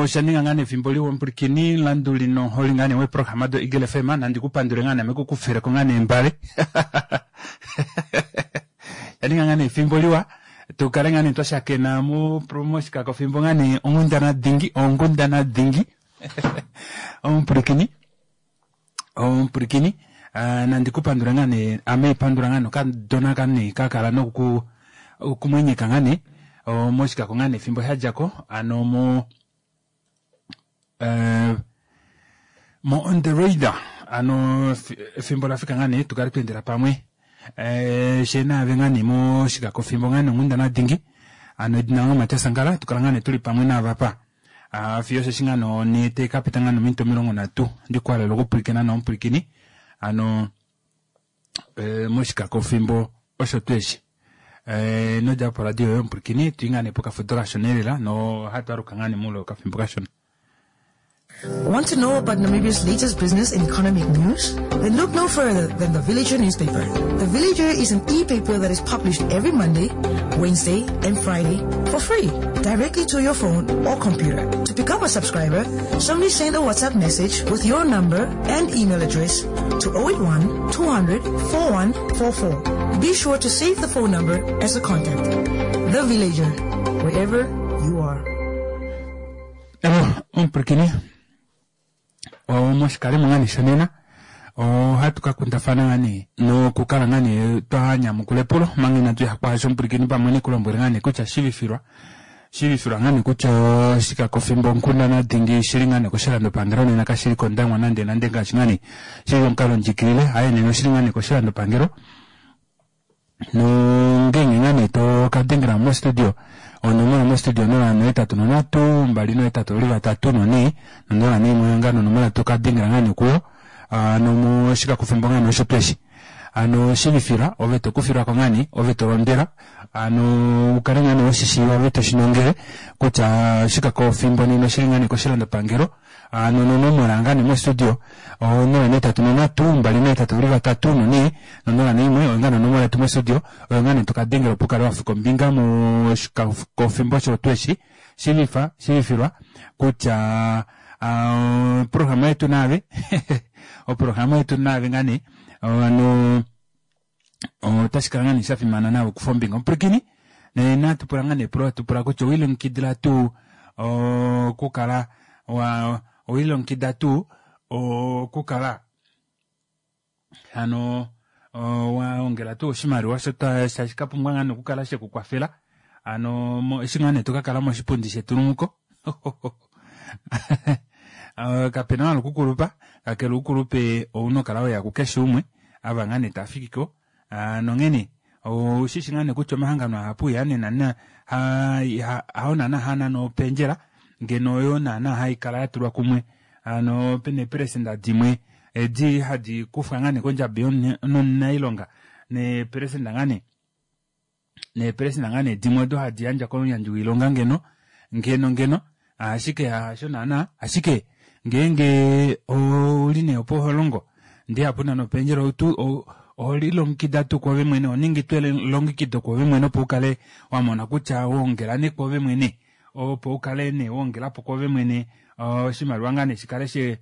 Osha ninga ngaa nee efimbo liwa omupwilikini landuli noholi ngaa nee weeprograma do Eagle FM nandi ku pandule ngaa nee ame ku kufeleko ngaa nee mbale. Sha ninga ngaa nee efimbo liwa tu kale ngaa nee twa shakena mo moshikako fimbo ngaa nee onghundana dhingi onghundana dhingi omupwilikini omupwilikini ah, nandi ku pandula ngaa nee ame pandula ngaa nokadona ka nee ka kala noku okumwenyeka ngaa nee oh, moshikako ngaa nee efimbo sha dja ko ano mo eh, mo on the radar ano efimbo la fika ngaa nee tu kale twa endela pamwe eh, she naave ngaa nee moshikako fimbo ngaa nee onghundana dingi ano edina lange Matias Sankala tu kala ngaa nee tuli pamwe naavapa Ah, fiyo osheshi ngaa nonhee tai ka pita ngaa nominute 30 ndikuhalela okupwilikina nomupwilikini ano eh, moshikako fimbo osho tuu eshi eh, nodja poradio yoye omupwilikini tui ngaa nee pokafudo kashona elela nohatu aluka ngaa nee moule wokafimbo kashona. Want to know about Namibia's latest business and economic news? Then look no further than the Villager newspaper. The Villager is an e-paper that is published every Monday, Wednesday, and Friday for free, directly to your phone or computer. To become a subscriber, simply send a WhatsApp message with your number and email address to 081 200 4144. Be sure to save the phone number as a contact. The Villager, wherever you are. Evo, omupwilikini omoshikalimo ngaa nee shonena ohatu ka kundafana ngaa nee nokukala ngaa nee twa nyamukula epulo manga inatu ya kwaasho omupwilikini pamwe nekulombwele ngaa nee kutya shivifilwa shivifilwa ngaa nee kutya oshikakofimbo onkundana dhingi shili ngaa nee koshilandopangelo nena kashili kOndangwa nande nande ngaashi ngaa nee shili omukalo ndjikilile haye nena oshili ngaa nee koshilandopangelo nongenge ngaa nee to ka dengela mostudio onomola mostudio 083 283 4 no 01 ngaa nonomola to ka dengela ngaa nee kuyo ano moshikakofimbo ngaa nee osho tuu eshi ano shivifila ove to kufilwako ngaa nee ove to londwela ano ukale ngaa nee weshishiiva ove to shinongele kutya oshikakofimbo nena oshili ngaa nee koshilandopangelo ano nonomola ngaa nee mostudio 083 283 4 no 01 oyo ngaa nonomola yetu mostudio oyo ngaa nee toka dengela opo ukale wafika ombinga moshikakofimbo osho tuu eshi shivifa shivifilwa kutya oprograma yetu naave oprograma yetu naave ngaa nee ano otashi kala ngaa nee sha fimana naave okufa ombinga omupwilikini nena tupula ngaa nee epulo tupula kutya owilongekidila tuu okukala wa owilongekida tuu okukala hano wa ongela tuu oshimaliwa sho tashi ka pumbwa ngaa nee okukala sheku kwafela ano eshi ngaa nee to ka kala moshipundi shetulumuko kapena wala okukulupa kakele oukulupe ouna okukala weya kukeshe umwe ava ngaa nee taafikiko nonghene oushishi ngaa nee kutya omahangano ahapu iha nena hao naana haanana opendjela ngeno oyo naana haikala yatulwa kumwe hano pena eepelesenda dimwe edi hadi kufwa ngaa nee kondjabi yomunailonga neepelesenda ngaa nee neepelesenda ngaa nee dimwe odo hadi yandjwa komuyandji woilonga ngeno ngeno ngeno ashike hasho naana ashike ngeenge ouli nee opo ho longo ndee hapuna nopendjela outu oho lilongekida tuu kwoove mwene oho ningi tuu elongekido kwoove mwene opo ukale wa mona kutya wongela nee kwoove mwene opo ukale nee wongelapo kwoove mwene oshimaliwa ngaa nee shikale she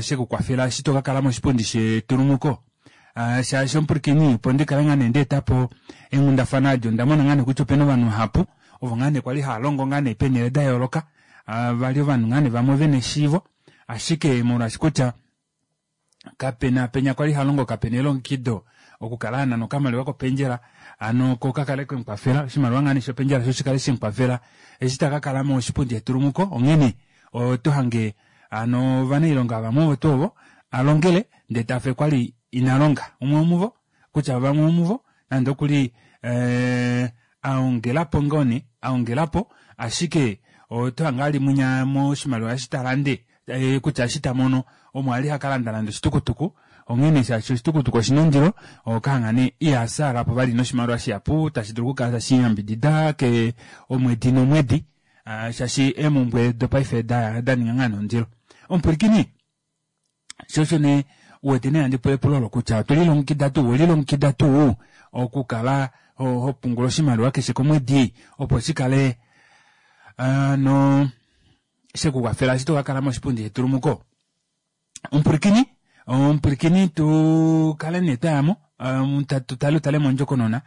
shekukwafela eshi to ka kala moshipundi shetulumuko shaashi omupwilikini opo ndi kale ngaa nee ndeetapo eenghundafana adi onda mona ngaa nee kutya opena ovanhu vahapu ovo ngaa nee kwali hava longo ngaa nee peenhele da yooloka vali ovanhu ngaa nee vamwe vena eshiivo ashike molwaashi kutya kapena penya kwali ha longo kapena elongekido okukala a nana okamaliwa kopendjela ano ko kakale kemukwafela oshimaliwa ngaa nee shopendjela sho shikale shemukwafela eshi ta ka kala moshipundi shetulumuko onghene oto hange ano ovanailonga vamwe ovo tuu ovo a longele ndee tafe kwali ina longa umwe womuvo kutya vamwe womuvo nande okuli eh, a ongelapo ngoo nee a ongelapo ashike oto hange ali mwinya moshimaliwa eshi ta lande eh, kutya eshi ta mono omo ali ha ka landa nande oshitukutuku onghene shaashi oshitukutuku oshina ondilo okahanga nee iha saalapo vali noshimaliwa shihapu tashi dulu okukala tashi yambidida ke omwedi nomwedi ah, shaashi eemumbwe dopaife da da ninga ngaa nondilo omupwilikini sho osho nee u wete nee handi pula epulo olo kutya otwe lilongekida tuu owe lilongekida tuu okukala ho, ho pungula oshimaliwa keshe komwedi opo shi kale ano Shekukwafela eshi tokakala moshipundi shetulumuko. Omupwilikini, omupwilikini tu kale nee twayamo tu tale utale mondjokonona.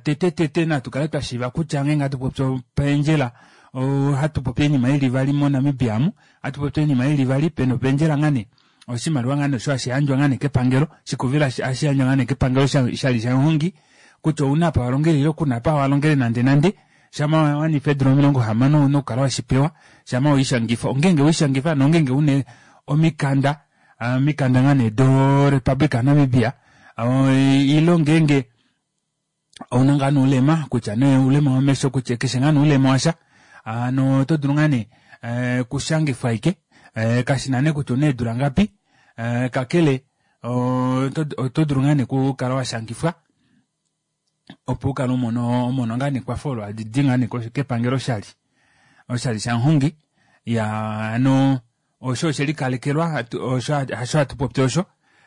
Tete tete natu kale twa shiiva kutya ngeenge hatu popi opendjela ohatu popi oinima ili ivali moNamibia amu, ohatu popi oinima ili ivali, pena opendjela ngaa nee oshimaliwa ngaa nee osho hashi yandjwa ngaa nee kepangelo, shikuvila hashi yandjwa ngaa nee kepangelo shali shamuhongi kutya ouna apa walongele ile kuna apa walongele nande nande. Shama wa wanifa eedula 60 ouna okukala weshipewa shama weishangifa, ongeenge weishangifa nongeenge una omikanda omikanda ngaa nee do Republic yaNamibia ile ngeenge ouna ngaa nee oulema kutya nee oulema womesho kutya keshe ngaa nee oulema washa hano oto dulu ngaa nee okushangifwa ashike kashina nee kutya ouna eedula ngapi kakele oto dulu ngaa nee okukala washangifwa opo ukale umone omono ngaa nekwafo olo hali di ngaa nee kepangelo oshali oshali shamuhongi ya hano osho oshelikalekelwa osho hasho hatu popi osho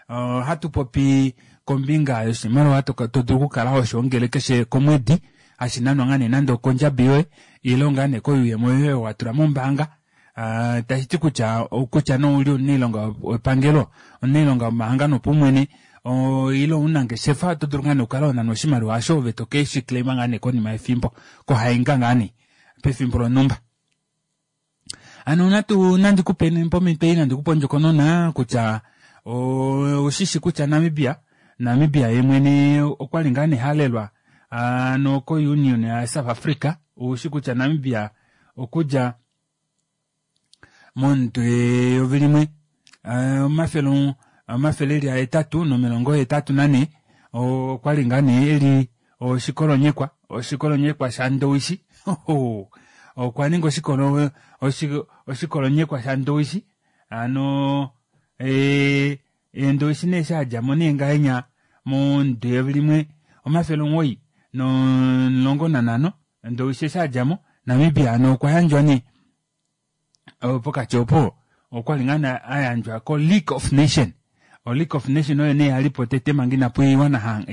ohatu popi kombinga yoshimaliwa to dulu okukala hoshoongele keshe komwedi hashi nanwa ngaa nee nande okondjabi yoye ile ngaa nee koyuuyemo yoye wa tula mombaanga tashi ti kutya kutya nee ouli omunailonga wepangelo, omunailonga womahangano opaumwene ile omunangeshefa oto dulu ngaa nee okukala ho nanwa oshimaliwa osho ove to ke shi claima ngaa nee konima yefimbo kohainga ngaa nee pefimbo lonhumba. Hano natu nandi kupe pomhito ei nandi kupe ondjokonona kutya oushishi kutya Namibia Namibia ye mwene okwali ngaa nee halelwa ano ko Union ya South Africa oushi kutya Namibia okudja momudo 1884 okwa li ngaa nee eli oshikolonyekwa oshikolonyekwa shaNdowishi okwa ninga oshikolo oshikolonyekwa shaNdowishi hano Eendowishi nee eshi a dja mo nee ngahenya momudo 1915 Ndowishi eshi a dja mo, Namibia hano okwa yandjwa nee pokati opo okwali ngaa nee a yandjwa ko League of Nation. O League of Nation oyo nee yali po tete manga inapu iwana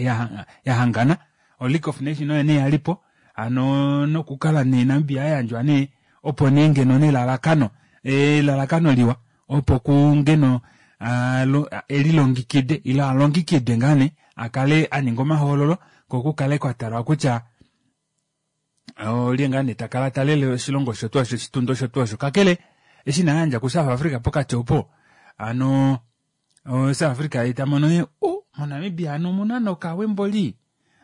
ya hangana. O League of Nation oyo nee yali po hano nokukala nee Namibia a yandjwa nee opo nee ngeno nelalakano elalakano liwa opo ku ngeno elilongikide ile a longikidwe ngaa nee a kale a ninga omahoololo ko ku kale kwa talwa kutya olye ngaa nee ta kala ta lele oshilongo osho tuu osho oshitunda osho tuu osho kakele eshi na yandja kuSouth Africa pokati opo hano South Africa ye ta mono ye o moNamibia hano omuna nokawe mboli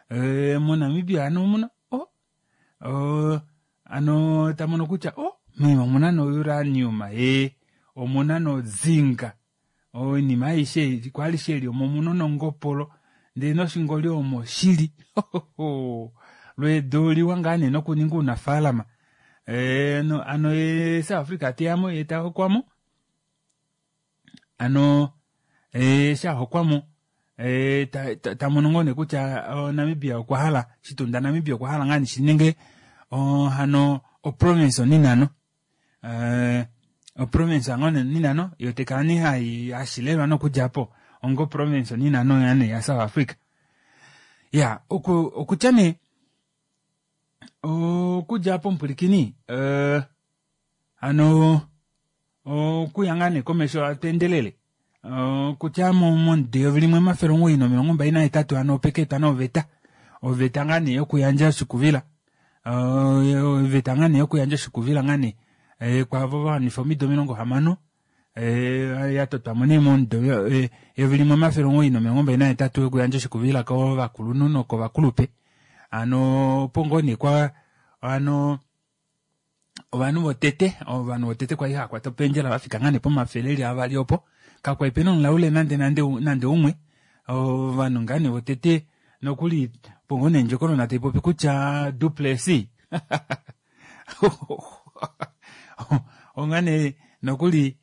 e, moNamibia hano omuna o hano ta mono kutya o meme omuna nouranium ye omuna nozinga Oinima aishe ei kwali sheli omo muno nongopolo ndele noshingoli omo shili. Lweedo oliwa ngaa nee nokuninga uunafaalama. Eh, ano ye South Africa teya mo ye ta hokwa mo. Ano eh, sha hokwa mo eh, ta, ta, ta mono ngoo nee kutya oh, Namibia okwa hala shitunda Namibia okwa hala ngaa nee shi ninge oh, hano oprovince oninano. Eh, oprovince yango ninano yo tekala nee hai hashilelwa nokudja po onga oprovince oninano yane ya South Africa. Ya, oku okutya nee okudja po omupwilikini eh, hano okuya ngaa nee komesho atu endelele okutya momudo 1928 hano opeka etwa noveta oveta ngaa nee yokuyandja oshikuvila oveta ngaa nee yokuyandja oshikuvila ngaa nee kwaavo va wanifa omido 60 ya totwa mo nee momudo 1928 yokuyandja oshikuvila kovakulunhu nokovakulupe hano opo ngoo nee kwa hano ovanhu votete ovanhu votete kwali hava kwata opendjela vafika ngaa nee pomafele eli avali opo kakwali pena omulaule nande nande nande umwe ovanhu ngaa nee votete nokuli opo ngoo nee ndjokonona taipopi kutya Du Plessis onga nee nokuli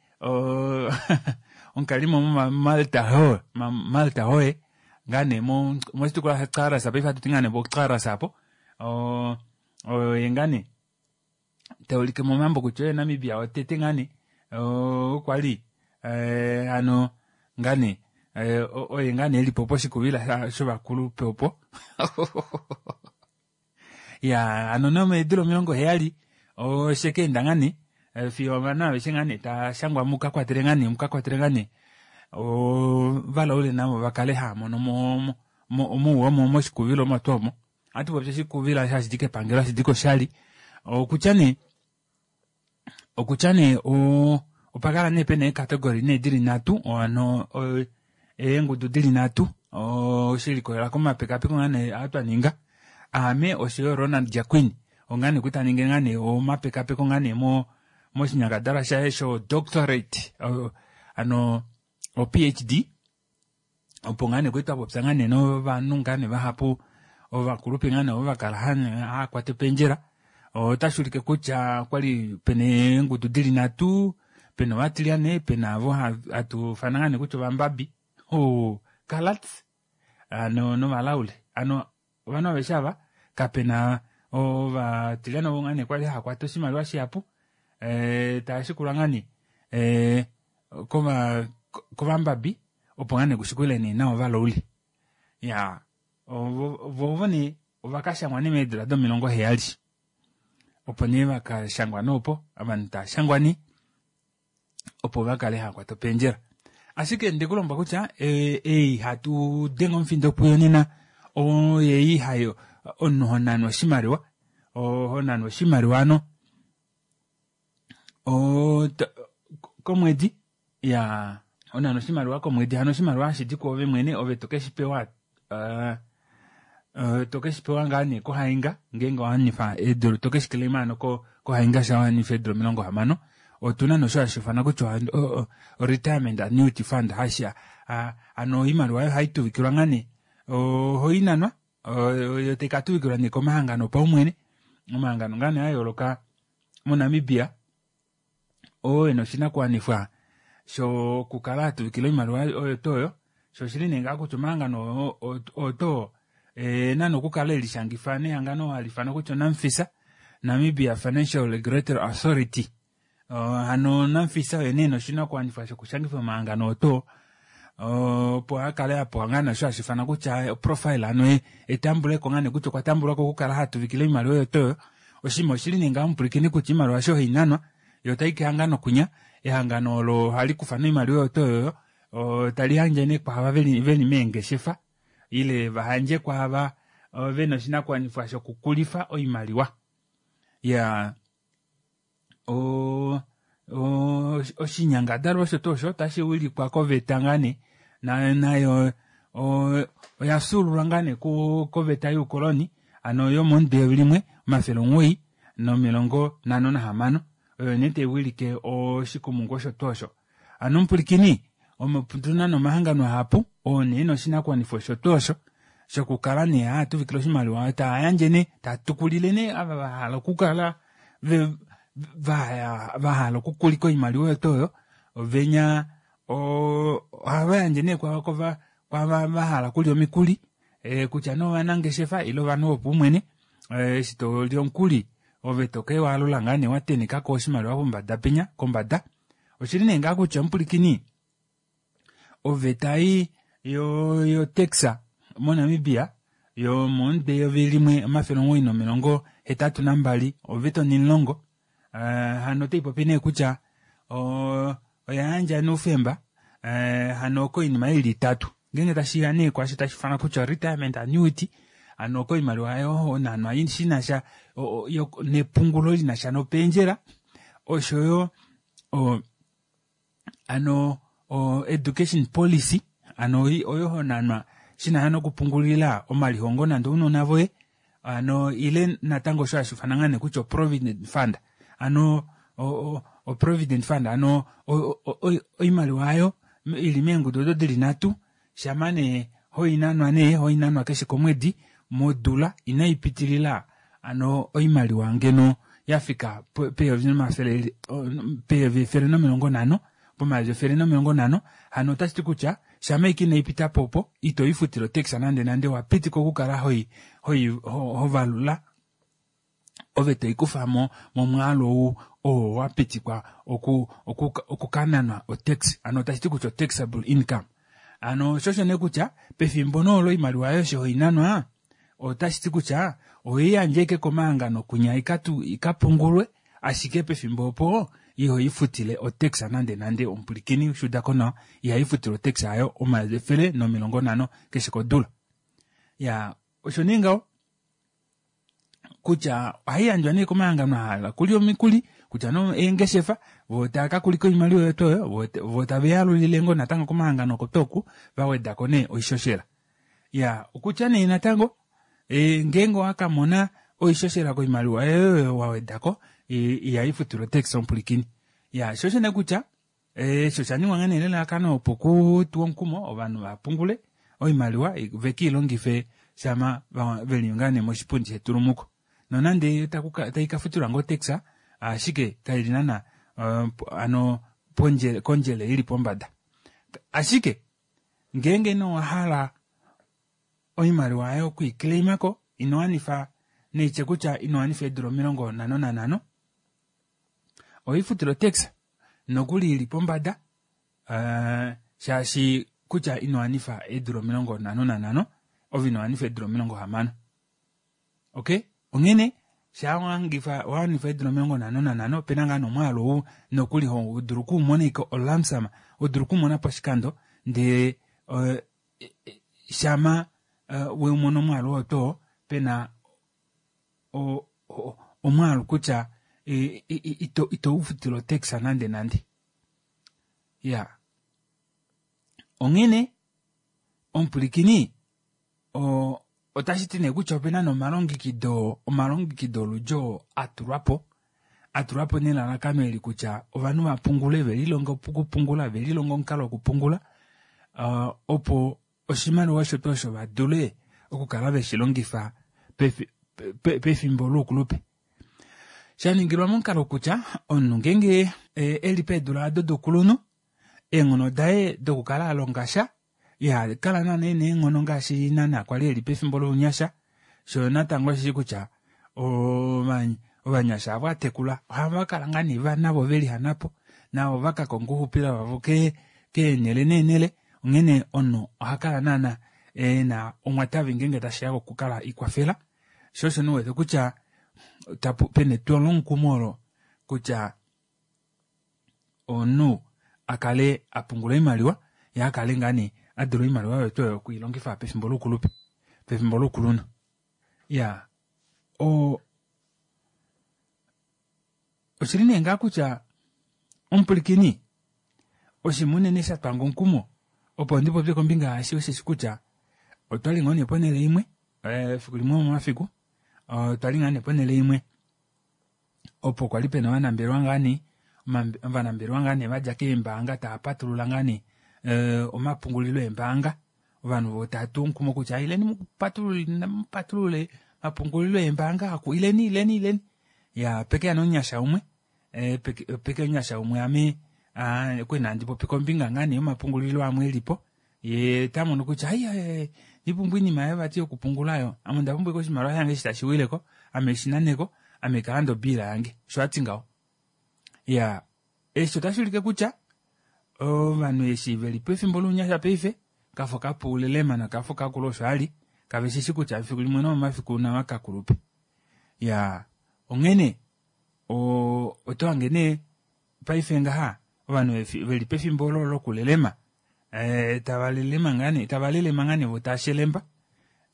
omukalimo moMalta hoe Malta hoe ngaa nee moshitukulwa shaCaras paife hatu ti ngaa nee poCaras apo oye ngaa nee ta ulike momambo kutya oye Namibia wotete ngaa nee okwa li eh, hano ngaa nee eh, oye ngaa nee elipo poshikuvila shovakulupe opo ya hano nomeedula 70 oshe keenda ngaa nee Fiyo ovanhu aveshe ngaa nee tashangwa mukakwatele ngaa nee mukakwatele ngaa nee ovalaule navo vakale haamono mouwa omo moshikuvilo omo tuu omo. Ohatu popi oshikuvilo hashidi kepangelo hashidi koshali. Okutya nee okutya nee opakala nee pena eecategory nee dili nhatu hano eengudu dili nhatu shelikolela komapekapeko ngaa nee aa twaninga aame oshoyo Ronald Jacquin oo ngaa nee kwali taningi ngaa nee omapekapeko ngaa nee moshinyangadalwa shaye sho doctorate hano o PhD opo ngaa nee kwali twapopya ngaa nee novanhu ngaa nee vahapu ovakulupe ngaa nee ovo vakala haakwata opendjela. Otashuulike kutya okwali pena eengudu dili nhatu, pena ovatilyane, pena ovo hatuufana ngaa nee kutya ovambabi coloureds hano novalaule. Hano ovanhu aveshe ava kapena ovatilyane ovo ngaa nee kwali haakwata oshimaliwa shihapu taashikulwa ngaa nee kovambabi opo ngaa nee kushikule nee nawa ovalaule. Iyaa voo ovo nee ovakashangwa nee meedula domilongo heyali opo nee vakashangwa nee opo ovanhu taashangwa nee opo vakale haakwata opendjela. Ashike ndekulombwela kutya ei hatu denge omufindo puyo nena oyei hayo omunhu honanwa oshimaliwa honanwa oshimaliwa hano komwedi iyaa honanwa oshimaliwa komwedi hano oshimaliwa hashidi kwoove mwene ove tokeshipewa tokeshipewa ngaa nee kohainga ngeenge owanifa eedula tokeshiclaima hano kohainga sha wanifa eedula 60. Otuna nosho hashiifanwa kutya o retirement annuity fund hashi hano oimaliwa oyo haituvikilwa ngaa nee ohoinanwa yo taikatuvikilwa nee komahangano opaumwene omahangano ngaa nee ayooloka moNamibia oo ena oshinakuwanifwa shokukala atuvikila oimaliwa oyo tuu oyo sho oshili nee ngaha kutya omahangano oo ena nokukala elishangifa nehangano haliifanwa kutya oNamfisa Namibia Financial Regulatory Authority. Hano Namfisa oye nee ena oshinakuwanifwa shokushangifa omahangano oo tuu opo akale apewa ngaa naasho hashiifanwa kutya oprofile hano etambuleko ngaa nee kutya okwa tambulwako okukala hatuvikile oimaliwa oyo tuu oyo. Oshinima oshili nee ngaho omupwilikini kutya oimaliwa eshi ohainanwa yo otaiki kehangano kwinya ehangano olo ohali kufa nee oimaliwa oyo tuu oyo tali yandje nee kwaava veli meengeshefa ile vayandje kwaava vena oshinakuwanifwa shokukulifa oimaliwa. Iyaa oshinyangadalwa osho tuu osho otashi wilikwa koveta ngaa nee nayo oya fyuululwa ngaa nee koveta youkoloni hano yomomudo 1956 oyo nee taiwilike oshikumungu osho tuu osho. Hano omupwilikini otuna nee omahangano ahapu oo nee ena oshinakuwanifwa osho tuu osho shokukala nee haatuvikile oshimaliwa taayandje nee taatukulile nee ava vahala okukala vahala okukulika oimaliwa oyo tuu oyo venya ohava yandje nee kwaava vahala okulya omikuli kutya nee ovanangeshefa ile ovanhu vopaumwene eshi toli omukuli ove tokewaalula ngaa nee watenekako oshimaliwa pombada penya kombada. Oshili nee ngaha kutya omupwilikini oveta ei yotax moNamibia yomomudo 1982 oveta 10 hano otaipopi nee kutya oya yandja noufemba hano koinima ili itatu ngeenge tashiya nee kwaasho tashiifanwa kutya retirement annuity hano koimaliwa oyo honanwa shinasha nepungulo linasha nopendjela oshoyo hano education policy hano oyo honanwa shinasha nokupungulila omalihongo nande ounona voye hano ile natango osho hashiifanwa ngaa nee kutya oprovident fund hano oprovident fund hano oimaliwa ayo ili meengudu odo dili nhatu shama nee hoinanwa nee hoinanwa keshe komwedi modula inaipitilila hano oimaliwa ngeno yafika pe-150 pomayovi 150 hano otashiti kutya shama ashike inaipitapo opo ito ifutile otax nande nande owapitikwa okukala hovalula ove toikufa momwaalu ou oo wapitikwa okukananwa otax hano otashiti kutya otaxable income. Hano shosho nee kutya pefimbo nee olo oimaliwa yoye eshi hoinanwa otashiti kutya ohoiyandje ashike komahangano kwinya ikapungulwe ashike pefimbo opo Iho ifutile otax nande nande omupulikini ushuudako nawa iha ifutile otax ayo 150 keshe kodula. Ya osho nee ngaho kutya ohaiyandjwa nee komahangano ahala kulya omikuli kutya no eengeshefa voo tava kakulika oimaliwa yetu oyo voo tave yalulile ngoo natango komahangano oko toku vawedako nee oishoshela. Ya okutya nee natango ngeenge owakamona oishoshela koimaliwa oyo wawedako ihaifutilwa otax omupulikini. Ya sho osho nee kutya osho oshaningwa ngaa nee nelalakano opo kutuwe omukumo ovanhu vapungule oimaliwa vekiilongife shama veli ngaa nee moshipundi shetulumuko. Nonande taikafutilwa ngoo otax ashike kaili naana hano kondjele ili pombada. Ashike ngeenge nee owahala oimaliwa yoye okwiiclaimako inowanifa neitye kutya inowanifa eedula 55 ohaifutile otax nokuli ili pombada shaashi kutya inowanifa eedula 55 ove inowanifa eedula 60. Okay, onghene shaa wanifa eedula 55 opena ngaa nomwaalu ou nokuli hodulu okuumona ashike olamsam hodulu okumona poshikando ndee shama weumona omwaalu oo too pena omwaalu kutya ito ufutile otax nande nande. Ya onghene omupulikini otashiti nee kutya opena nomalongekido omalongekido oludji oo atulwapo atulwapo nelalakano eli kutya ovanhu vapungule velilonge okupungula velilonge omukalo wokupungula opo oshimaliwa osho tuu osho vadule okukala veshilongifa pefimbo loukulupe. Shaningilwa momukalo kutya omunhu ngeenge eli peedula ado doukulunhu eenghono daye dokukala alongasha iha kala naana ena eenghono ngaashi naana kwali eli pefimbo lounyasha shoo natango oshishi kutya ovanyasha avo atekula ohava kala ngaa nee navo velihanapo navo vakakonga ouxupilo wavo keenhele neenhele onghene omunhu ohakala naana ena omwatavi ngeenge tashiya kokukala ikwafela sho osho nee uwete kutya pena etwomukumo olo kutya omunhu akale apungula oimaliwa yee akale ngaa nee adula oimaliwa oyo tuu oyo okwiilongifa pefimbo loukulupe pefimbo loukulunhu. Iyaa oshili nee ngaa kutya omupulikini oshinima unene shatwanga omukumo opo ndipopye kombinga yaashi osheshi kutya otwali ngoo nee ponele imwe efiku limwe lomomafiku otwali ngaa nee ponele imwe opo kwali pena ovanambelewa ngaa nee ovanambelewa ngaa nee vadja keembaanga tava patulula ngaa nee omapungulilo eembaanga ovanhu vo tava tu omukumo kutya ileni mupatulule omapungulilo eembaanga aku ileni ileni ileni. Ya pekeya nee omunyasha umwe pekeya omunyasha umwe ame okwali nee handi popi kombinga ngaa nee yomapungulilo amwe elipo yee tamono kutya ai ndipumbwa oinima yoye vati yokupungula oyo ame onda pumbwa ashike oshimaliwa shange eshi tashi wileko ame shinaneko ame kalande obiila yange osho ati ngaho. Ya eshi otashuulike kutya ovanhu eshi veli pefimbo lounyasha paife kafo kapu lelema nokafo kakula osho ali kaveshishi kutya efiku limwe nomomafiku nava kakulupe. Ya onghene oto hange nee paife ngaha ovanhu veli pefimbo olo lokulelema tava lelema ngaa nee tava lelema ngaa nee vo tava shelemba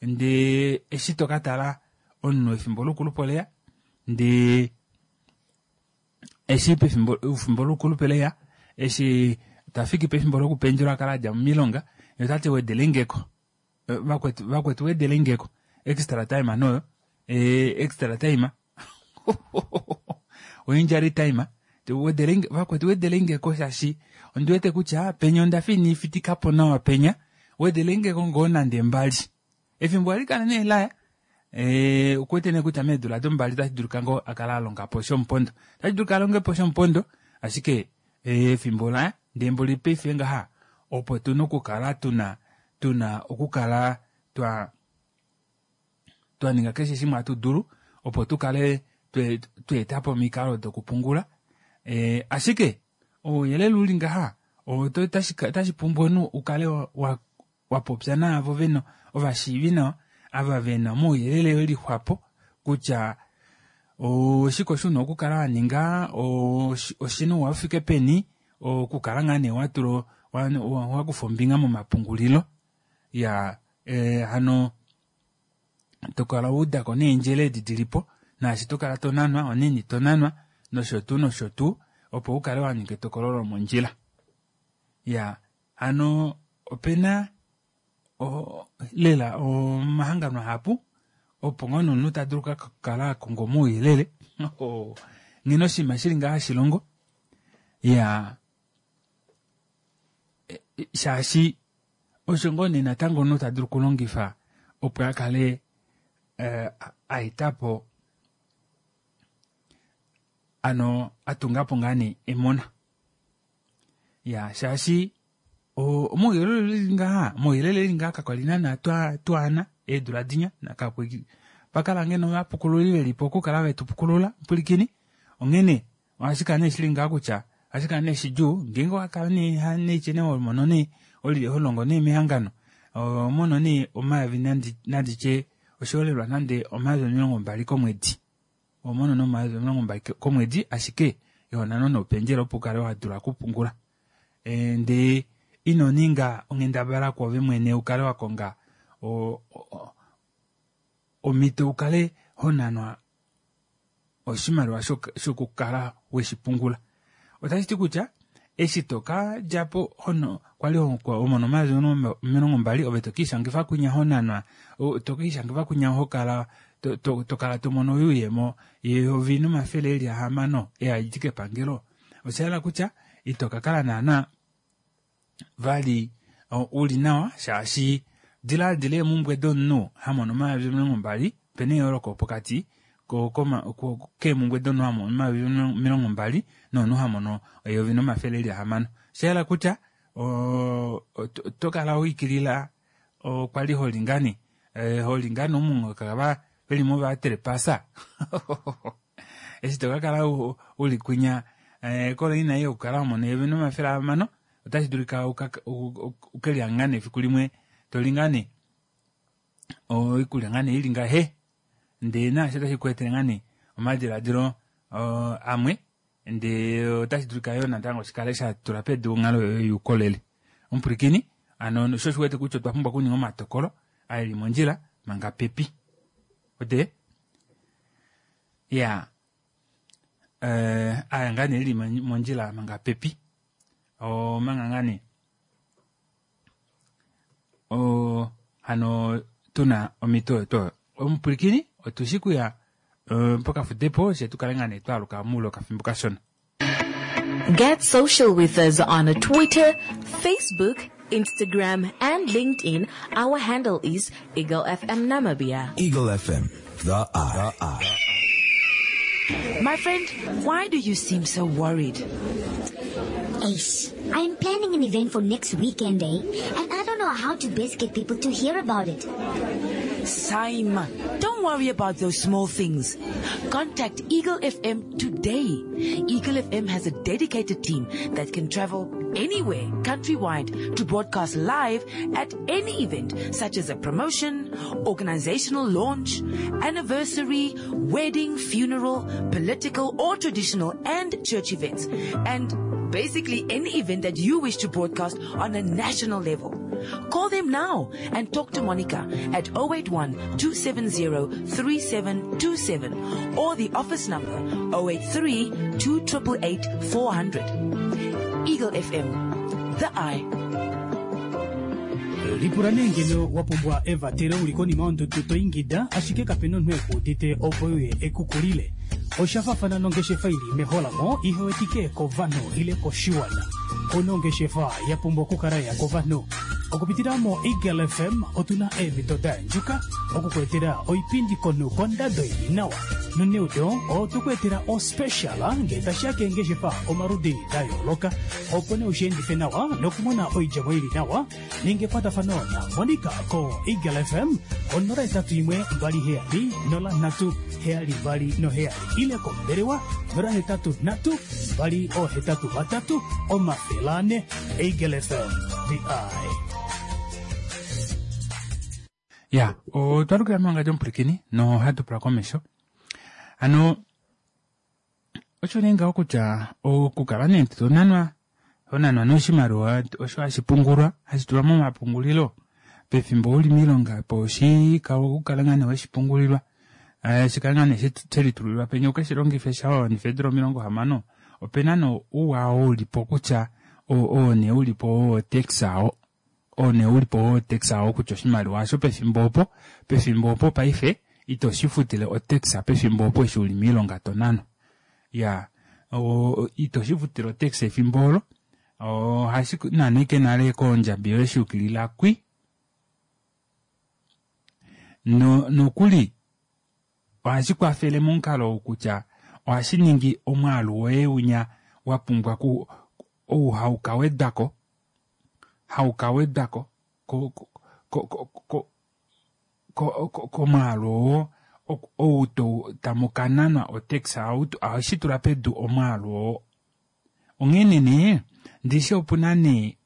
ndee eshi tokatala omunhu efimbo loukulupe oleya ndee eshi pefimbo efimbo loukulupe leya eshi tafiki pefimbo lokupendjelwa akala adja moilonga yee otati wedelengeko vakwetu vakwetu wedelengeko extra time noyo extra time oinjury time vakwetu wedelengeko shaashi ondiwete kutya penya ondafa inifitikapo nawa penya wedelengeko ngoo nande mbali. Efimbo ohali kala nee laya okuwete nee kutya meedula dombali otashi dulika ngoo akale alongapo shomupondo otashi dulika alongepo shomupondo ashike efimbo laya ndee mboli paife ngaha opo tuna okukala tuna tuna okukala twa twaninga keshe shimwe hatu dulu opo tukale tweetapo omikalo dokupungula ashike ouyelele uli ngaha otashi pumbwa omunhu ukale wapopya naavo vena ovashiivi nawa ava vena omauyelele elixwapo kutya Oshike osho una okukala waninga oshina ouwa ufike peni okukala ngaa nee watula wakufa ombinga momapungulilo iyaa hano tokala waudako neendjele edi dilipo naashi tokala tonanwa onaini tonanwa nosho tuu nosho tuu opo ukale waninga etokolo lomondjila iyaa hano opena lela omahangano ahapu opo ngoo nee omunhu tadulu okukala akonga omauyelele nghene oshinima shili ngaha hashilongo iyaa shaashi osho ngoo nee natango omunhu tadulu okulongifa opo akale aetapo ano atungapo ngaa nee emona ya shaashi omauyelele eli ngaha omauyelele eli ngaha kakwali naana twaana eedula dinya pakala ngeno ovapukululi velipo okukala vetupukulula pwilikini onghene ohashi kala nee shili ngaha kutya ohashi kala nee shidjuu ngeenge owakala nee neitye nee homono nee holongo nee mehangano ohomono nee omayovi nanditye oshiholelwa nande omayovi 20 komwedi ohomono nee omayovi 20 komwedi ashike iho nanwa noupendjela opo ukale wadula okupungula ndee ino ninga onghendabala kwoove mwene ukale wakonga omhito ukale honanwa oshimaliwa shokukala weshipungula otashi ti kutya eshi toka djapo hono kwali homono omayovi 20 ove tokiishangifa kwinya honanwa tokiishangifa kwinya hokala tokala tomono oyuuyemo yeyovi nomafele eli ahamano ei haidi kepangelo oshahala kutya ito kakala naana vali uli nawa shaashi dilaadila eemumbwe domunhu hamono omayovi 20 opena eyooloko pokati keemumbwe domunhu hamono omayovi 20 nomunhu hamono eyovi nomafele eli ahamano oshahala kutya otokala wiikilila okwali holi ngaa nee holi ngaa nee omunghoka veli movatrepasa eshi tokakala uli kwinya kolaina ei yokukala wamona eyovi nomafele ahamano otashi dulika ukelihanga ngaa nee efiku limwe toli ngaa nee oikulya ngaa nee ili ngahe ndee naasho otashi ku etele ngaa nee omadilaadilo amwe ndee otashi dulika yoo natango shikale shatula pedu onghalo yoye youkolele omupwilikini hano sho oshiwete kutya otwa pumbwa okuninga omatokolo aeli mondjila manga pepi ode ya aya ngaa nee eli mondjila manga pepi omanga ngaa nee hano tuna omhito oyo tuu oyo omupwilikini otushi kuya pokafudepo fye tukale ngaa nee twaaluka moule wokafimbo kashona Get social with us on Twitter, Facebook, Instagram, and LinkedIn. Our handle is Eagle FM Namibia. Eagle FM, the eye. The eye. My friend, why do you seem so worried? Ace, I am planning an event for next weekend, eh? And I don't know how to best get people to hear about it. Simon, don't worry about those small things. Contact Eagle FM today. Eagle FM has a dedicated team that can travel anywhere countrywide to broadcast live at any event, such as a promotion, organizational launch, anniversary, wedding, funeral, political or traditional and church events, and basically any event that you wish to broadcast on a national level. Call them now and talk to Monica at 081 270 3727 or the office number 083 2888 400. Eagle FM, the eye. Lipula nee ngeno wa pumbwa evatelo uli konima yondudu to ingida ashike kape na omunhu e ku udite opo uye e ku kulile. Osha faafana nongeshefa ili meholamo ihe wetike kovanhu ile koshiwana. Ouna ongeshefa ya pumbwa okukala ya kovanhu. Okupitila moEagle FM otuna eemhito da yandjuka oku ku etela oipindi komunhu kondado ili nawa. Noneudo otwe ku etela ospecial ngee tashi ya keengeshefa omaludi da yooloka. Opo nee ushi endife nawa nokumona oidjemo ili nawa, ninga ekwatafano na Monica ko Eagle FM ko 081 27 03 72 7 ile kombelewa 083 283 400. Eagle FM, the eye. Ya, otwa lukila mewangandjo omupwilikini nohatu pula komesho. Hano Osho nee ngaho kutya okukala nee tonanwa honanwa nee oshimaliwa osho hashi pungulwa hashi tulwa momapungulilo pefimbo uli miilonga opo shi kale ngaa nee weshi pungulilwa shi kale ngaa nee shelitulilwa penya ukeshi longife sha wawanifa eedula 60 opena nee ouwa oo ulipo kutya oo nee ulipo wo tax oo oo nee ulipo wo tax oo kutya oshimaliwa osho pefimbo opo pefimbo opo paife ito shi futile otax pefimbo opo eshi uli miilonga tonanwa ya ito shi futile otax efimbo olo ohashi nanwa ike nale kondjabi yoye shuyukilila kwi nokuli ohashi kwafele momukalo ou kutya ohashi ningi omwaalu woye winya wa pumbwa ku ou haukawedwako haukawedwako komwaalu oo ou tamukananwa otax ohashi tula pedu omwaalu oo. Onghene nee ndishi opuna nee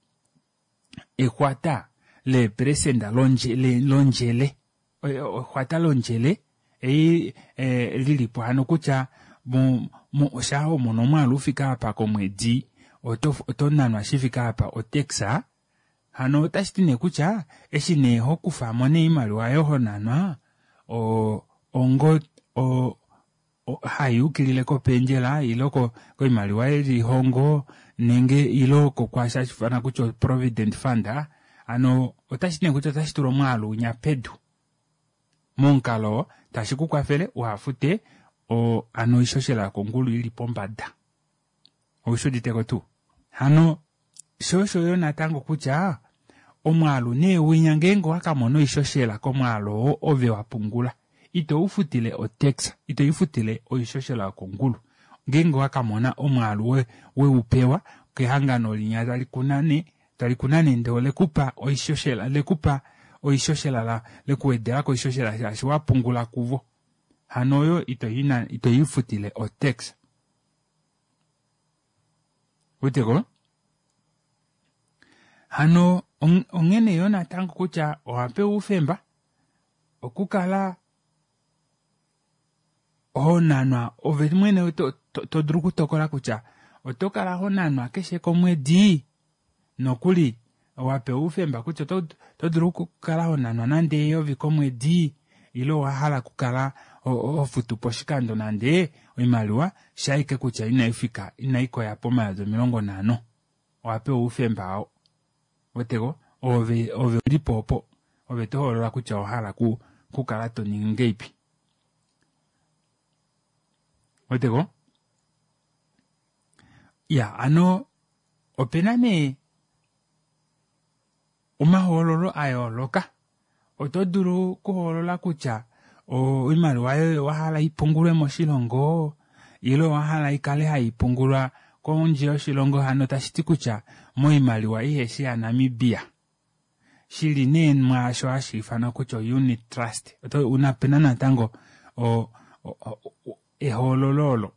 exwata leeperesenda londjele exwata londjele ei lilipo hano kutya shaa homono omwaalu ufike apa komwedi oto nanwa shifike apa otax hano otashiti nee kutya eshi nee hokufamo nee oimaliwa oyo honanwa ongo hayuukilile kopendjela ile koimaliwa yelihongo nenge ile kokwaashi hashifana kutya provident fund hano otashiti nee kutya otashi tula omwaalu unya pedu momukalo tashi kukwafele uhafute hano oishoshela yokongulu ili pombada oushuditeko tuu hano sho osho yo natango kutya omwaalu nee winya ngeenge owakamona oishoshela komwaalu oo ove wapungula ito ufutile otax ito ifutile oishoshela yokongulu ngeenge owakamona omwaalu weupewa kehangano linya talikunane ndee olekupa oishoshela lekupa oishoshela lekuwedelako oishoshela shaashi wapungula kuvo hano oyo ito ifutile otax weteko hano onghene yo natango kutya owapewa oufemba okukala honanwa ove mwene to dulu okutokola kutya oto kala honanwa keshe komwedi nokuli owapewa oufemba kutya oto dulu okukala honanwa nande 1000 komwedi ile owahala okukala hofutu poshikando nande oimaliwa shaike kutya inaifika inaikoya pomayovi 50 owapewa oufemba oo weteko ove ulipo opo ove tohoolola kutya owahala kukala toningi ngeipi weteko ya ano opena nee omahoololo ayooloka oto dulu okuhoolola kutya oimaliwa yoye owahala ipungulwe moshilongo ile owahala ikale haipungulwa kondje yoshilongo hano tashiti kutya moimaliwa iheshi yaNamibia shili nee mwaasho hashi ifanwa kutya unit trust unapena natango ehoololo olo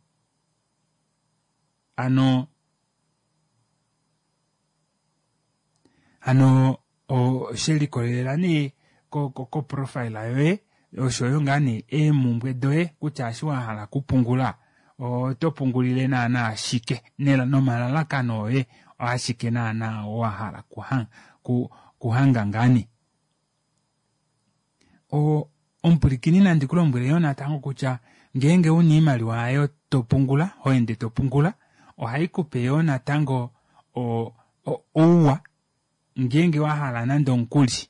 ano hano shelikolelela nee koprofile yoye oshoyo ngaa nee eemumbwe doye kutya eshi wahala okupungula oto pungulile naana ashike nomalalakano oye ashike naana wahala kuhanga ngaani. Omupulikini nandi kulombwele yoo natango kutya ngeenge una oimaliwa yayo topungula hoende topungula ohaikupe yoo natango ouwa ngeenge wahala nande omukuli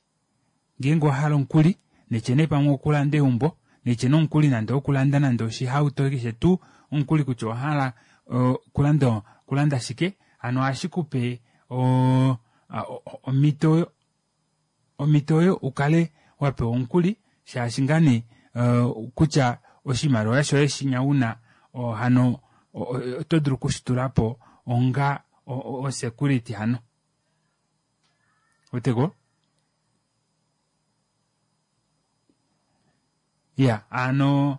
ngeenge owahala omukuli netye nee pamwe okulanda eumbo netye nee omukuli nande owokulanda nande oshihauto keshe tuu omukuli kutya owahala okulanda shike hano ohashikupe omhito oyo ukale wapewa omukuli shaashi ngaa nee kutya oshimaliwa shoye shinya una hano oto dulu okushitulapo onga osecurity hano weteko ya ano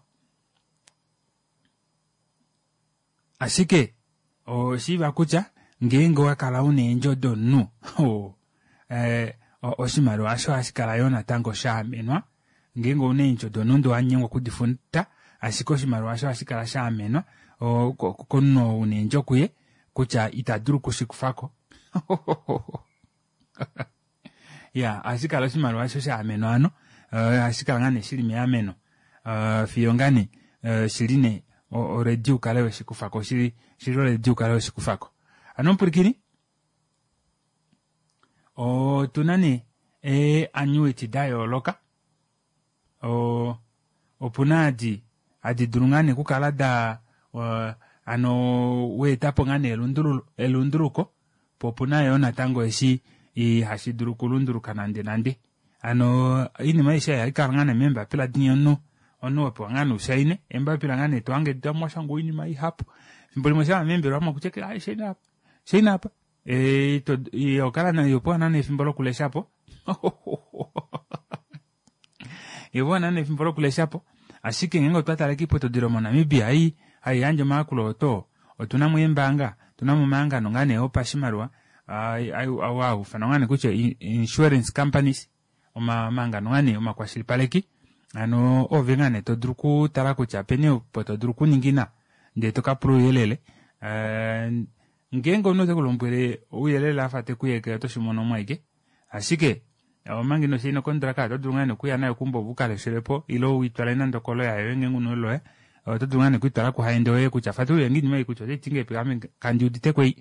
ashike oshiiva kutya ngeenge owakala una eendjo domunhu oshimaliwa osho ohashi kala yoo natango shaamenwa ngeenge ouna eendjo domunhu ndee owanyengwa okudifuta ashike oshimaliwa osho ohashi kala shaamenwa. komunhu oo una eendjo kuye kutya ita dulu okushikufako. Ya, ohashi kala oshimaliwa osho sha amenwa hano, ohashi kala ngaa nee shili meameno fiyo ngaa nee shili nee already ukale weshikufako, shili already ukale weshikufako. Hano omupwilikini, otuna nee ee annuity da yooloka, Opuna adi hadi dulu ngaa nee okukala da hano weetapo ngaa nee elunduluko po opuna yoo natango eshi ihashi dulu okulunduluka nande nande. Hano oinima aishe ei ohai kala ngaa nee meembapila dinya omunhu omunhu wapewa ngaa nee ushaine eembapila ngaa nee tohange mwashangwa oinima ihapu. Efimbo limwe shaa meembelewa omo kutya aaye shaina apa shaina apa ihopewa naana efimbo lokuleshapo Ihopewa naana efimbo lokuleshapo ashike ngeenge otwa tale koiputudilo moNamibia ei hai yandje omayakulo oto otuna mo eembaanga otuna mo omahangano ngaa nee opashimaliwa ou haa ufanwa ngaa nee kutya insurance companies omahangano ngaa nee omakwashilipaleki hano oove ngaa nee to dulu okutala kutya openi opo to dulu okuningina ndee to ka pula ouyelele Ngeenge omunhu ote ku lombwele ouyelele a fa te ku yeke oto shi mono mo ashike. Ashike, omanga ino shaina okondraka oto dulu ngaa nee okuya nayo keumbo ove u ka leshele po ile u i twale nande okoloya yoye ngeenge u na oloya. Oto dulu ngaa nee oku i twala kuhaende woye kutya fatulule nge oinima ei kutya otai ti ngahelipi ame kandi udite ko ei.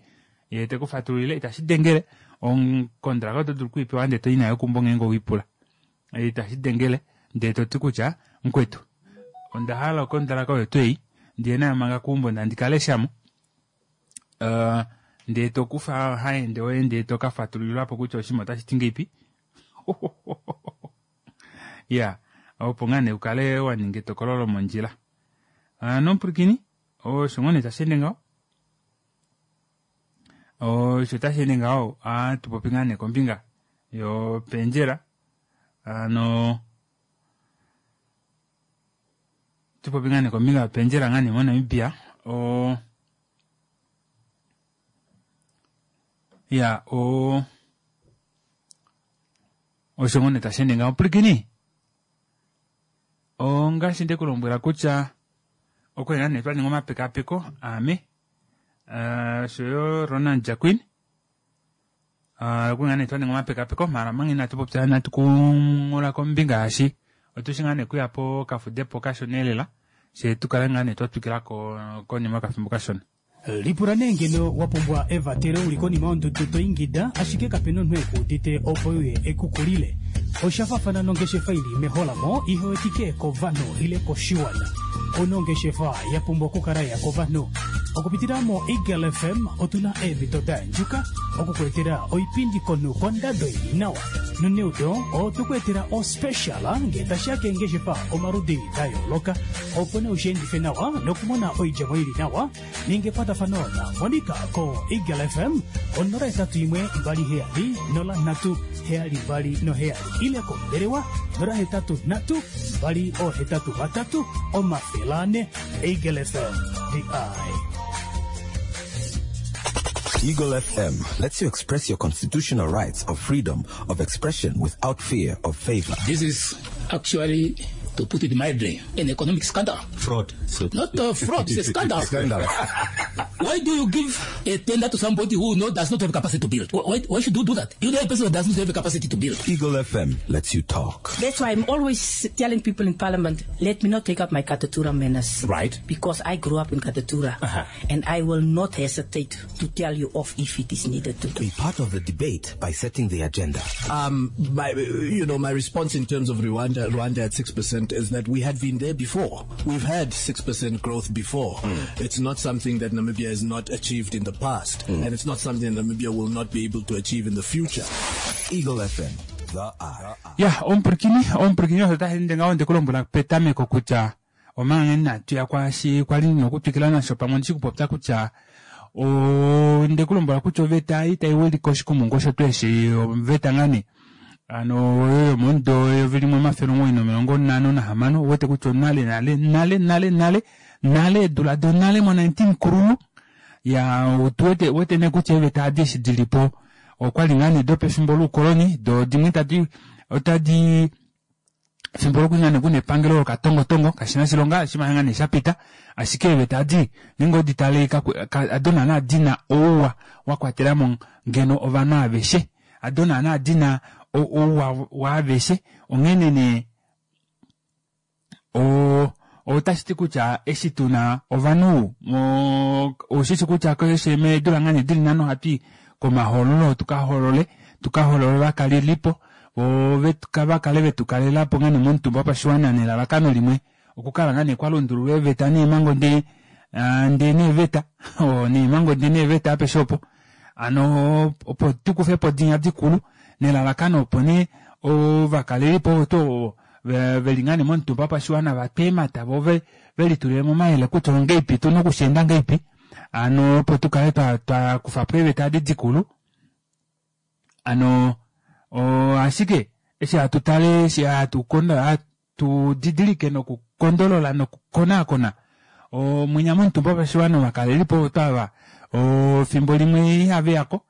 Ye te ku fatululile itashi dengele. Okondraka oto dulu oku i pewa ndele to i nayo keumbo ngeenge owe i pula. Itashi dengele ndele to ti kutya mukwetu onda hala okondraka oyo tuu ei ndiye nayo manga keumbo ndee handi ka lesha mo. Ndee to kufa haende woye ndee to ka fatululilwa po kutya oshinima otashi ti ngeipi. Ya, opo ngaa nee u kale wa ninga etokolo lomondjila. Hano omupwilikini, osho ngoo nee tashi ende ngaho. Osho tashi ende ngaho, ohatu popi ngaa nee kombinga yopendjela. Hano tu popi ngaa nee kombinga yopendjela ngaa nee moNamibia o ya o osho ngoo nee tashi ende ngaho pwilikini ongaashi nde ku lombwela kutya okwali ngaa nee twa ninga omapekapeko aame osho yo Ronald Jacquin Oku ngaa nee twa ninga omapekapeko maala omanga inatu popya inatu kungula kombinga yaashi otushi ngaa nee kuya pokafudepo kashona elela fye tu kale ngaa nee twa twikila ko konima yokafimbo kashona. Lipula nee ngeno wa pumbwa evatelo uli konima yondudu to ingida ashike kapena omunhu eku udite opo euye eku kulile. Osha faafana nongeshefa ili meholamo ihe wetike kovanhu ile koshiwana. Ouna ongeshefa ya pumbwa okukala ya kovanhu. Okupitila moEagle FM otu na eemhito da yandjuka oku ku etela oipindi komunhu kondado ili nawa. Noneudo otwe ku etela ospecial ngee tashi ya keengeshefa omaludi da yooloka. Opo nee ushi endife nawa nokumona oidjemo ili nawa, ninga ekwatafano na Monica ko Eagle FM ko 081 27 03 72 ile kombelewa 083 283 400. Eagle FM, the eye. Eagle FM lets you express your constitutional rights of freedom of expression without fear of favor. This is actually, to put it mildly, an economic scandal. Fraud. So Not a fraud, it's a scandal. Scandal. Why do you give a tender to somebody who does not have capacity to build? Why should you do that? You know a person who does not have capacity to build. Eagle FM lets you talk. That's why I'm always telling people in Parliament, let me not take up my Katutura manners. Because I grew up in Katutura. And I will not hesitate to tell you off if it is needed to. Be part of the debate by setting the agenda. My response in terms of Rwanda at 6% is that we had been there before. We've had 6% growth before. It's not something that Namibia has not achieved in the past, and it's not something that Namibia will not be able to achieve in the future. Eagle FM, the eye. Ya, omupwilikini, omupwilikini osho tashi ende ngaho nde ku lombwela petameko kutya omanga inatu ya kwaashi kwali ndina okutwikila nasho pamwe ondishi kupopya kutya onde ku lombwela kutya oveta ei tai wilike oshikumungu osho tuu eshi oveta ngaa nee ano oyo yomomudo eyovi limwe omafele omuwoi nomilongo nhano nahamano ouwete kutya onale nale nale nale nale nale eedula donale mo 19 kululu ya otu wete nee kutya eeveta adi eshi dili po okwali ngaa nee dopefimbo loukoloni do dimwe tadi otadi Efimbo lokunya nee kuna epangelo lokatongotongo kashina oshilonga shima ngaa nee shapita ashike eeveta adi ngeenge odi tale ado naana dina ouwa wakwatelamo ngeno ovanhu aveshe ado naana dina ouwa waaveshe onghene nee otashiti kutya eshi tuna ovanhu oushishi kutya keshe meedula ngaa nee dili nhano ohatui komahoololo tukahoolole tukahoolole ovakalelipo voo vakale vetukalelapo ngaa nee momutumba wopashiwana nelalakano limwe okukala ngaa nee kwalundululwa eeveta neemhango ndee ndee neeveta neemhango ndee neeveta apeshe opo hano opo tukufepo dinya dikulu nelalakano opo nee ovakalelipo ovo tuu ovo veli ngaa nee momutumba wopashiwana vatwe eemhata voo velitulilemo omayele kutya ongeipi tuna okusheenda ngeipi hano opo tukale twakufapo eeveta edi dikulu hano ashike eshi hatu tale eshi hatu didilike nokukondolola nokukonaakona omwinya momutumba wopashiwana ovakalelipo ovo twava efimbo limwe ihaveyako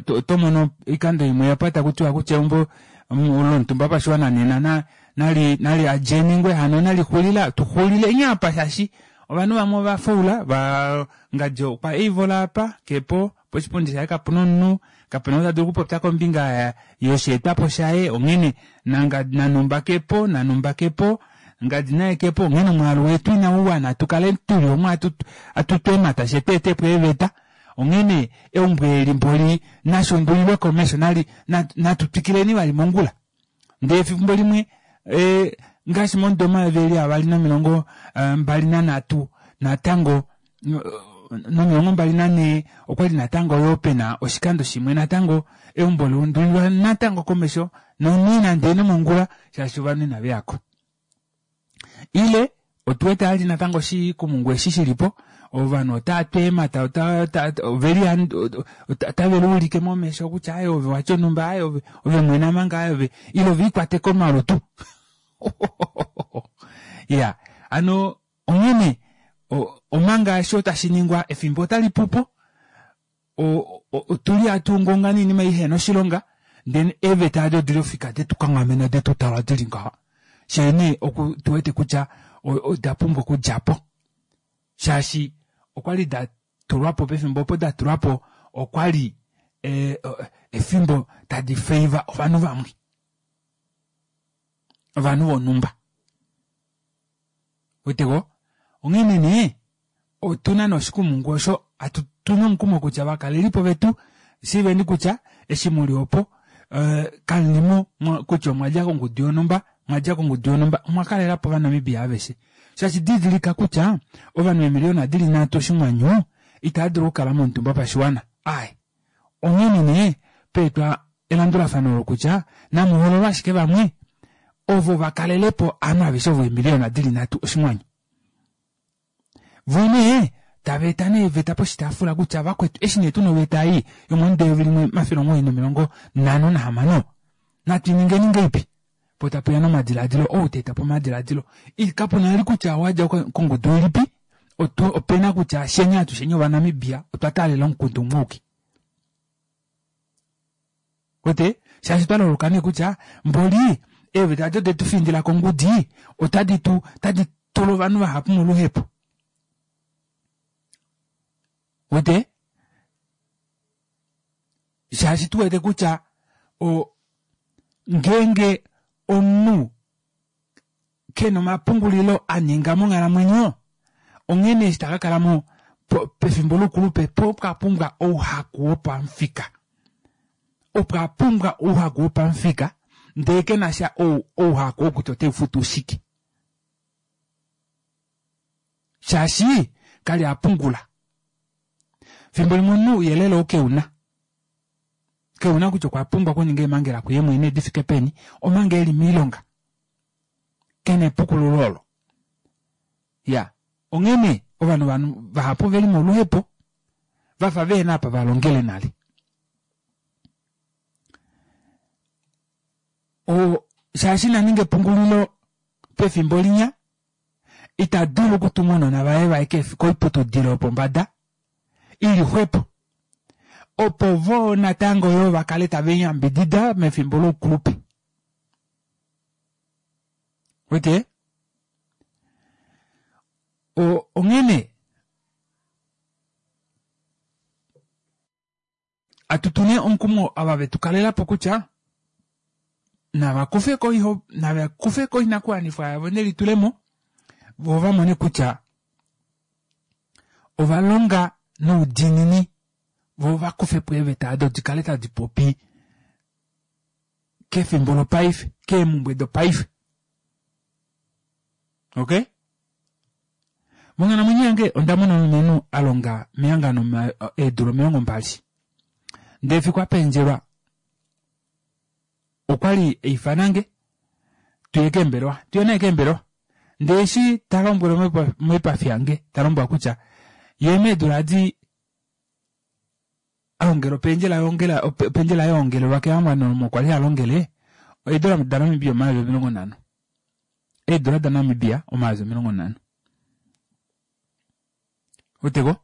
oto mono oikando imwe apa takutiwa kutya eumbo lomutumba wopashiwana nena nali nali adjeningwe hano nali xulila tuxulile nye apa shaashi ovanhu vamwe ova faula va ngadi okwa eivola apa kepo poshipundi shaye kapuna omunhu kapena ou ta dulu okupopya kombinga yosheetwapo shaye onghene nanumba kepo nanumba kepo ngadi naye kepo onghene omwaalu wetu inauwana tukale tuli omu atu tweemata fye tweetepo eeveta onghene eumbo eli mboli nashundulilwe komesho nali natu twikileni vali mongula ndee efimbo limwe e, ngaashi momudo omayovi eli avali nomilongo eh, mbali nanhatu natango nomilongo mbali nanhee okwali natango yoo pena oshikando shimwe natango eumbo laundulilwa natango komesho nonena ndee nomongula shaashi ovanhu inaveyako ile otuwete ali natango oshikumungu eshi shilipo ovanhu otava tu eemhata oveli otave liulike momesho kutya aye ove watya onhumba aye ove ove mwena manga aye ove ile ove ikwate komalutu ya hano onghene omanga eshi tashi ningwa efimbo otali pupo otuli hatu ungaunga noinima ihena oshilonga ndele eeveta ado odili ofika detu kanghamena detu tala dili ngaha shee nee oku tuwete kutya oda pumbwa okudjapo shaashi okwali da tulwapo pefimbo opo da tulwapo okwali e, efimbo tadi feiva ovanhu vamwe ovanhu vonhumba weteko onghene nee otuna nee oshikumungu osho tuna omukumo kutya ovakalelipo vetu shiiveni kutya eshi muli opo eh, kamulimo kutya omwa dja kongudu yonhumba mwa dja kongudu yonhumba omwa kalelapo ovanamibia aveshe shaashi didilika kutya ovanhu eemiliyona dili nhatu oshinghwanyu itava dulu okukala momutumba wopashiwana ai onghene nee peetwa elandulafano olo kutya namuhoololwe ashike vamwe ovo vakalelepo ovanhu aveshe ovo eemiliyona dili nhatu oshinghwanyu Vo nee tava eta nee eveta poshitaafula kutya vakwetu eshi nee tuna oveta ei yomomudo eyovi limwe omafele omuwoi nomilongo nhano nahamano natu i ningeni ngeipi? Po tapuya nomadilaadilo ou ta eta po omadilaadilo kapuna vali kutya owadja kongudu ilipi opena kutya fyeni atusheni ovanamibia otwa taalela omukundu umwe auke. Wete shaashi twa loloka nee kutya mboli eeveta ado detu findila kongudi otadi tu otadi tula ovanhu vahapu moluhepo. Wete shaashi tu wete kutya o ngeenge omunhu kena omapungulilo a ninga monghalamwenyo onghene eshi ta ka kala mo pefimbo loukulupe po pwa pumbwa ouhaku wopamufika opwa pumbwa ouhaku wopamufika ndee kena sha ouhaku oo kutya oteufutu shike shaashi kali a pungula fimbo limwe omunhu ouyelele oo keuna keuna kutya okwa pumbwa okuninga eemhangela kuye mwene di fike peni omanga eli moilonga kena epukululo olo ya onghene ovanhu vanhu vahapu veli moluhepo vafa vehena apa va longele nale o shaashi na ninga epungulilo pefimbo linya ita dulu okutuma ounona vaye vaye koiputudilo yopombada ili xwepo opo vo natango yoo va kale tave yambidida mefimbo loukulupe. Wete? O, onghene atu nee omukumo ava vetu kalela po kutya nava kufe ko iho nava kufe ko oinakuwanifwa yavo nelitulemo vo va mone kutya ova longa noudiinini vo va kufe po eeveta ado di kale tadi popi kefimbo lopaife keemumbwe dopaife okay Monghalamwenyo yange onda mona omulumenhu a longa mehangano eedula 20. Ndele efiku a pendjelwa okwa li a ifana nge tuye keembelewa, tuye naye keembelewa. Ndele eshi ta lombwele moipafi yange, ta lombwela kutya ye meedula adi a longela opendjela yongela opendjela yongelelwa kehangano omo kwa li ha longele eedula daNamibia 50,000. Eedula daNamibia 50,000. Weteko?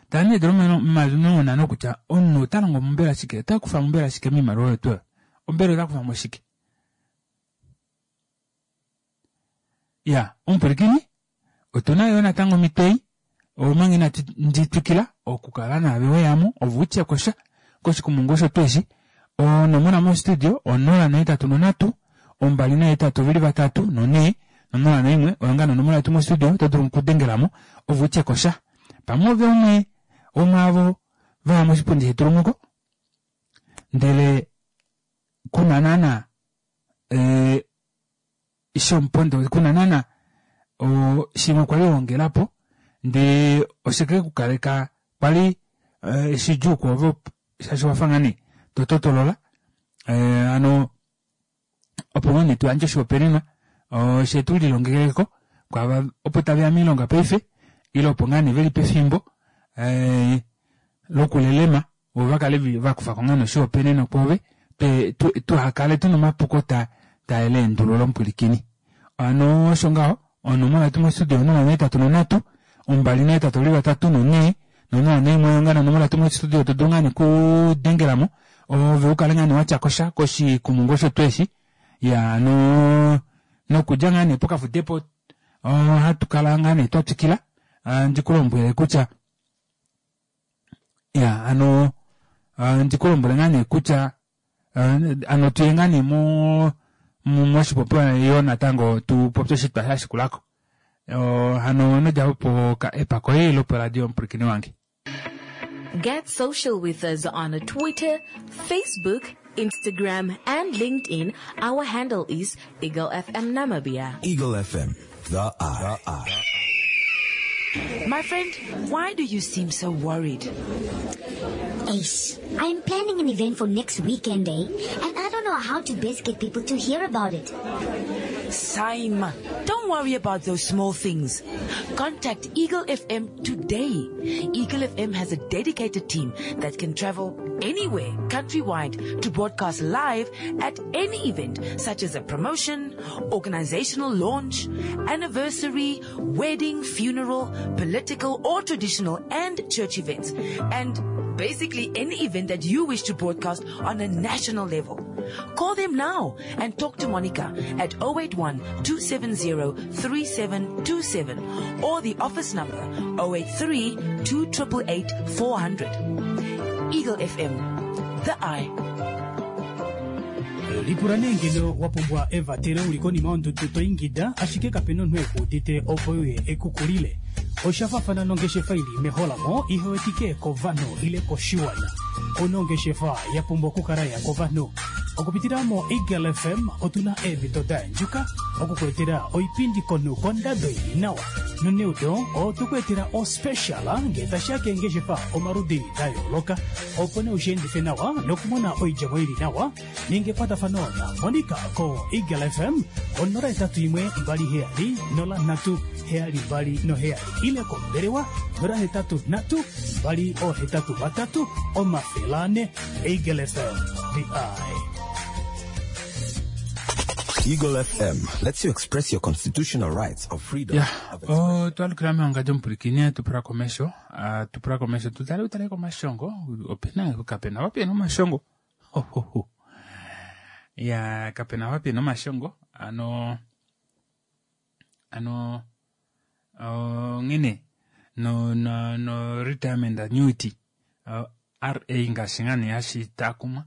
Tala nee eedula 50,000 kutya omunhu ota longo mombela shike, ota kufa mombela shike moimaliwa oyo tuu oyo. Ombela ota kufa mo shike? Ya, omupwilikini, otu na yo natango omhito ei, omanga inatu ndi twikila okukala naave weyamo, ove u tye ko sha koshikumungu osho tuu eshi. Onomola mostudio 083 2 8 23 4 no 01 oyo ngaa nonomola yetu mostudio oto dulu okudengela mo ove u tye ko sha. Pamwe ove umwe womwaavo va ya moshipundi shetulumuko ndele ku na naana eh, shomupondo kuna naana shimwe kwali wongela po ndee oshike ku kaleka kwali eh, shidjuu kwoove shaashi wafa ngaa nee to totolola eh, ano opo ngoo nee tu yandje oshihopaenenwa she tu lilongekeleko kwaava opo tave ya miilonga paife ile opo ngaa nee veli pefimbo eh, lokulelema vo va kale va kufa ko ngaa noshihopaenenwa kwoove tuhakale tuna omapuko ta taeleendululo omupwilikini. Ano osho ngaho onomola yetu mostudio 083 283 4 no01 oyo ngaa nonomola yetu mostudio to dulu ngaa nekudengelamo ove u kale ngaa nee watya kosha koshikumungu osho tuu eshi ya no nokudja ngaa nee pokafudepo ohatu kala ngaa nee twa twikila ndi ku lombwele kutya ya ano ndi ku lombwele ngaa nee kutya ano tuye ngaa nee mo moshipopiwa yo natango tu popye oshitwa sha shikulako hano nodja po epako ei loporadio omupwilikini wange. Get social with us on Twitter, Facebook, Instagram, and LinkedIn. Our handle is Eagle FM Namibia. Eagle FM, the eye. The eye. My friend, why do you seem so worried? Ace, I'm planning an event for next weekend, eh? And I don't know how to best get people to hear about it. Saima, don't worry about those small things. Contact Eagle FM today. Eagle FM has a dedicated team that can travel anywhere, countrywide, to broadcast live at any event, such as a promotion, organizational launch, anniversary, wedding, funeral, political or traditional and church events, and basically any event that you wish to broadcast on a national level. Call them now and talk to Monica at 081-270-3727 or the office number 083-2888-400. Eagle FM, the eye. Lipula nee ngeno wa pumbwa evatelo u li konima yondudu to ingida ashike kape na omunhu e ku udite opo e uye e ku kulile. Osha faafana nongeshefa i li meholamo ihe wetike kovanhu ile koshiwana. Ouna ongeshefa ya pumbwa okukala ya kovanhu. Okupitila moEagle FM otu na eemhito da yandjuka oku ku etela oipindi komunhu kondado i li nawa. Noneudo otwe ku etela ospecial ngee tashi ya keengeshefa omaludi da yooloka opo nee u shi endife nawa nokumona oidjemo i li nawa. Ninga ekwatafano na Monica ko Eagle FM ko 081 27 03 727 ile kombelewa 083 283 400. Eagle FM, the eye. Eagle FM lets you express your constitutional rights of freedom Ya, of expression. otwa lukila mehonga lyomupwilikini tu pula komesho, tu pula komesho tu tale utale komashongo opena kapena wapena omashongo Hohoho. Ya kapena wapi nomashongo ano. Hano onghene no, no, no retirement annuity RA ngaashi ngaa nee hashi taakumwa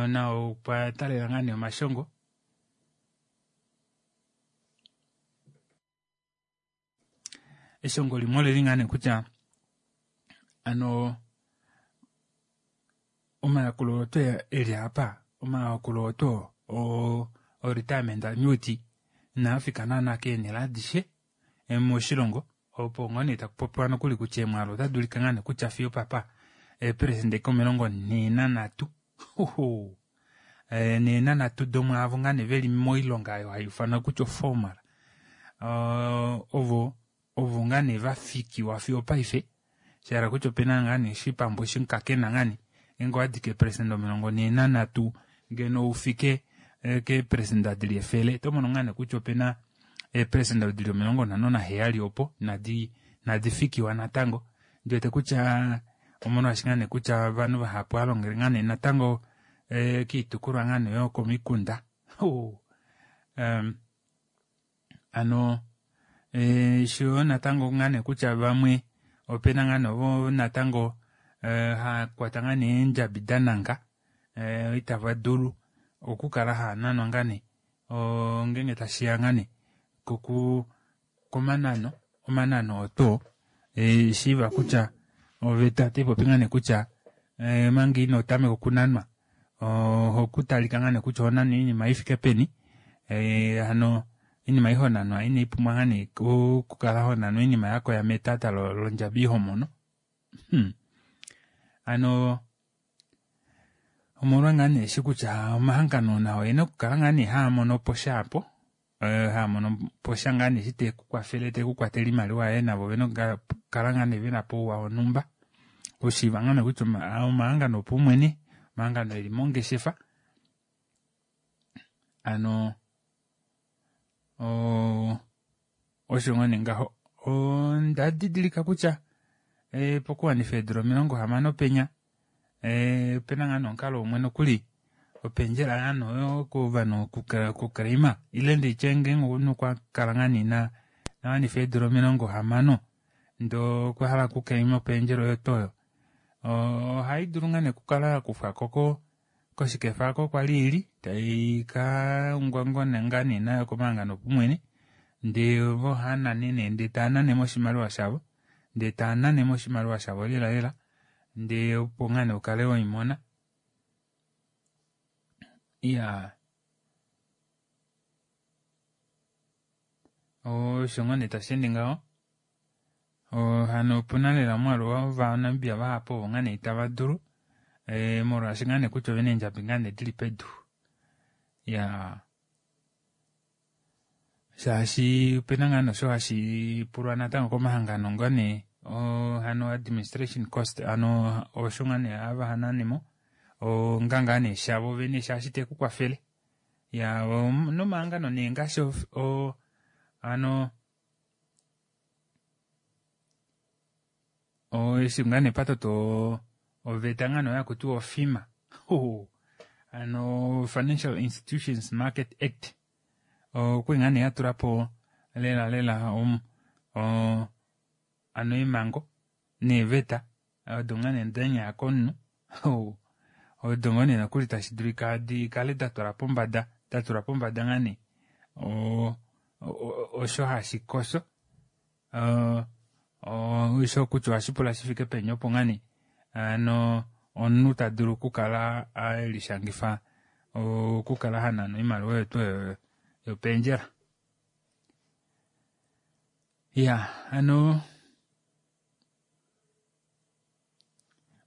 nao okwa talela ngaa nee omashongo. Eshongo limwe oleli ngaa nee kutya ano omayakulo otwe eli apa omayakulo oto o retirement annuity inaa fika naana keenhele adishe moshilongo opo ngoo nee taku popiwa nokuli kutya eemwaalu ota dulika ngaa nee kutya fiyo papa eeperesende komilongo nhee nanhatu nhee nanhatu domwaavo ngaa nee veli moilonga oyo hai ufanwa kutya oformal ovo ovo ngaa nee vafikiwa fiyo opaife shahala kutya opena ngaa nee oshipambu eshi kakena ngaa nee ngeenge owadi keeperesende 43 ngeno ufike keeperesenda dili 100 oto mono ngaa nee kutya opena eeperesenda dili 57 opo inadi inadi fikiwa natango ndiwete kutya omolwaashi ngaa nee kutya ovanhu vahapu alongele ngaa nee natango kiitukulwa ngaa nee yokomikunda hano sho natango ngaa nee kutya vamwe opena ngaa nee ovo natango hakwata ngaa nee eendjabi dananga itava dulu okukala haananwa ngaa nee ngeenge tashiya ngaa nee koku komanano omanano oto shiiva kutya oveta otaipopi ngaa nee kutya manga ino tameka okunanwa ohokutalika ngaa nee kutya ohonanwa oinima ifike peni hano oinima ei honanwa inaipumbwa ngaa nee okukala honanwa oinima yakoya metata londjabi homono hano omolwa ngaa nee eshi kutya omahangano nao oena okukala ngaa nee haamono po sha apo haamono po sha ngaa nee eshi tekukwafele tekukwatele oimaliwa yoye navo ovena okukala ngaa nee vena po ouwa wonhumba oshiiva ngaa nee kutya omahangano opaumwene omahangano eli mongeshefa hano osho ngoo nee ngaho onda didilika kutya pokuwanifa eedula 60 penya opena ngaa nee omukalo umwe nokuli opendjela ngaa nee kovanhu okuclaima ile nditye ngeenge omunhu okwa kala ngaa nee inawanifa eedula 60 ndee okwa hala okuclaima opendjela oyo tuu oyo ohai dulu ngaa nee okukala yakufwako koshikefa oko kwali ili tai kaungwaungwa ngaa nee nayo komahangano opaumwene ndee vo ohaanane nee ndee taanane mo oshimaliwa shavo ndee taanane mo oshimaliwa shavo lela lela ndee opo ngaa nee ukale weimona iyaa osho ngoo nee tasheende ngaho hano opuna lela omwaalu wovanamibia vahapu ovo ngaa nee itava dulu molwaashi ngaa nee kutya ovena eendjabi ngaa nee dili pedu iyaa shaashi opena ngaa nosho hashi pulwa natango komahangano ngaa nee hano administration cost hano osho ngaa nee hava hananemo onga ngaa nee shavo vene shaashi tekukwafele ya nomahangano nee ngaashi hano eshi ngaa nee patoto oveta ngaa nee oyo hakutiwa oFIMA hano Financial Institutions Market Act okwali ngaa nee yatulapo lela lela hano eemhango neeveta odo ngaa nee danyaya komunhu odo ngoo nee nokuli tashi dulika dikale datwala pombada datula pombada ngaa nee osho hashi koso osho kutya ohashi pula shifike peni opo ngaa nee hano omunhu tadulu okukala elishangifa okukala hanana oimaliwa oyo tuu yopendjela iya hano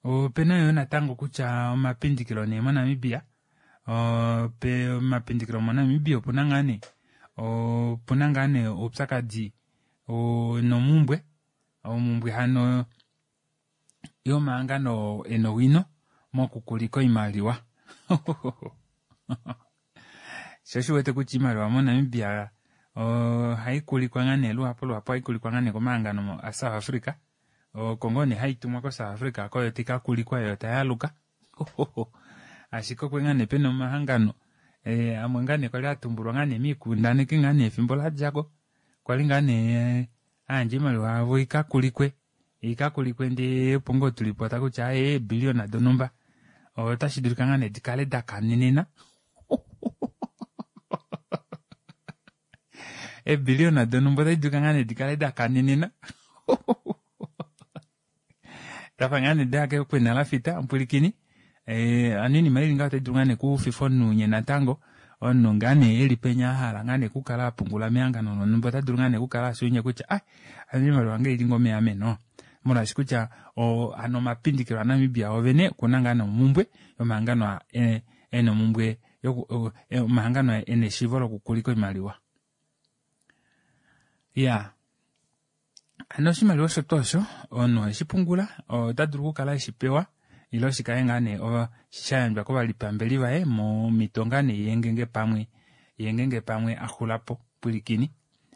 opena yoo natango kutya omapindikilo nee moNamibia omapindikilo moNamibia opuna ngaa nee opuna ngaa nee oupyakadi nomumbwe omumbwe hano yomahangano ena owino mokukulika oimaliwa sho oshiwete kutya oimaliwa moNamibia ohai kulikwa ngaa nee luhapu luhapu ohai kulikwa ngaa nee komahangano aSouth Africa oko ngoo nee haitumwa koSouth Africa koyo tikakulikwa yo tayaluka ashike okwe ngaa nee pena omahangano amwe ngaa nee kwali atumbulwa ngaa nee miikundaneki ngaa nee efimbo ladjako. Okwa li ngaa nee ayandja oimaliwa yavo ikakulikwe ikakulikwe ndee opo ngoo tulipota kutya aaye eebiliona donhumba otashi dulika ngaa nee dikale dakanenena eebiliona donhumba otadi dulika ngaa nee dikale dakanenena dafa ngaa nee daya kwena lafita omupwilikini hano oinima ili ngaho otai dulu ngaa nee okufifa omunhu unye natango omunhu ngaa nee eli penya ahala ngaa nee okukala apungula mehangano lonhumba ota dulu ngaa nee okukala afya ounye kutya ai hano oimaliwa yange oili ngoo meameno molwaashi kutya hano omapindikilo aNamibia ovene okuna ngaa nee omumbwe yomahangano ena omumbwe omahangano ena eshiivo lokukulika oimaliwa. Iyaa hano oshimaliwa osho tuu osho omunhu oheshi pungula ota dulu okukala eshi pewa ile shikale ngaa nee shayandjwa kovalipambeli vaye momito ngaa nee yengenge pamwe yengenge pamwe axulapo pwilikini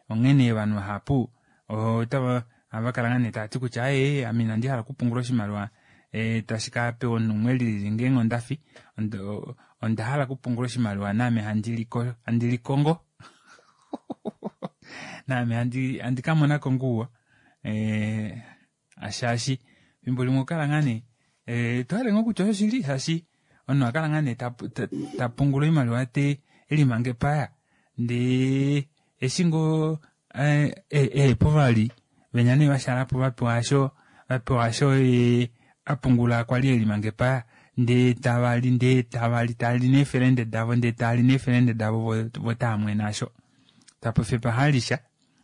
onghene ovanhu vahapu otava ohava kala ngaa nee tavati kutya aaye ame inandi hala okupungula oshimaliwa tashi ka pewa omunhu umwe elili ngeenge ondafi onda hala okupungula oshimaliwa naame handi likongo naame handi kamonako ngouwa shaashi efimbo limwe okukala ngaa nee tohale ngoo kutya oshoshili shaashi omunhu akala ngaa nee tapungula oimaliwa te elimanga epaya ndee eshi ngoo ehepo vali venya nee vashalapo vapewa asho vapewa asho apungula kwali elimanga epaya ndee tavali ndee tavali tali neefelende davo ndee tali neefelende davo vo taamwene asho tapofi pahalisha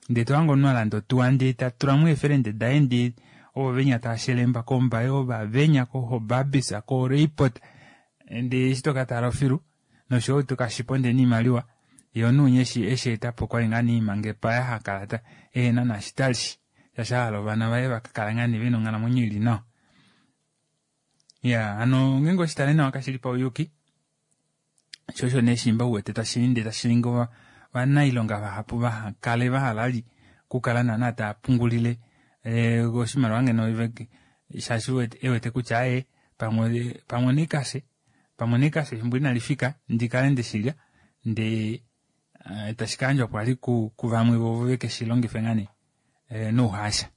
ndee tohange omunhu alanda otuwa ndee tatulamo eefelende daye ndee ovo venya taashelemba kombaye ovavenya kohobabis koreipot ndee eshi tokatala ofilu noshoyo tokashipo ndee noimaliwa yee omunhu winya eshi etapo okwali ngaa nee imanga epaya hakala ehena naashi tali shaashi ahala ovana vaye vakakala ngaa nee vena onghalamwenyo ili nawa. Iyaa hano ngeenge oshitale nawa kashili pauyuki sho osho nee shimba uwete tashiinde tashiningi ovanailonga vahapu vahakale vahala okukala naana taapungulile oshimaliwa ngeno shaashi ewete kutya aaye pamwe onaikashe pamwe onaikashe efimbo inalifika ndikale ndeshilya ndee tashi kayandjwa kwali kuvamwe vo vekeshilongife ngaa nee nouhaasha.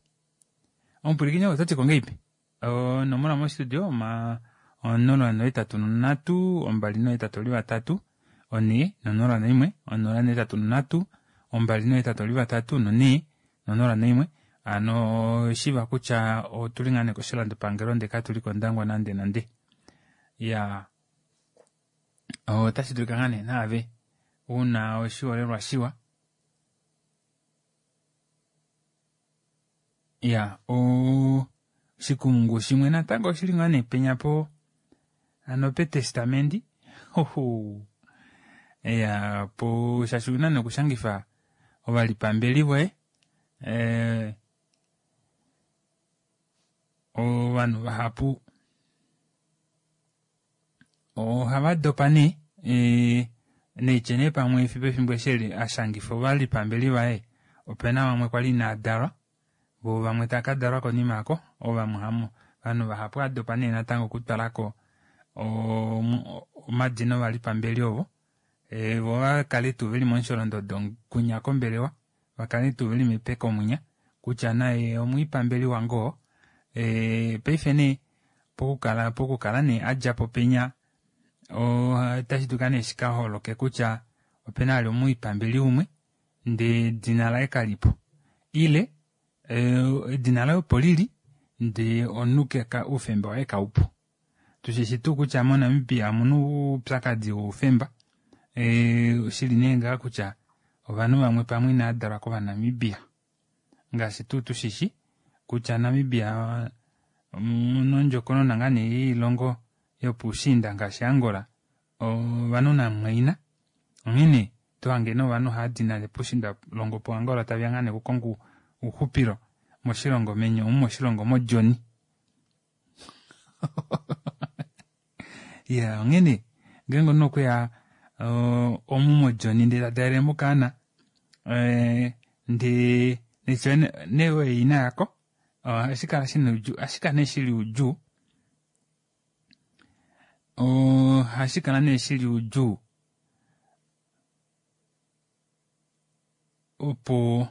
Omupwilikini ou otati ko ngahelipi? Onomola mostudio 083 283 4 001 083 283 4 001 hano shiva kutya otuli ngaa nee koshilandopangelo ndee katuli kondangwa nande nande. Iyaa otashi dulika ngaa nee naave una oshiholelwa shiwa iya oshikumungu shimwe natango oshili ngaa nee penya po hano petestamendi iya po shaashi una nee okushangifa ovalipambeli voye ovanhu vahapu ohava dopa nee neitye nee pamwe pefimbo eshi ashangifa ovalipambeli vaye opena vamwe kwali inadalwa vo vamwe takadalwa konima yako ovamwe ovanhu vahapu adopa nee natango okutwalako omadina ovalipambeli ovo vo vakale tuu veli momusholondodo kunya kombelewa vakale tuu veli mepeko mwinya kutya naye omwiipambeli wange paife nee pokukala nee adjapo penya otashi dulika nee shikaholoke kutya opena vali omwiipambeli umwe ndee edina laye kalipo ile edina laye opo lili ndee omunhu oufemba waye kaupo. Tushishi tuu kutya moNamibia omuna oupyakadi woufemba oshili nee ngaa kutya ovanhu vamwe pamwe inadalwa kovanamibia ngaashi tuu tushishi kutya Namibia nondjokonona ngaa nee yoilongo yopoushiinda ngaashi Angola ovanhu namumwaina onghene tohange nee ovanhu haadi nale poushiinda longo po Angola taveya ngaa nee okukonga ouxupilo moshilongo meni omu moshilongo modjoni. Iya onghene ngeenge omunhu okweya omu modjoni ndee tadalele mokaana ndee nee oye ina yako ohashi kala shina oudjuu ohashi kala nee shili oudjuu ohashi kala nee shili oudjuu opo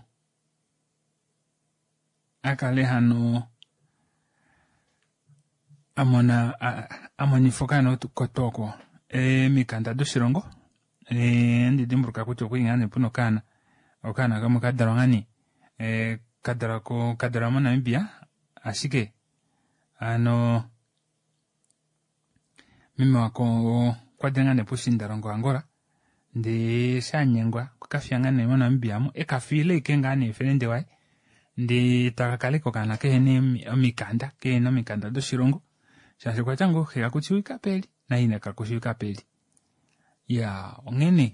A kale hano a mona a monifa okaana kotwa oko emikanda doshilongo. Ohandi dimbuluka kutya okwali ngaa nee puna okaana, okaana kamwe kadalwa ngaa nee kadalwa ko kadalwa moNamibia ashike hano meme wako okwadile ngaa nee poushiindalongo Angola ndee eshi anyengwa okwekafiya ngaa nee moNamibia amu ekafiila ashike ngaa nee felende waye ndee takakala ashike okaana kehena omikanda kehena omikanda doshilongo shaashi okwatya ngoo xe kakushiivika peli naina kakushiivika peli. Iyaa onghene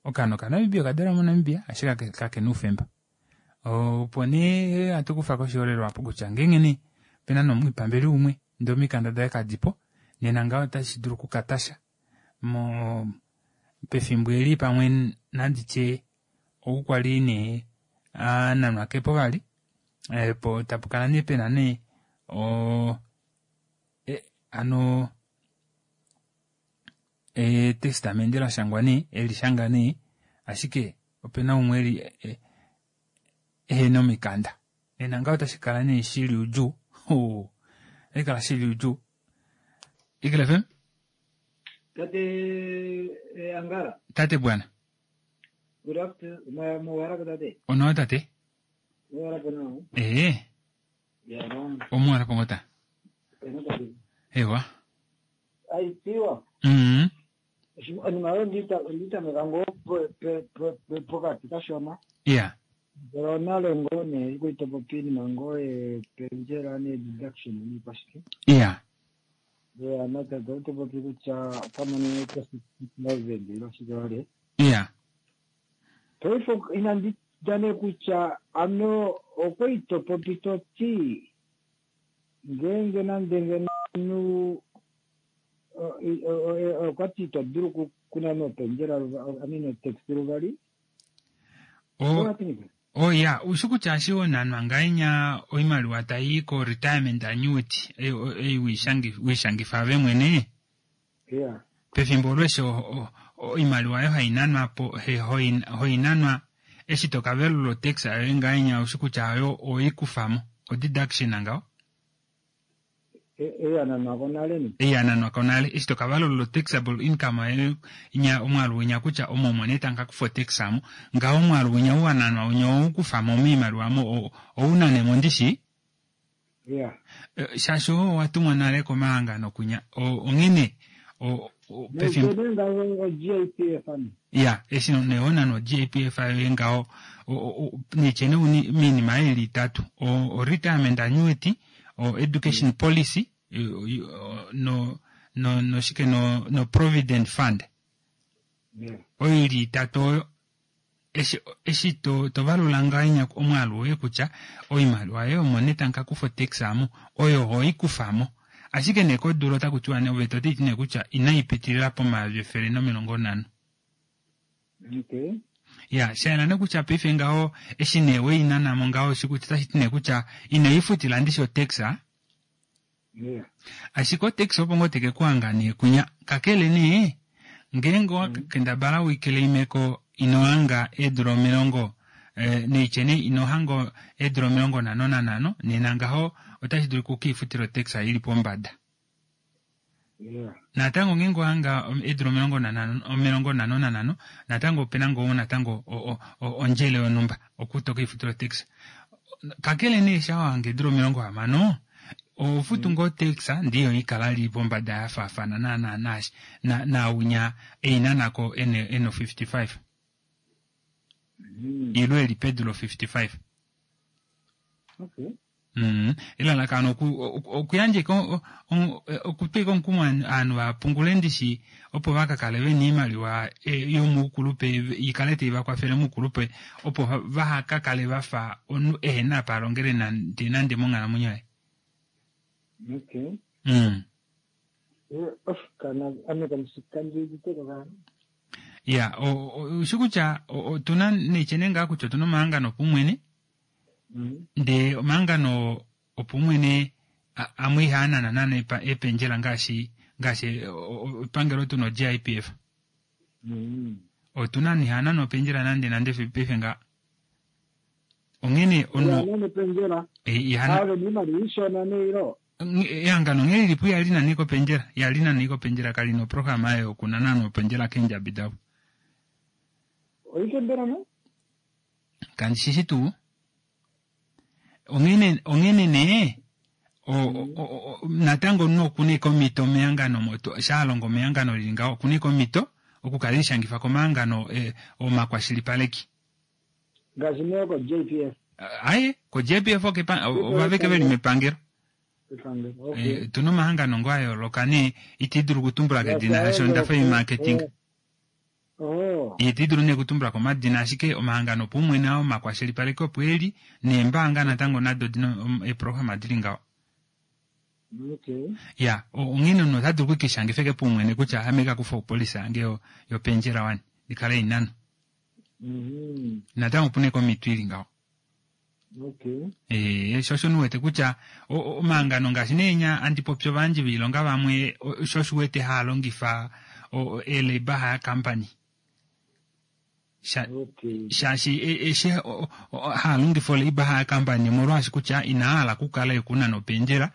okaana okaNamibia okadalwa moNamibia ashike kakena oufemba. Opo nee hatu kufa koshiholelwa aapo kutya ngeenge nee opena nee omwipambeli umwe ndee omikanda daye kadipo nena ngaho otashi dulu okukatasha mo pefimbo eli pamwe nanditye ou kwali nee ananwa kepo vali po tapukala nee pena nee o hano etestamente lashangwa nee elishanga nee ashike opena umwe eli ehena omikanda nena ngaho otashi kala nee shili udjuu otashi kala shili udjuu. Eagle FM. Tate Angala. Tate bwana. Good afternoon. Muwarapo tate. Onawa tate. Muwarapo nawa. Ee. Ya no. Omuwarapo ngota. Eno tate. Ewa. Aitiwa. Onima oyo nditameka ngoo pokati kashona. Yeah. Ndele onale ngoo nee ikuitopopi iinima ngoo yependjela nee-deduction niikwashike. Yeah. Ya natate otopopi kutya okamone ko 60,000 ile oshike wale. Yeah. Paife inandi tya nee kutya ano okweitopopi to ti ngeenge nande ngeno omunhu okwati ito dulu okunana opendjela I mean otax luvali. O ya, ushi kutya eshi honanwa ngahenya oimaliwa tai ko retirement annuity ei weishangifa ove mwene. Yeah. Pefimbo olo eshi oimaliwa oyo hainanwa po hoinanwa eshi tokavelula otax yoye ngahenya ushi kutya oyo oikufamo o deduction ngaho. Eyananwako nale ni. Eyananwako nale eshi tokavalula taxable income yoye nya omwaalu winya kutya omo omo nee tangakufa otax amo ngaho omwaalu winya uwananwa winya oukufamo moimaliwa mo ounanemo ndishi. Yeah. Shaashi oo owatumwa nale komahangano kunya onghene pefimbo ya eshi nee honanwa GIPF yoye ngaho nityene uni miinima ili itatu o retirement annuity o education policy no no noshike no no provident fund. Oyo ili itatu oyo eshi eshi to tovalula ngahenya omwaalu woye kutya oimaliwa yoye omo nee tangakufa otax amo oyo hoikufamo ashike nee kodula otakutiwa nee oveta otaiti nee kutya inaipitilila pomayovi 150. Okay. Ya, shayela nee kutya paife ngaho eshi nee weinanamo ngaho oshi otashi ti nee kutya inoifutila ndishi otax. Yeah. Ashike otax opo ngoo teke kuhanga nee kunya kakele nee ngeenge owakendabala uikeleimeko inohanga eedula 50 neitye nee inohanga eedula 55 nena ngaho otashi dulu kukiifutila otax ili pombada. Yeah. Natango ngeenge ohanga eedula 55 natango opena ngoo natango ondjele yonhumba okutoka oifutila otax. Kakele nee sha wahanga eedula 60 ofutu ngoo tax ndiyo ikala li pombada ya faafana na na na naunya einanako eno 55. Ilo eli pedulo 55. Okay. Elalakano okuyandja okutwika omukumo ovanhu vapungule ndishi opo vakakale vena oimaliwa yomuukulupe ikale taivakwafele muukulupe opo vahakakale vafa omunhu ehena apa alongele nande nande monghalamwenyo yaye. Okay. Ya, ushi kutya otuna neityene ngaa kutya otuna omahangano opumwene ndee omahangano opumwene amwe ihaanana nana ependjela ngaashi ngaashi epangelo tuna o-GIPF. Otuna ihaanana opendjela nande nande paife nga. Onghene omunhu Ihanane opendjela. Ihana Ave niimaliwa ishona neilo. Ehangano nghee lilipo ihali nane kopendjela, ihali nane kopendjela kali na oprograma ayo yokunana nopendjela keendjabi davo. Oike mbela no? Kandi shishi tuu. Onghene onghene nee o, o, o, natango omunhu okuna eke omhito mehangano omo to- sha alongo mehangano lili ngaho okuna eke omhito okukala elishangifa komahangano eh, omakwashilipaleki. Ngaashi nee ko JPF. Aye, ko JPF okepa ovaveke veli mepangelo. Epangelo, okay. Eh, tuna omahangano ngoo a yooloka nee iti dulu okutumbula kedina Ngaashi shaashi onda fa marketing. Oh. Iti dulu nee okutumbula komadina ashike omahangano opaumwene ao omakwashilipaleki opo eli neembaanga natango nado odina eeprograma dili ngaho. Okay. Ya, onghene omunhu ota dulu okukishangifa eke paumwene kutya ame ka kufa opolisa yange yopendjela wani ndikale inano. Natango opuna eke omhito ili ngaho. Okay. Eh, sho osho nuwete kutya omahangano ngaashi nee nya andi popi ovayandji voilonga vamwe sho osho uwete haa longifa ee-labour hire company. Okay. Shaashi eshi haa longifa o-labour hire company omolwaashi kutya inaa hala okukala ekunana opendjela,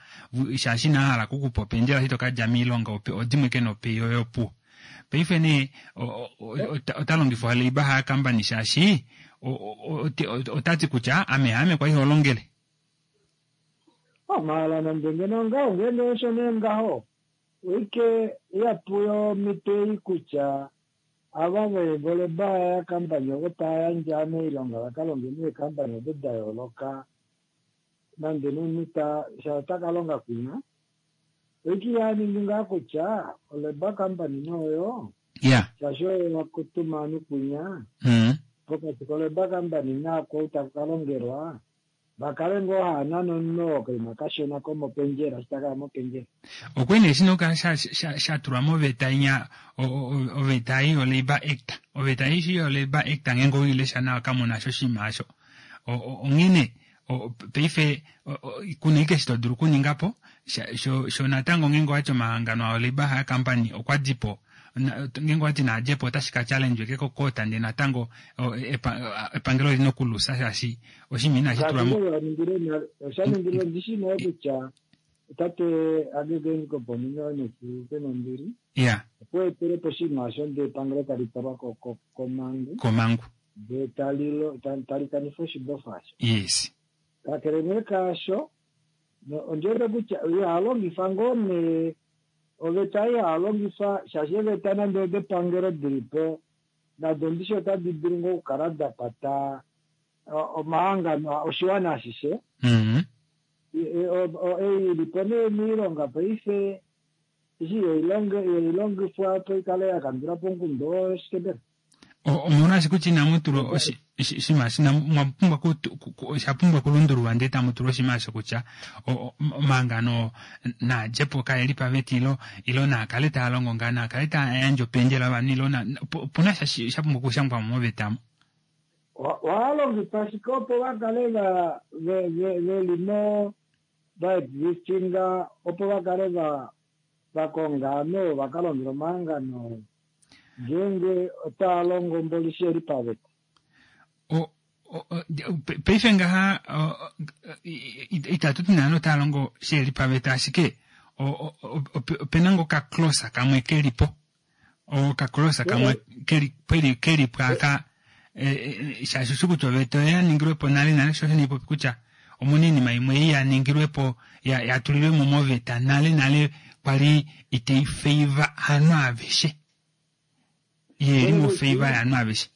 shaashi inaa hala okukupa opendjela eshi to ka dja moilonga odimwe ke nopay yoye opuwo. Paife nee ota longifa o-labour hire company shaashi ota ti kutya ame haame kwali holongele. Maala nande ngeno ngaho ngeenge osho nee ngaho oike ihapu yomhito ei kutya ava vo-labour hire company ovo tava yandje moilonga va ka longe meekampani odo da yooloka nande nomunhu ta sha ota ka longa kwinya oike ihaningi ngaa kutya o-labour company nooyo shaashi oyo wakutuma ovanhu kwinya pokati ko-labour company naako taku ka longelwa vakale ngoo haa nana omunhu oo okaima kashona komopendjela eshi takaya mopendjela. Okwe nee shina okukala sha tulwa moveta inya oveta ei yo-Labour Act. Oveta ei shi yo-Labour Act ngeenge oweilesha nawa kamuna sho oshinima osho. Onghene paife kuna ashike eshi to dulu okuninga po sho natango ngeenge owati omahangano ao Labour Hire Company okwa di po ngeenge owati naa dje po otashi ka challenge ke ko-court ndee natango epangelo olina okulusa shaashi oshinima inashi tulwa mo. Osha ningilwe ndishi nee kutya tate Hage Geingob omunhu nombili okwa etele po oshinima osho ndee epangelo tali twalwa komangu. Komangu. Ndee tali kanifa oshibofa osho. Yes. Kakele nee kaasho, ondi wete kutya iha longifa ngoo nee oveta iha longifa shaashi eeveta nande odepangelo dili po nado ndishi otadi dulu ngoo okukala da kwata omahangano oshiwana ashishe. Ei ilipo nee moilonga paife eshi ihailongifwa opo ikale yakandula po omukundu oo shike mbela? Omolwaashi kutya inamu tulwa oshinima mwa pumbwa osha pumbwa okulundululwa ndee tamu tulwa oshinima osho kutya omahangano naa dje po kaeli paveta ilo naa kale taa longo ngaa naa kale taa yandje opendjela ovanhu ilo opuna sha sha pumbwa okushangwa mo moveta mo. Ohaa longifa ashike opo va kale veli mo va existinga opo va kale va konga ovanhu va ka longele omahangano ngeenge otaa longo mboli sheli paveta. Paife ngaha itatu ti naana otaa longo sheli paveta ashike opena ngoo okaclose kamwe kelipo okaclose kamwe kelipo aka shaashi oshi kutya oveta oya ningilwepo nale nale sho osho niipopi kutya omuna oinima imwe ei ya ningilwepo ya tulilwemo moveta nale nale kwali itei favor aanhu aveshe yeli mo favor yaanhu aveshe.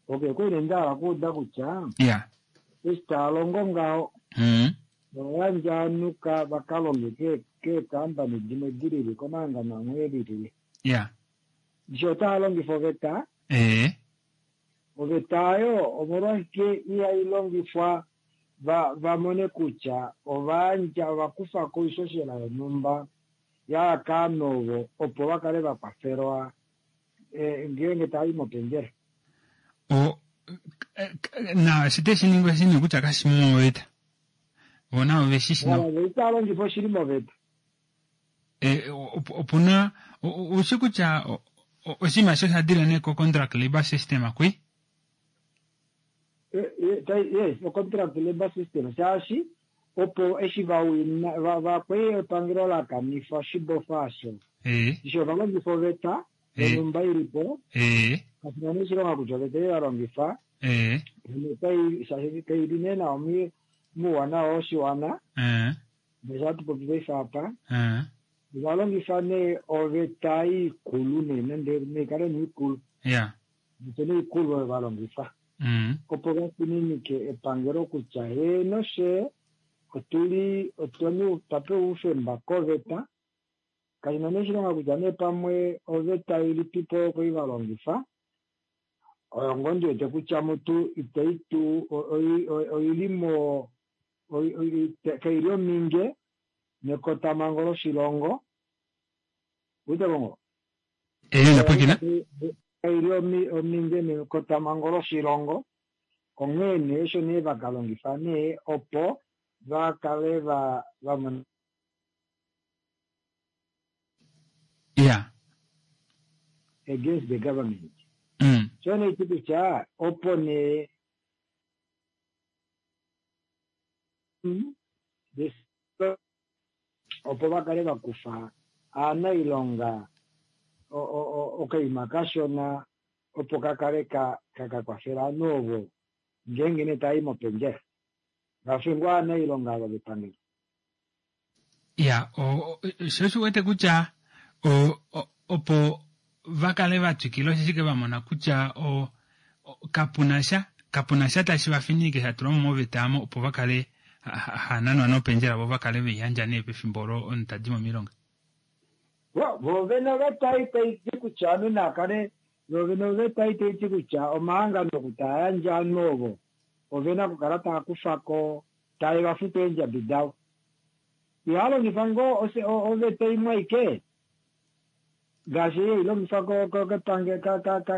Okay, kwene ndahala okuuda kutya eshi taa longo ngaho oyandja ovanhu va ka longe keekampani dimwe dilili komahangano amwe elilile. Ndishi otaa longifa oveta? Oveta oyo omolwashike ihai longifwa va mone kutya ovayandja ovakufa ko oishoshela yonhumba ya kaanhu ovo opo va kale va kwafelwa ngeenge tava i mopendjela. Na eshi teshi ningwa eshi nee kutya kashi mo moveta. Vona ove shi shi. Wala ita longifa oshili moveta. Opuna ushi kutya oshinima osho sha dile nee ko contract labor system akwi? Yes, o-contract labour system shaashi opo eshi vawina vakwei epangelo la kanifa oshibofa osho eshi ova longifa oveta yonhumba ilipo kashina nee oshilonga kutya oveta ei valongifa shaashi kaili nee nawa mouwanawa woshiwana ngaashi hatu popi paife apa ova longifa nee oveta ikulu nee nande naikale nee ikulu Oveta nee ikulu oyo valongifa opo vafininike epangelo kutya heeno fyee otuli otwa pewa oufemba koveta kashina nee oshilonga kutya nee pamwe oveta ilipipo oyo kwali valongifa oyo ngoo ndiwete kutya mutu itai tu oili mo kaili ominge nekotamango loshilongo uiteko ngoo Kaili ominge nekotamango loshilongo onghee nee osho nee vakalongifa nee opo vakale vamona against the government. Sho nee ti kutya opo nee opo vakale vakufa aanailonga okaima kashona opo kakale kakakwafela ovanhu ovo ngeenge nee tava i mopendjela vafe ngoo aanailonga ava vepangelo. Ya, sho osho wete kutya opo vakale vatwikila osheshi ke vamona kutya kapuna sha tashi vafininike sha tulwa mo moveta aamo opo vakale hananwa nopendjela vo vakale veiyandja nee pefimbo olo omunhu tadi mo moilonga. Vo vene oveta ei tai ti kutya ovanhu nakale vo vene oveta ei tai ti kutya omahangano oku taa yandje ovanhu ovo ovena okukala taa kufako tae vafutu eendjabi davo. Ihaa longifa ngoo oveta imwe aike ngaashi ei hai longifwa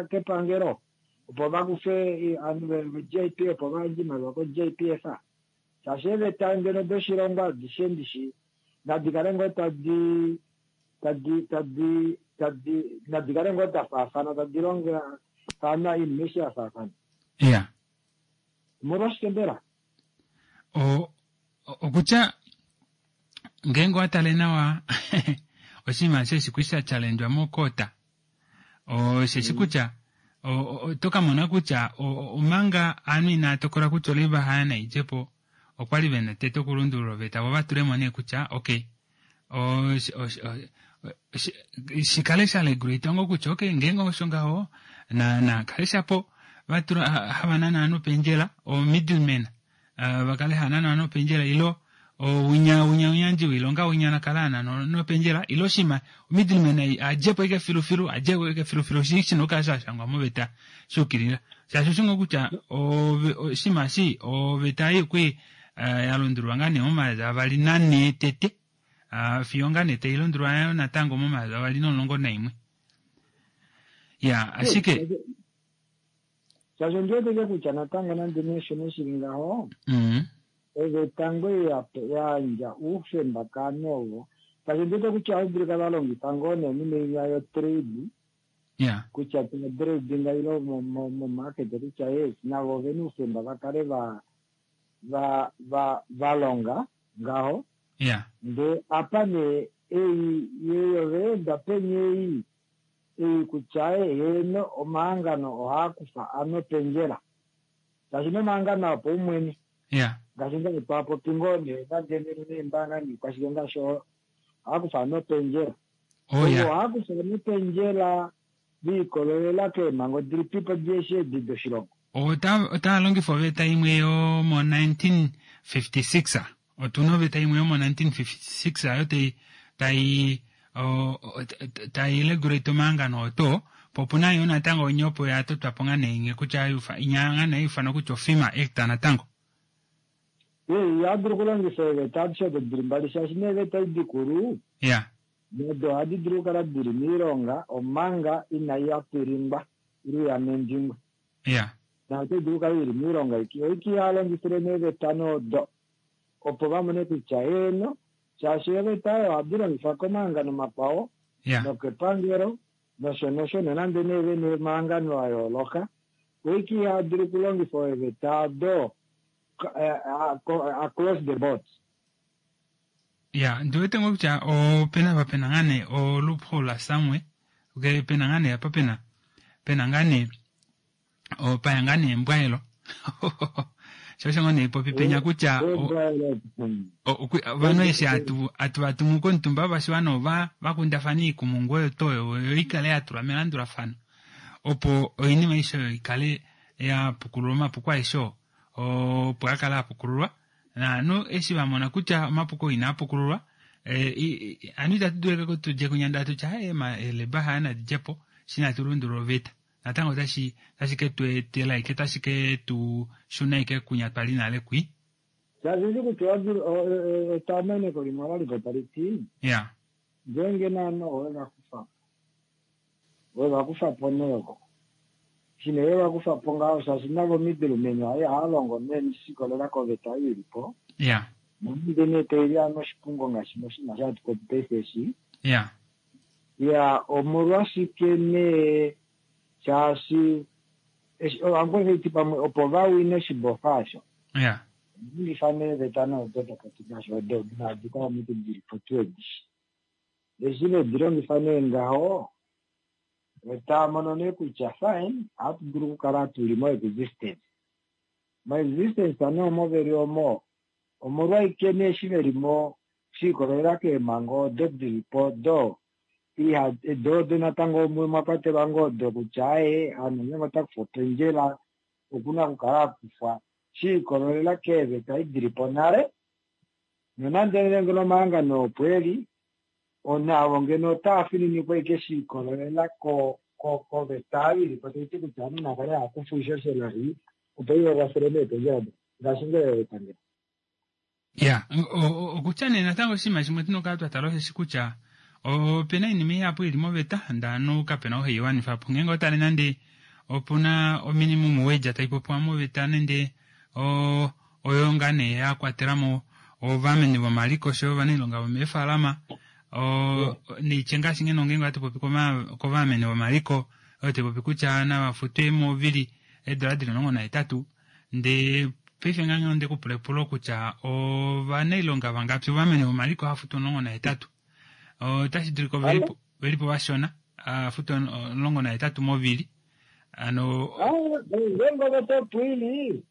kepangelo opo vakufe ovanhu ve-JP opo vayandje oimaliwa ko-JPF. Shaashi eeveta ngeno doshilongo adishe ndishi nadi kale ngoo tadi tadi tadi tadi nadi kale ngoo da faafana tadi longafana oinima eshi ya faafana. Iya. Omolwashike mbela? Okutya ngeenge owa tale nawa oshinima eshi eshi sha challengwa mokota osheshi kutya oto ka mona kutya omanga ovanhu inaa tokola kutya olaiba haya naidjepo okwali vena tete okulundulula oveta vo vatulemo nee kutya okay shikale sha regulate ngoo kutya okay ngeenge osho ngaho na kale shapo vatula hava nana ovanhu pendjela o middleman vakale hava nana ovanhu pendjela ilo winya winya uyandji wilonga winya nakala anana nopendjela ilo shima middleman adjepo ike filufilu adjepo ike filufilu shina okukala shashangwa moveta shuukilila shaashi oshingo kutya shima shi oveta ei okwi yalundululwa ngaa nee momayovi avali nanhee tete fiyo ngaa nee tailundululwa natango momayovi avali nomulongo naimwe ya ashike shaashi ondiweteke kutya natango nande nee osho shili ngaho oveta ngoo yayandja oufemba kovanhu ovo shaashi ondiwete kutya ohadulika valongifa ngoo nee oinima yo-trade kutya trading ile momarket kutya yes navo ovena oufemba vakale valonga ngaho ndee apa nee ei yeyo vaenda peni ei ei kutya heeno omahangano ohaakufa ano pendjela shaashi nomahangano opaumwene ngaashi ngaashi twapopi ngoo nee nande neembaanga niikwashike ngaashi ohaakufa ano pendjela ohaakufa ano pendjela viikololela keemhango dilipipo dieshi edi doshilongo. Otaa longifa oveta imwe yomo 1956 otuna oveta imwe yomo 1956 ayo tai regulate omahangano oto po opuna yo natango onye opo yatotwapo ngaa nee kutya inya ngaa ifanwa kutya oFIMA Act natango. Ihadulu okulongifa eeveta adishe odo dili mbali shaashi neeveta edi dikulu nado ohadi dulu okukala dili moilonga omanga inai yapilingwa ile yamendingwa. Na otai dulu okukala ili moilonga oiki yalongifile neeveta nodo opo vamone kutya heeno shaashi eeveta oyo ohadi longifwa komahangano makwao nokepangelo nosho nosho nonande nee vene omahangano a yooloka. Oike iha dulu okulongifa eeveta odo across the board. Ya, ndiwete ngoo kutya opena apa pena ngaa nee o loophole somewhere, ke pena ngaa nee apa pena pena ngaa nee paya ngaa nee embwaelo. Sho osho ngoo nee popi penya kutya ovanhu eshi hatu hatu va tumu komutumba wopashiwana ova va kundafane oikumungu oyo to oyo yo ikale ya tulwa melandulafano opo oinima aishe oyo ikale ya pukululwa omapuko aeshe oo opo a kale a pukululwa naanhu eshi va mona kutya omapuko inaa pukululwa anu itatu dulu tudje kunyanda tutya haye eleba haya nadidjepo shi natu lundulula oveta natango otashi otashi ke tu etela ike otashi ke tu shuna ike kunya twali nale kwi. Shaashi kutya etameneko limwe olalipo tali ti ngeenge naana owe va kufa po we va kufa po neeko shine we va kufa po ngaho shaashi navo middlemen aye ohava longo nee shikolela koveta ei ili po nonande nee taili ano oshipungo ngaashi moshinima shahatu popi paife eshi ya omolwashike nee shaashi ohangoveiti pamwe opo va wine oshibofa osho longifa neeveta noodo dopoti nasho odo naadika omutu dili po tuu edishi eshi vedi longifa nee ngaho otava mono nee kutya fine ohatu dulu okukala tuli mo existence mo existence nee omo veli omo omolwaike nee eshi veli mo shiikolelela keemhango odo dili po do iha do odo natango mwe mwa kwatelwa ngoo odo kutya aye aanhu ngeenge ota kufa opendjela okuna okukala a kufwa shiikololela keeveta ei dili po nale nonande ngeno omahangano opo eli onavo ngeno otaa fininikwa ike shiikololela koveta ei ilipo taiti kutya ovanhu nava kale hava kufwa oishoshela ei opo iva kwafele meependjela do ngaashi ngele epangelo. Ya, okutya nee natango oshinima shimwe tuna okukala twa tala osheshi kutya opena oinima ihapu ili moveta ndee ovanhu kapena ou hei wanifa po ngeenge otale nande opuna ominimum wage tai popiwa moveta nande oyo ngaa nee ya kwatelamo ovameni vomaliko oshoyo ovanailonga vomeefalama neitye ngaashi ngeno ngeenge ohatu popi kovameni vomaliko oyo tai popi kutya nava futwe movili eedola dili 18 ndee paife ngaa onde kupula epulo kutya ovanailonga vangapi ovameni vomaliko hava futu 18 otashi dulika velipo vashona futu 18 movili ano ngeenge oveta opo ili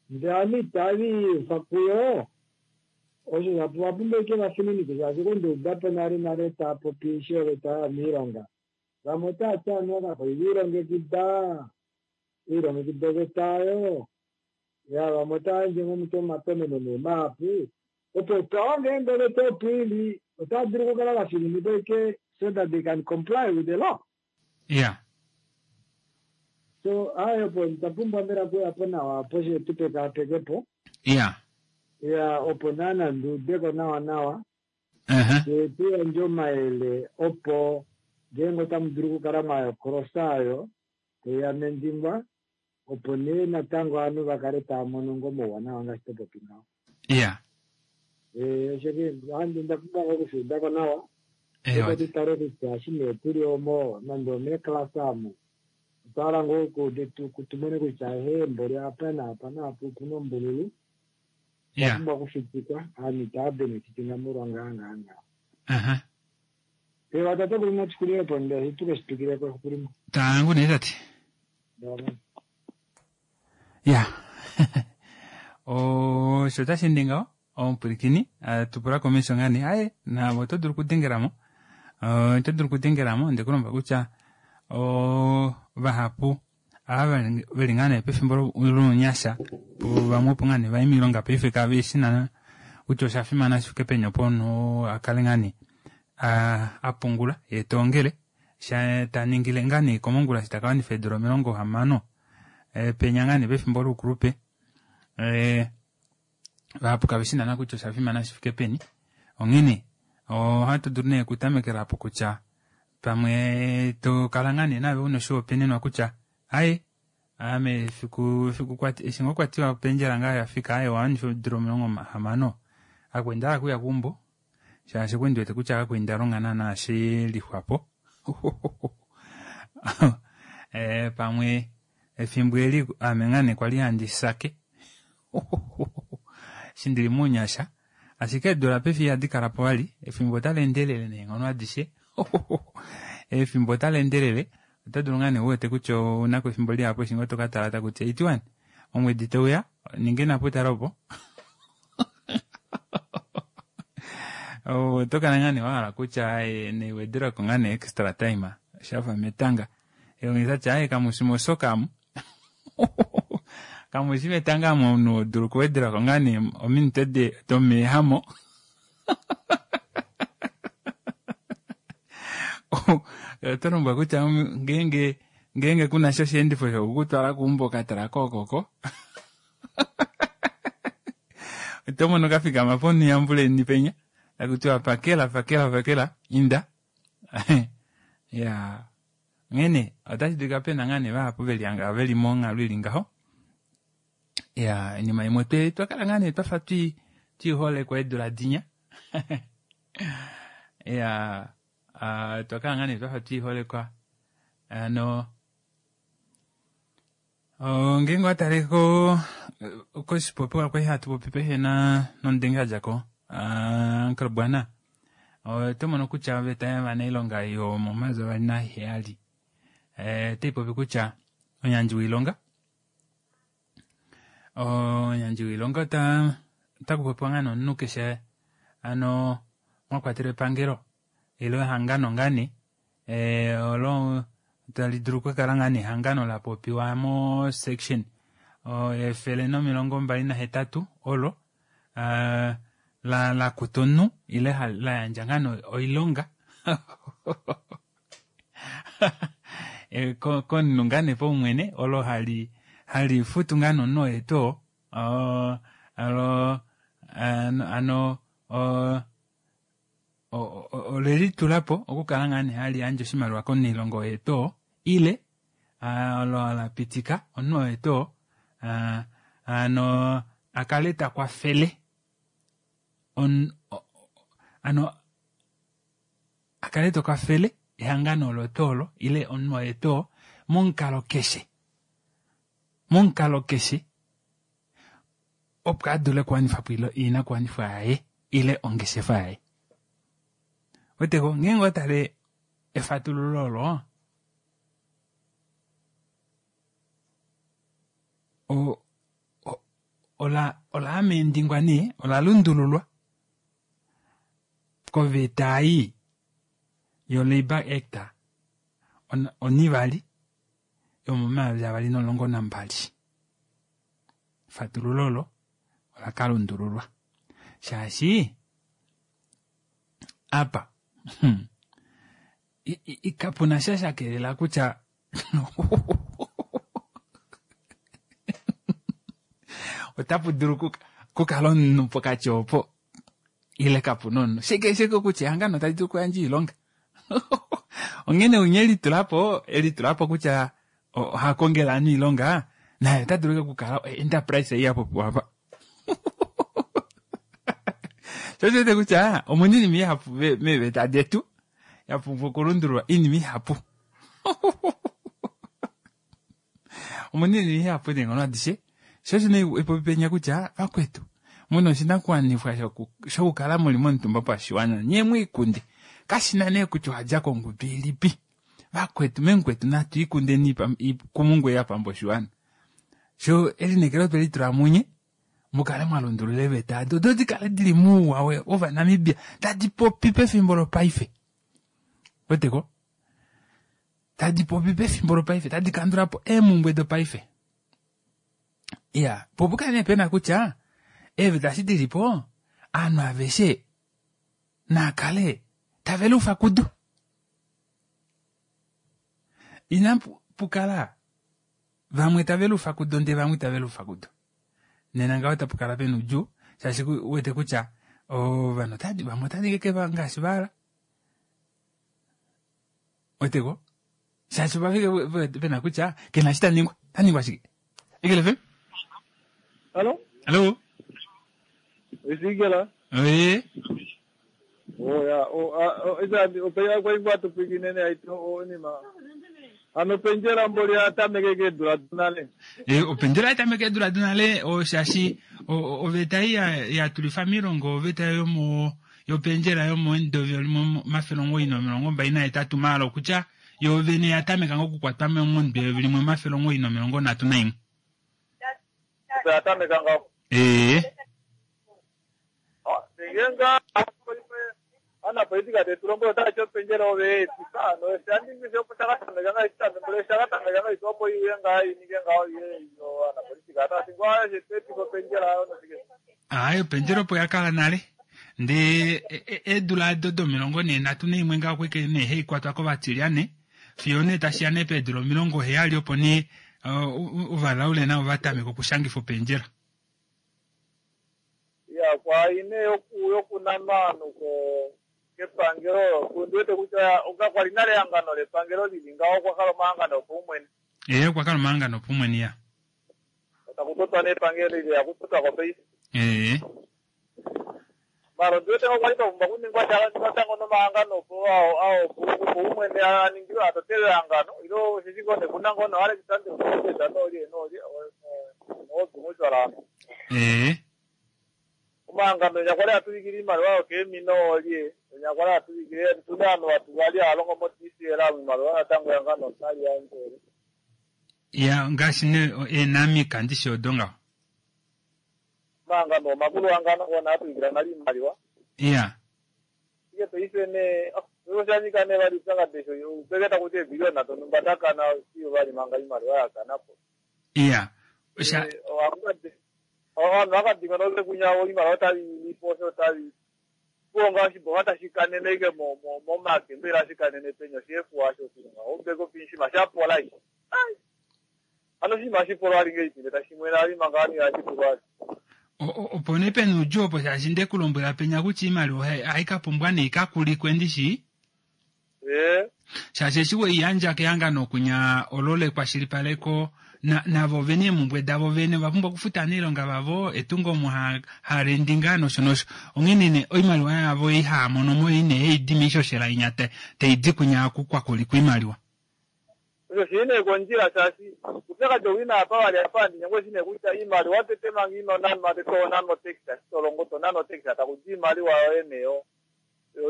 ndee ame itava kuyo osho vapumbwa ike vafininike shaashi kondoudapo nale nale taa popi eshi oveta yomiilonga vamwe otaa ti anuwa kakwali ilongekida ilongekida oveta oyo ya vamwe otava yandje ngomuti omatomeno nee mahapu opo twawa ngeenge oveta opo ili otava dulu okukala vafininikwa ike so that they can comply with the law. So ayo opo tapumbwa mbela kuyapo nawa opo she tupekaapekepo ya opo naana nduudeko nawa nawa she tuyandje omayele opo ngeenge otamu dulu okukala mwayokolosa ayo taiya mendingwa opo nee natango ovanhu vakale tava mono ngo omauwanawa ngaashi topopi ngaho. Osho nda pumbwa ngoo okushuudako nawa opo tutale kutya eshi nee tuli omo nande omeeklasa omo otwa hala ngoo tumone kutya ehe mboli apa naapa naapa opuna ombululu opumbwa okufitikwa ovanhu itava benefitinga molwa ngaa ngaa ngaa. Ewa tate kuli natukulilepo nde tuke shitwikileko efiku limwe. Tangu nee tate. Ya osho otashi ende ngaho omupwilikini tupula komesho ngaa nee aye navo oto dulu okudengelamo oto dulu okudengelamo nde kulomba kutya vahapu ava veli ngaa nee pefimbo lounyasha vamwe opo ngaa nee vai moilonga paife kave shi naana kutya osha fimana shi fike peni opo omunhu a kale ngaa nee a pungula ye taongele sha ta ningile ngaa nee komongula eshi taka wanifa eedula 60 penya ngaa nee pefimbo loukulupe vahapu kave shi naana kutya osha fimana shi fike peni onghene ohatu dulu nee okutamekela apo kutya pamwe tokala ngaa nee nave una oshihopaenenwa kutya aye ame efiku efiku eshi ngoo kwatiwa opendjela ngaa yafika aye wawanifa eedula 60 akwenda akuya keumbo shaashi okwe ndiwete kutya kakwenda longa naana she lixwapo pamwe Efimbo eli ame ngaa nee kwali handi sake eshi ndili mounyasha ashike eedula paife ihadi kala po vali efimbo otali endelele neenghono adishe efimbo otali endelele oto dulu ngaa nee uwete kutya ounako efimbo lihapu eshi ngoo toka tala takuti 81 omwedi teuya ninge naputala opo oto kala ngaa nee wahala kutya neiwedelwako ngaa nee extra time shafa metanga elongisa tya aye kamushi mosoka amu kamushi metanga amu omunhu odulu okuwedelwako ngaa nee ominute domeehamo oto lombwa kutya ngeenge ngeenge kuna sha osheendifo shokukutwala keumbo katala kookoko oto mono kafikama ponhu yambuleni penya takutiwa pakela pakela pakela inda ya onghene otashi dulika pena ngaa nee vahapu veli hanga veli monghalo ili ngaho ya oinima imwe twe twakala ngaa nee twafa twi twiiholekwa eedula dinya ya uh, twakala ngaa nee twafa twiiholekwa ano ngeenge owa tale ko koshipopiwa kwali hatu popi pehe na nomudenge a dja ko Uncle Bwana oto mono kutya oveta yovanailonga yomomayovi avali naheyali otai popi kutya omuyandji woilonga omuyandji woilonga ota ota kupopiwa ngaa nomunhu keshe ano mwa kwatelwa epangelo ile ehangano ngaa nee olo tali dulu okukala ngaa nee ehangano la popiwa mo section 128 olo la la kuta omunhu ile la yandja ngaa nee oilonga komunhu ngaa nee paumwene olo hali hali futu ngaa nee omunhu oye tuu oo olo ano ole litula po okukala ngaa nee hali yandje oshimaliwa komunailonga oye tuu oo ile olo la pitika omunhu oye tuu oo hano a kale ta kwafele hano a kale ta kwafele ehangano olo tuu olo ile omunhu oye tuu oo momukalo keshe momukalo keshe opo a dule okuwanifa po oinakuwanifwa yaye ile ongeshefa yaye. Weteko, ngeenge owa tale efatululo olo, ola ola amendingwa nee, ola lundululwa koveta ei yo-Labour Act onivali yomomayovi 2012. Efatululo olo ola ka lundululwa shaashi apa hmm, kapu na sha sha kelela kutya otapu dulu kukala omunhu pokati opo ile kapu na omunhu shike shike kutya ehangano tali dulu okuyandja oilonga onghene unye elitula po elitula po kutya oha kongele ovanhu oilonga naye ota dulu okukala enterprise ei ya popiwa apa sho osho wete kutya omuna oinima ihapu meeveta detu ya pumbwa okulundululwa oinima ihapu omuna oinima ihapu neenghono adishe sho osho nee epopi penya kutya vakwetu muna oshinakuwanifwa shokukala muli momutumba pashiwana nyee mwiikunde kashina nee kutya owadja kongudu ilipi vakwetu memukwetu natu ikundeni ikumungu ya pamba oshiwana sho elineekelo twe litula munye mukale mwa lundulula eeveta ado do dikale dili muuwa wovanamibia tadi popi pefimbo lopaife weteko tadi popi pefimbo lopaife tadi kandula po eemumbwe dopaife iya po pukale nee pena kutya eeveta eshi dili po ovanhu aveshe naakale tave lufa kudo Ina pukala vamwe tave lufa kudo ndee vamwe itave lufa kudo. Nena ngaho otapu kala pena oudjuu shaashi uwete kutya ovanhu otadi vamwe otava ningi ashike ngaashi va hala. Weteko? Shaashi opa fika pena kutya kena eshi ta ningwa. Ta ningwa shike? Eagle FM? Hallo? Hallo? Is Eagle? Oye. Oh ja, oh, ah, oh, is dat, ope ya kwa ingwa tupiki nene aito oh nima. Hano opendjela mboli oya tameke keedula donale. Opendjela oya tameka eedula donale shaashi oveta ei ya tulifa moilonga oveta yomo yopendjela yomomudo limwe 928 maala okutya yoo vene ya tameka ngoo okukwatwa momudo limwe 931. Opo ya tameka ngaho. Ee. Ngeenge anapolitika tetu lombwele otava ti opendjela ove ya etifa hano osha opo sha ka tameka ngaa eshi tamekele sha ka tameka ngaa ito opo iuye ngaa ininge ngaho iye anapolitika otava ti ngoo aaye tu etifa opendjela ayo noshike. Aaye opendjela opo ya kala nale ndee eedula ado domilongo nee nhatu naimwe ngaho okwike nee haikwatwa kovatilyane fiyo nee tashiya nee peedula 70 opo nee ovalaule navo va tameka okushangifa opendjela. Ya kwaai nee yokunanwa ovanhu kepangelo ondi wete kutya kakwali nale ehangano lepangelo lili ngaho okwa kala omahangano opaumwene. Ee okwa kala omahangano opaumwene ya. Taku totwa nee epangelo ile ya kutotwa ko paife. Ee. Mara ondi wete okwa li pa pumbwa kuningwa sha natango nomahangano opo opaumwene a ningilwe a totelwe ehangano ile osheshi ngoo nee kuna ngoo nooAlexander Moses noolye noolye noobingushwala ano. Ee. Omahangano enya kwali hatuvikile iimaliwa yokeemina oolye enya kwali hatuvikile otuna ovanhu vatu vali hava longo mo-DCL iimaliwa natango ehangano otali yandje. Ya ngaashi nee eenamika ndishi odo ngaho. Omahangano omakulu hangano ngono hatuvikila nale iimaliwa. Ya. Ashike paife nee osha nyika nee vali oupyakadi eshi upeke taku ti eebiliona donhumba da kana fiyo vali manga oimaliwa ya kana po. Ya. Osha Ovanhu vakadingonoke kunya oimaliwa otali lipo osho otali kuonga oshibofa tashi kanene ike momake mbela shi kanene penya osheefuwa osho oshilonga oubeke opinshima shapola ishi. Ai. Hano oshinima shipolwa ali ngeipi tashi mwena ali manga ani ashipulwa ali. Opo nee pena oudjuu opo shaashi nde ku lombwela penya kutya oimaliwa ohai ka pumbwa nee ikakulikwe ndishi. Ee. Shaashi eshi we i yandja kehangano kunya olo lekwashilipaleko navo ovene eemumbwe davo vene ova pumbwa okufuta ovailonga vavo, etungo omo ha rendi ngaa nosho nosho. Onghene nee oimaliwa yavo ei haa mono mo ei nee haidi moishoshela inya tai di kunya oku kwa kulikwa oimaliwa. Osho shili nee kondjila shaashi oupyakadi ou ina apa vali apa handi nyengwa eshi nee kutya iimaliwa tete manga ino nanwa tete oho nanwa otax eshi to longo to nanwa otax taku di iimaliwa yoye nee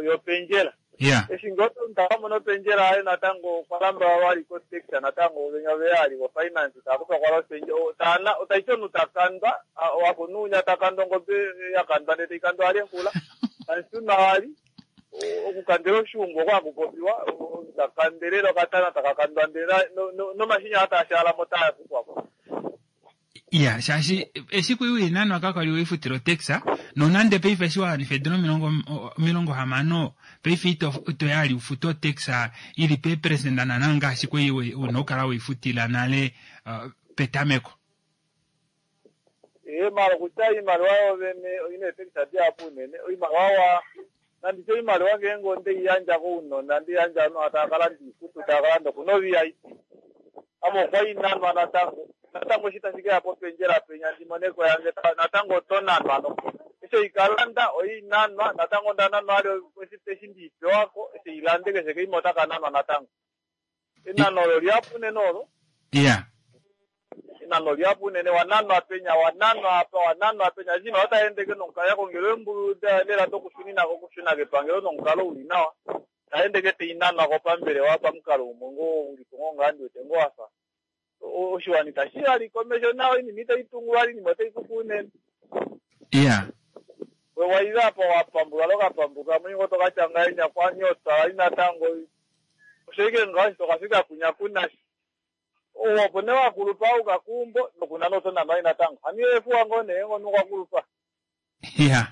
yopendjela. Yeah. Eshi ngoo omunhu ta ka mona opendjela yaye natango okwa lamba vali kotax natango venya veya ali vo finance tava kufa kwala opendjela taana taiti omunhu ta kandwa wakunu unya ta kandwa ongobe ya kandwa ndee tai kandwa vali enghula taishunwa vali okukandela oshuungu oko haku popiwa omunhu ta kandelele okatana taka kandwa ndee nomashinya aa taa shaala mo taa kufwa ko. Iya, shaashi eshi kui wiinanwa kakwali weifutila otax, nonande paife eshi wa wanifa eedula 60 paife ito yali ufute otax ili peeperesenda naana ngaashi kwai una okukala weifutila nale petameko. Ee, mara okutya oimaliwa yoovene oina eetax dihapu unene. Oimaliwa wa nanditye oimaliwa ngeenge onde i yandja kounona, nde i yandja ovanhu tava ka landa oikutu, tava ka landa oku noVIP. Ame okwa inanwa natango. Natango eshi tashi keya popendjela penya ndi mone ko yange natango oto nanwa no. Eshi ei kalanda oi nanwa natango onda nanwa ali eshi ndi pewako eshi ei lande keshe keima otaka nanwa natango. Enano olo lihapu unene olo. Iya. Enano lihapu unene wa nanwa penya wa nanwa apa wa nanwa penya eshi otai endeke nomukalo ya kongelwa eembulu lela dokushunina okushuna kepangelo nomukalo uli nawa. Tai endeke tai nanwa ko pambelewa pamukalo umwe ngoo ulipo ngoo ngaa ndi wete ngoo wafa oshiwana itashi vali komesho nawa oinima itai tungu vali oinima otai kufu unene. Iya. We waile apa wapambuka lokapambuka mwingo tokatya ngahenya kwanyota vali natango osho ike ngaho eshi tokafika kunya kunashi. Opo nee wakulupa auka keumbo nokunana oto nanwa natango. Hano efuwa ngoo nee ngono kwakulupa. Iya.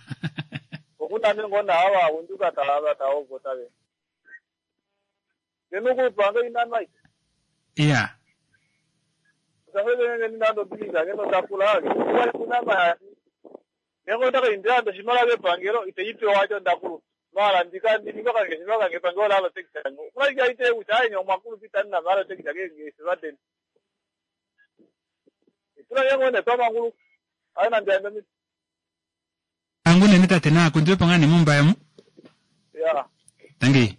Okuna nee ngoo naava vaunduka tava taovota ve. Ngeno okulupa ngoo inanwa ike. Iya. Osha ngeno inando bilisa ngeno takula okwali kunanwa shaashi ngeenge onda kaindila nande oshimaliwa kepangelo ite i pewa asho ndakulupa. Mara ndika ndininge okangeshefa kange epangelo ola hala otax yange. Okuna ashike aiteye kutya aaye nye omwakulupa itamu nanwa hala otax keengeshefa deni. Itula ngenge ngoo nee twamanguluka. Aaye nande yandje omiti. Tangi unene tate naakundiwepo ngaa nee mOmbaye omu. Ya. Tangi.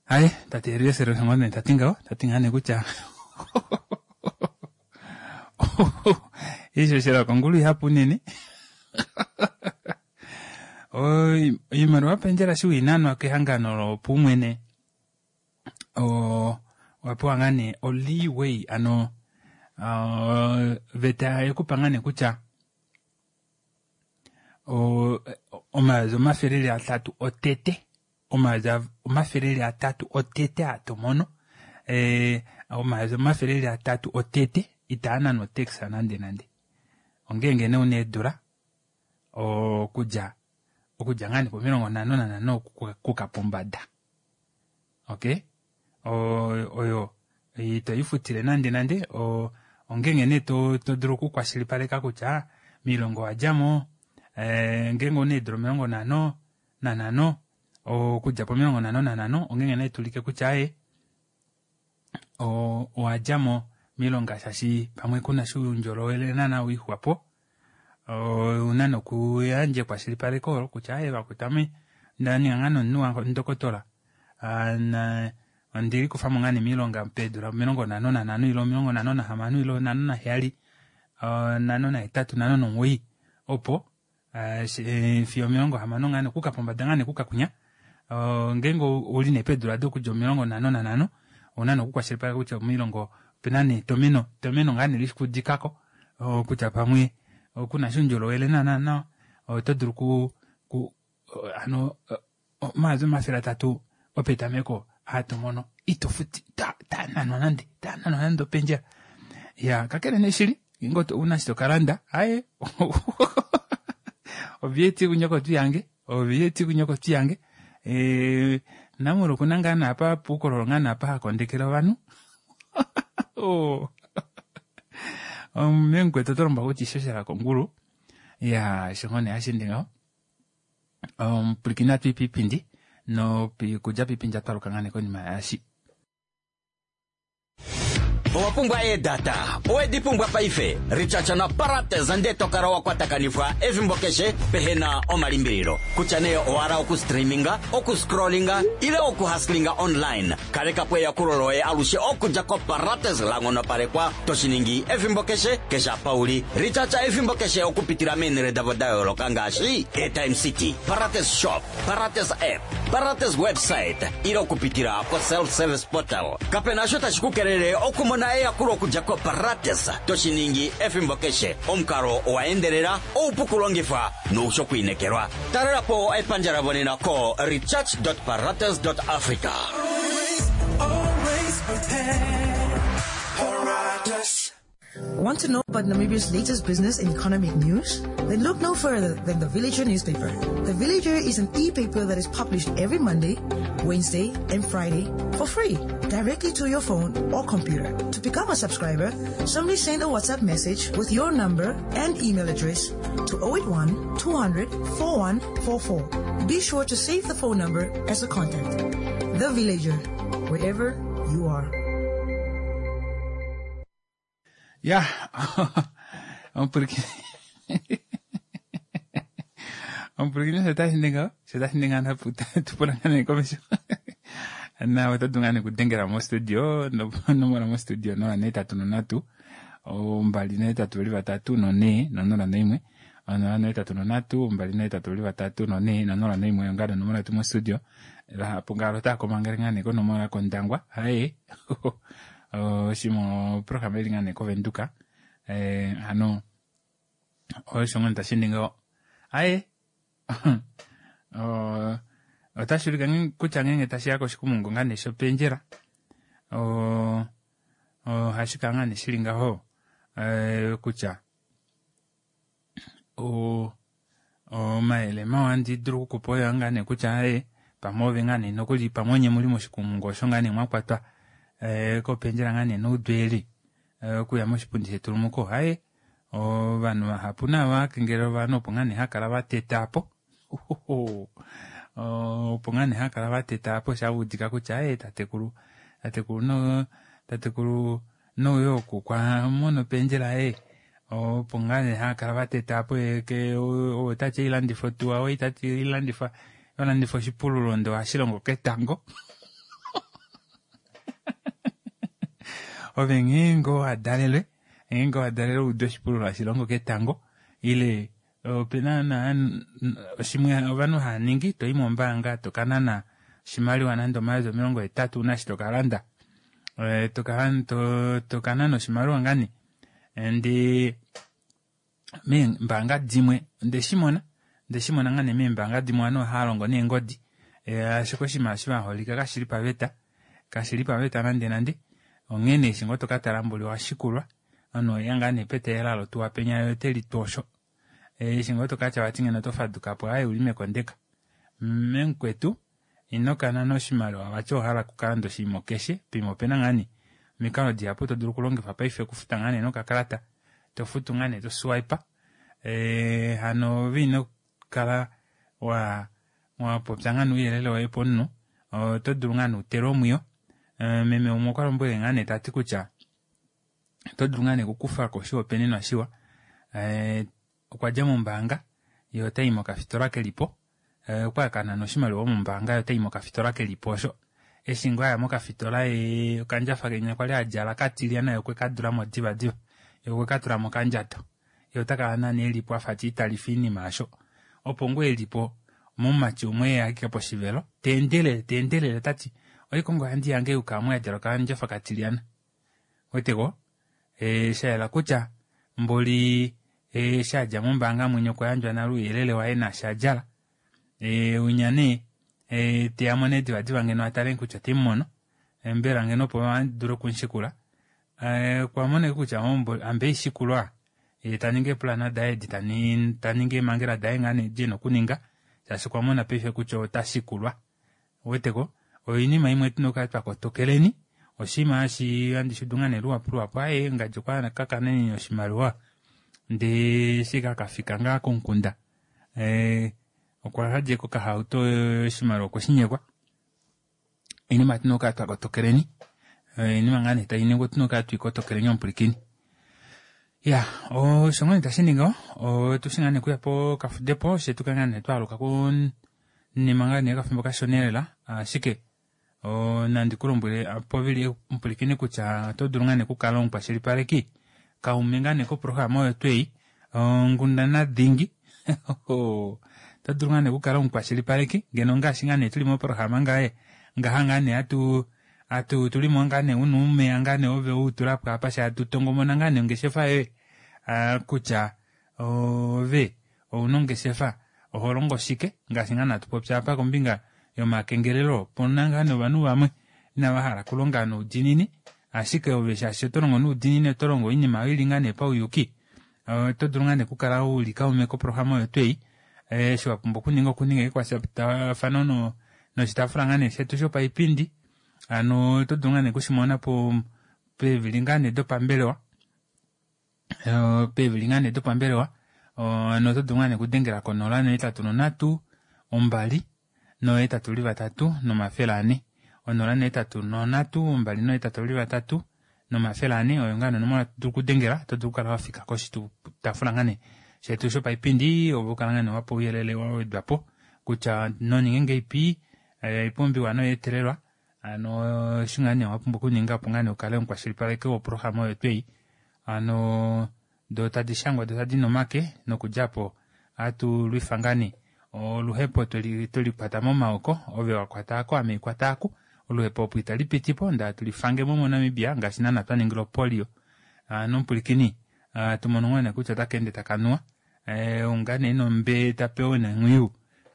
Aye tate Eliaser osho ngoo nee ta ti ngaho, ta ti ngaa nee kutya oishoshela yokongulu ihapu unene. Oimaliwa yopendjela eshi wainanwa kehangano lopaumwene owa pewa ngaa nee o-leeway ano oveta yekupa ngaa nee kutya omayovi 300 otete omayovi 300 otete aa tomono omayovi 300 otete itaa nanwa otax nande nande ongeenge nee una eedula okudja okudja ngaa nee po55 okuka pombada okay oyo ito ifutile nande nande ongeenge nee to dulu okukwashilipaleka kutya moilonga owadjamo ngeenge ouna eedula 55 okudja po55 ongeenge nee tuulike kutya aaye owadjamo moilonga shaashi pamwe kuna sha oundjolowele naana wiixwapo ouna nokuyandja ekwashilipaleko olo kutya aaye vakwetu ame ndaninga ngaa nee omunhu wandokotola ondelikufamo ngaa nee moilonga peedula 55 ile 56 ile 57 58 59 opo fiyo 60 ngaa nee okuuka pombada ngaa nee okuuka kwinya ngeenge ouli nee peedula dokudja 55 ouna nee okukwashilipaleka kutya moilonga opena nee etomeno etomeno ngaa nee lishikudikako kutya pamwe kuna sha oundjolowele naana nawa oto dulu ku hano omayovi 300 opetameko aa tomono ito futi taananwa nande taananwa nande opendjela ya kakele nee shili ngeenge ouna eshi tokalanda aaye oVAT kunyokotu yange oVAT kunyokotu yange Namolo okuna ngaa naapa puukololo ngaa naapa hakondekele ovanhu memukwetu oto lombwelwa kutya ishoshela kongulu ya osho ngoo nee hashi ende ngaho omupwilikini ohatu i piipindi nokudja piipindi ohatu aluka ngaa nee konima yaashi. Owa pumbwa eedata? Owe di pumbwa paife? Richacha na Parates nde to kala wa kwatakanifwa efimbo keshe pehe na omalimbililo. Kutya nee owa hala okustreaminga, okuscrollinga ile okuhustlinga online, kaleka po eyakulo loye alushe okudja koParates la nghonopalekwa to shi ningi efimbo keshe, keshe apa u li. Richacha efimbo keshe okupitila meenhele davo da yooloka ngaashi Airtime City, Parates Shop, Parates App, Parates Website ile okupitila ko-self-service portal. Kape na osho tashi ku kelele okumona eyakulo okudja koParates to shi ningi efimbo keshe. Omukalo owa endelela, oupu kulongifwa noushi okwiinekelwa. Talela po epandja lavo nena ko recharge.parates.africa. Always prepared. Paratus. Want to know about Namibia's latest business and economic news? Then look no further than the Villager newspaper. The Villager is an e-paper that is published every Monday, Wednesday, and Friday for free, directly to your phone or computer. To become a subscriber, simply send a WhatsApp message with your number and email address to 081 200 4144. Be sure to save the phone number as a contact. The Villager, wherever you are. Ya omupwilikini omupwilikini osho tashi ningi ngaho osho tashi ningi ngaho tupula ngaa nee komesho na oto dulu ngaa nee okudengela mostudio nomola mostudio 083 283 4 041 083 283 4 041 oyo ngaa nee onomola yetu mostudio vahapu ngaalo otava komangele ngaa nee konomola kOndangwa haye oshimwe oprograma ili ngaa nee koVenduka hano osho ngoo tashi ningi aye otashi ulike kutya ngeenge tashi ya koshikumungu ngaa nee shopendjela ohashi kala ngaa nee shili ngaho kutya omayele mawa handi dulu okukupa oyo ngaa nee kutya aye pamwe ove ngaa nee nokuli pamwe onye muli moshikumungu osho ngaa nee mwakwatwa kopendjela ngaa nee noudweeli okuya moshipundi shetulumuko aye ovanhu vahapu nava kengelela ovanhu opo ngaa nee hakala vateta po opo ngaa nee hakala vateta po shaudika kutya aye tatekulu tatekulu no tatekulu nouyo oku kwa mono pendjela ye opo ngaa nee hakala vateta po ke otati ilandifa otuwa oitati ilandifa olandifa oshipululo ndo hashi longo ketango. Ove ngeenge owa dalelwe, ngeenge owa dalelwe ude oshipululo hashi longo ketango, ile opena na shimwe ovanhu hava ningi, to i mombaanga to ka nana oshimaliwa nande 80,000 una eshi to ka landa. To ka nana oshimaliwa ngaa nee. Ndee meembaanga dimwe onde shi mona, onde shi mona ngaa nee meembaanga dimwe ovanhu ohava longo neengodi, ashike oshinima eshi vaholika kashili paveta, kashili paveta nande nande, onghee nee eshi ngoo tokatala mboli owashikulwa, omunhu oheya ngaa nee peteyela lotuwa penya ye ote litwa osho. Eshi ngoo tokatya vati ngeno oto fadukapo aaye ouli mekondeka. Memukwetu, ino kanana oshimaliwa vati owahala okukalanda oshinima keshe, poima opena ngaa nee omikalo dihapu to dulu okulongifa paife okufuta ngaa nee nokakalata, to futu ngaa nee to swipe, hano ove ino kala wa wapopya ngaa nee ouyelele woye pomunhu, oto dulu ngaa nee utelwe omwiyo. Meme umwe okwa lombwele ngaa nee tati kutya oto dulu ngaa nee okukufako oshihopaenenwa shiwa, okwa dja mombaanga ye otayi mokafitola kelipo, okwa ya kanana oshimaliwa mombaanga ye otayi mokafitola kelipo osho. Eshi ngoo aya mokafitola ye okandjafa kenya kwali adjala katilyana ye okwe ka dulamo divadiva, ye okwe ka tula mokandjato. Ye ota kala naana elipo afa tiitalifa oinima yasho. Opo ngoo elipo omumati umwe eya ashike poshivelo, ta endelele, ta endelele tati, oikongo handi yange yuka omu yadjala okandjafa katilyana. Weteko? Sha yela kutya mboli eshi adja mombaanga mwenye okwa yandjwa nale ouyelele waye naashi adjala. Unya nee teyamo nee divadiva ngeno atale kutya ote mumono, mbela ngeno opo adule okumushikula. Okwa mona kutya amba eishikulwa, ye ta ningi eepulana daye edi ta ningi eemhangela daye ngaa nee edi ena okuninga, shaashi okwa mona paife kutya ota shikulwa. Uweteko? Oinima imwe tuna okukala twa kotokeleni, oshinima hashi handi shudu ngaa nee luhapu luhapu, aaye ngadi okwa ka kanene oshimaliwa ndee eshi ka kafika ngaa komukunda, okwa hadja kokahauto oshimaliwa okwe shi nyekwa. Oinima tuna okukala twa kotokeleni, oinima ngaa nee tai ningwa otuna okukala twiikotokeleni omupwilikini. Ya, osho ngaa nee tashi ningi otushi ngaa nee kuya pokafudepo she tukale ngaa nee twaaluka kunima ngaa nee okafimbo kashona elela, ashike nandi ku lombwele povili omupwilikini kutya oto dulu ngaa nee okukala omukwashilipaleki kaume ngaa nee koprograma oyo twei onghundana dhingi. Oto dulu ngaa nee okukala omukwashilipaleki ngeno ngaashi ngaa nee tuli moprograma ngaye ngaha ngaa nee atu atu tulimo ngaa nee una uumeya ngaa nee ove utulapo apa sha atu tongomona ngaa nee ongeshefa yoye kutya ove ouna ongeshefa oho longo shike ngaashi ngaa natu popya apa kombinga yomakengelelo opuna ngaa nee ovanhu vamwe inava hala okulonga noudiinini ashike ove shaashi oto longo noudiinini oto longo oinima oyo ili ngaa nee pauyuki oto dulu ngaa nee okukala uli kaume koprograma oyo twei eshi wapumbwa okuninga okuninga ekwatafano noshitaafula ngaa nee shetu shopaipindi hano oto dulu ngaa nee okushimona po peevili ngaa nee dopambelewa peevili ngaa nee dopambelewa hano oto dulu ngaa nee okudengela ko 083 2 823 400 083 2 823 400 oyo ngaa nee onomola to dulu okudengela oto dulu okukala wafika koshitaafula ngaa nee shetu shopaipindi ove ukala ngaa nee wapa ouyelele wa wedwapo kutya noninge ngeipi oipumbiwa noyeetelelwa hano eshi ngaa nee wapumbwa okuninga opo ngaa nee ukale omukwashilipaleki woprograma oyo twei hano do tadi shangwa do tadi nomake nokudjapo ohatu lwifa ngaa nee oluhepo twelikwata momaoko ove wakwata ako ame ikwata aku oluhepo opo itali pitipo ndee hatu lifangemo moNamibia ngaashi naana twa ningila opolio hano omupwilikini tumono ngaa nee kutya otaka ende taka nuwa unga nee nombe tapewa nenghwiyu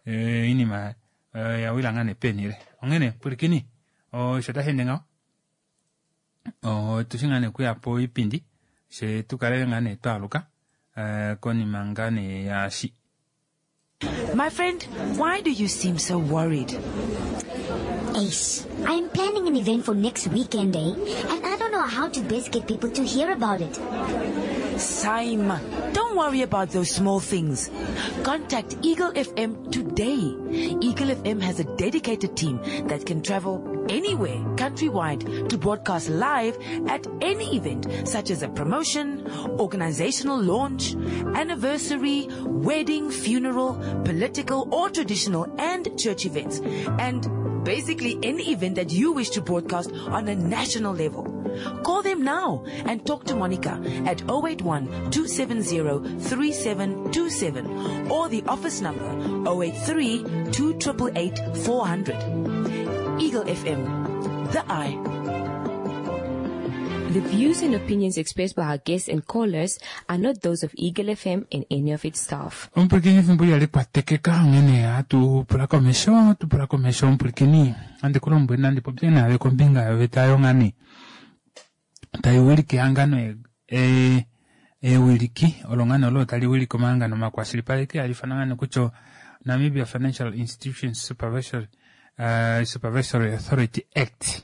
oinima yawila ngaa nee penile onghene pwilikini osho tashi ende ngaho otushi ngaa nee okuya poipindi she tukale ngaa nee twaaluka konima ngaa nee yaashi. My friend, why do you seem so worried? Ace, I'm planning an event for next weekend, eh? And I don't know how to best get people to hear about it. Saima, don't worry about those small things. Contact Eagle FM today. Eagle FM has a dedicated team that can travel anywhere countrywide to broadcast live at any event such as a promotion, organizational launch, anniversary, wedding, funeral, political or traditional and church events, and basically any event that you wish to broadcast on a national level. Call them now and talk to Monica at 081 270 3727 or the office number 083 2888 400. Eagle FM, the eye. The views and opinions expressed by our guests and callers are not those of Eagle FM and any of its staff. Omupwilikini efimbo ihali kwatekeka onghene hatu pula komesho hatu pula komesho omupwilikini handi ku lombwele nandi popye naave kombinga yoveta yongani tai wilike ehangano e, e, ewiliki olo ngani olo tali wilike omahangano makwashilipaleki hali ifanwa ngani kutya Namibia Financial Institutions Supervisory, uh, Supervisory Authority Act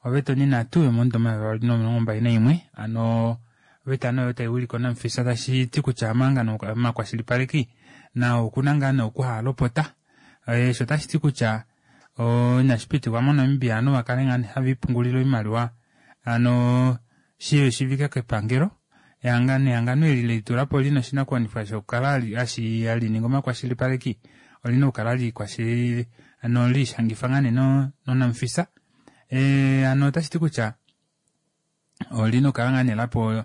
oveta onhinhatu yomomudo 2021 ano oveta nee oyo tai wilike onamufisa tashi ti kutya omahangano omakwashilipaleki nao okuna ngaa nee okuhaalopota osho otashi ti kutya inashi pitikwa moNamibia ovanhu va kale ngaa have ipungulile oimaliwa hano shi shivike kepangelo ehangano ehangano eli lelitula po lina oshinakuwanifwa shokukala hashi hali ningi omakwashilipaleki olina okukala likwashili hano liishangifa ngaa nee nonamufisa e, hano otashi ti kutya olina okukala ngaa nee lapo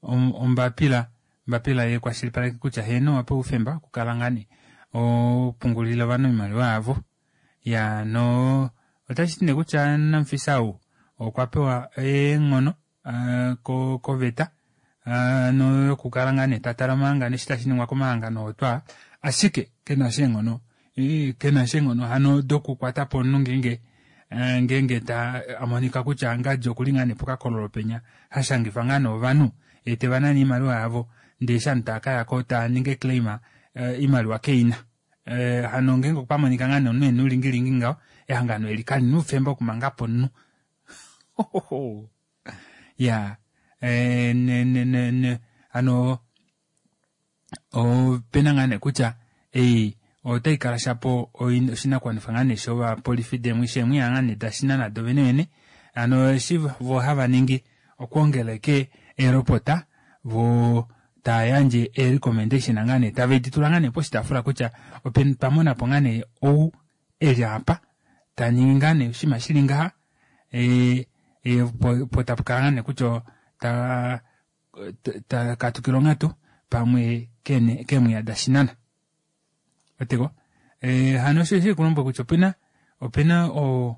ombapila ombapila yekwashilipaleki kutya heeno owapewa oufemba okukala ngaa nee opungulile ovanhu oimaliwa yavo Ya no otashi ti nee kutya Namfisa ou okwa pewa eenghono uh, koveta uh, no yokukala ngaa nee ta tala omahangano eshi tashi ningwa komahangano oo twaa ashike ke na sha eenghono ke na sha eenghono hano dokukwata po omunhu ngeenge ngeenge ta a monika kutya ngadi okuli ngaa nee pokakololo penya ha shangifa ngaa nee ovanhu ye teva nane oimaliwa yavo ndee eshi ovanhu tava ka ya ko tava ningi eclaim oimaliwa keina. Eh, hano ngeenge okwa monika ngaa nee omunhu e na oulingilingi ngaho, ehangano eli kali na oufemba okumanga po omunhu. Ya, eh, ne, ne, ne, ne, hano ope na ngaa nee kutya ei otai kala shapo oshinakuwanifwa ngaa nee shovapolifi demwe sheemwiya ngaa nee dashina nado vene vene. Hano eshi vo hava ningi okwoongela eke eelopota vo tava yandje ee-recommendation ngaa nee tave di tula ngaa nee poshitaafula kutya ope twa mona po ngaa nee ou e li apa ta ningi ngaa nee oshinima shi li ngaha e, e, po, po tapu kala ngaa nee kutya ta ta katukila onghatu pamwe kene keemwiya dashinana oteko e, hano osho shi kulombwela kutya opena opena o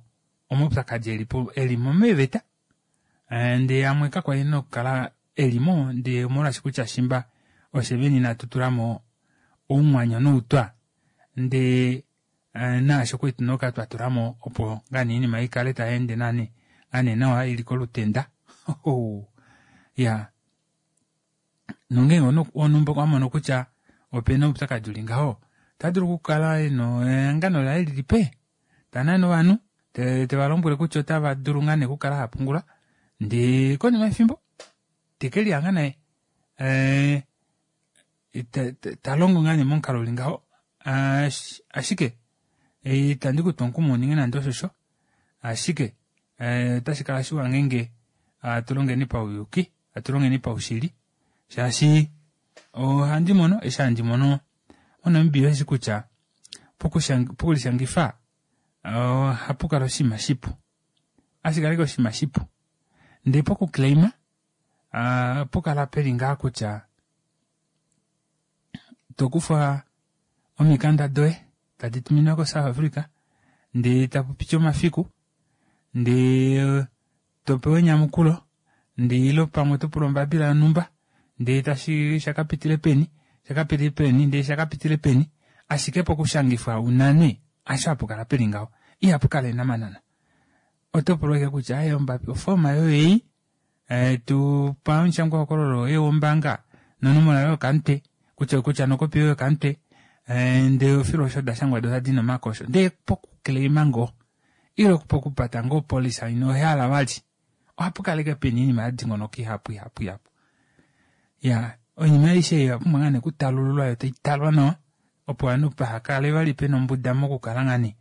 omaupyakadi eli po eli mo meeveta ndee amwe kakwali ena okukala eli mo ndee omolwaashi kutya shimba oshe vene inatu tula mo oumwanyo noutwa ndee naasho kwali tuna okukala twa tula mo opo ngaa nee oinima ikale tai ende nani ngaa nee nawa ili kolutenda ya nongeenge wonhumba okwa mono kutya opena oupyakadi uli ngaho ota dulu okukala ena ehangano laye lili pe ta nane ovanhu te, te va lombwele kutya otava dulu ngaa nee okukala hava pungula ndee konima yefimbo te ke lihanga naye eh, ta, ta, ta longo ngaa nee momukalo uli ngaho ashike itandi ku tu omukumo uninge nande oshosho ashike eh, otashi kala shiwa ngeenge hatu longeni pauyuki hatu longeni paushili shaashi ohandi mono eshi handi mono moNamibia osheshi kutya pokulishangifa ohapu kala oshinima shipu hashi kala oshinima shipu ndee pokuclaima ohapu kala peli ngaa kutya to kufa omikanda doye tadi tuminwa koSouth Africa ndee tapu piti omafiku ndee to pewa enyamukulo ndee ilo pamwe oto pula ombapila yonhumba ndee tashi shakapitile peni shakapitile peni ndee shakapitile peni ashike pokushangifwa unane asho hapu kala peli ngaho ihapu kala enamanana oto pulwa ashike kutya aye ombapi ofooma yoye ei eh, tu pa omushangwahokololo woye wombaanga nonomola yoye yokamutwe kutya kutya nokopi yoye yokamutwe eh, ndee ofilo osho da shangwa do tadi nomakosho ndee pokuclaima ngoo ile pokupata ngoo opolisa ino hala vali ohapu kala ashike pena oinima ya dingonoka ihapu ihapu ihapu ya oinima aishe ei oya pumbwa ngaa nee okutalululwa yo tai talwa nawa opo ovanhu paha kale vali pena ombuda mokukala ngaa nee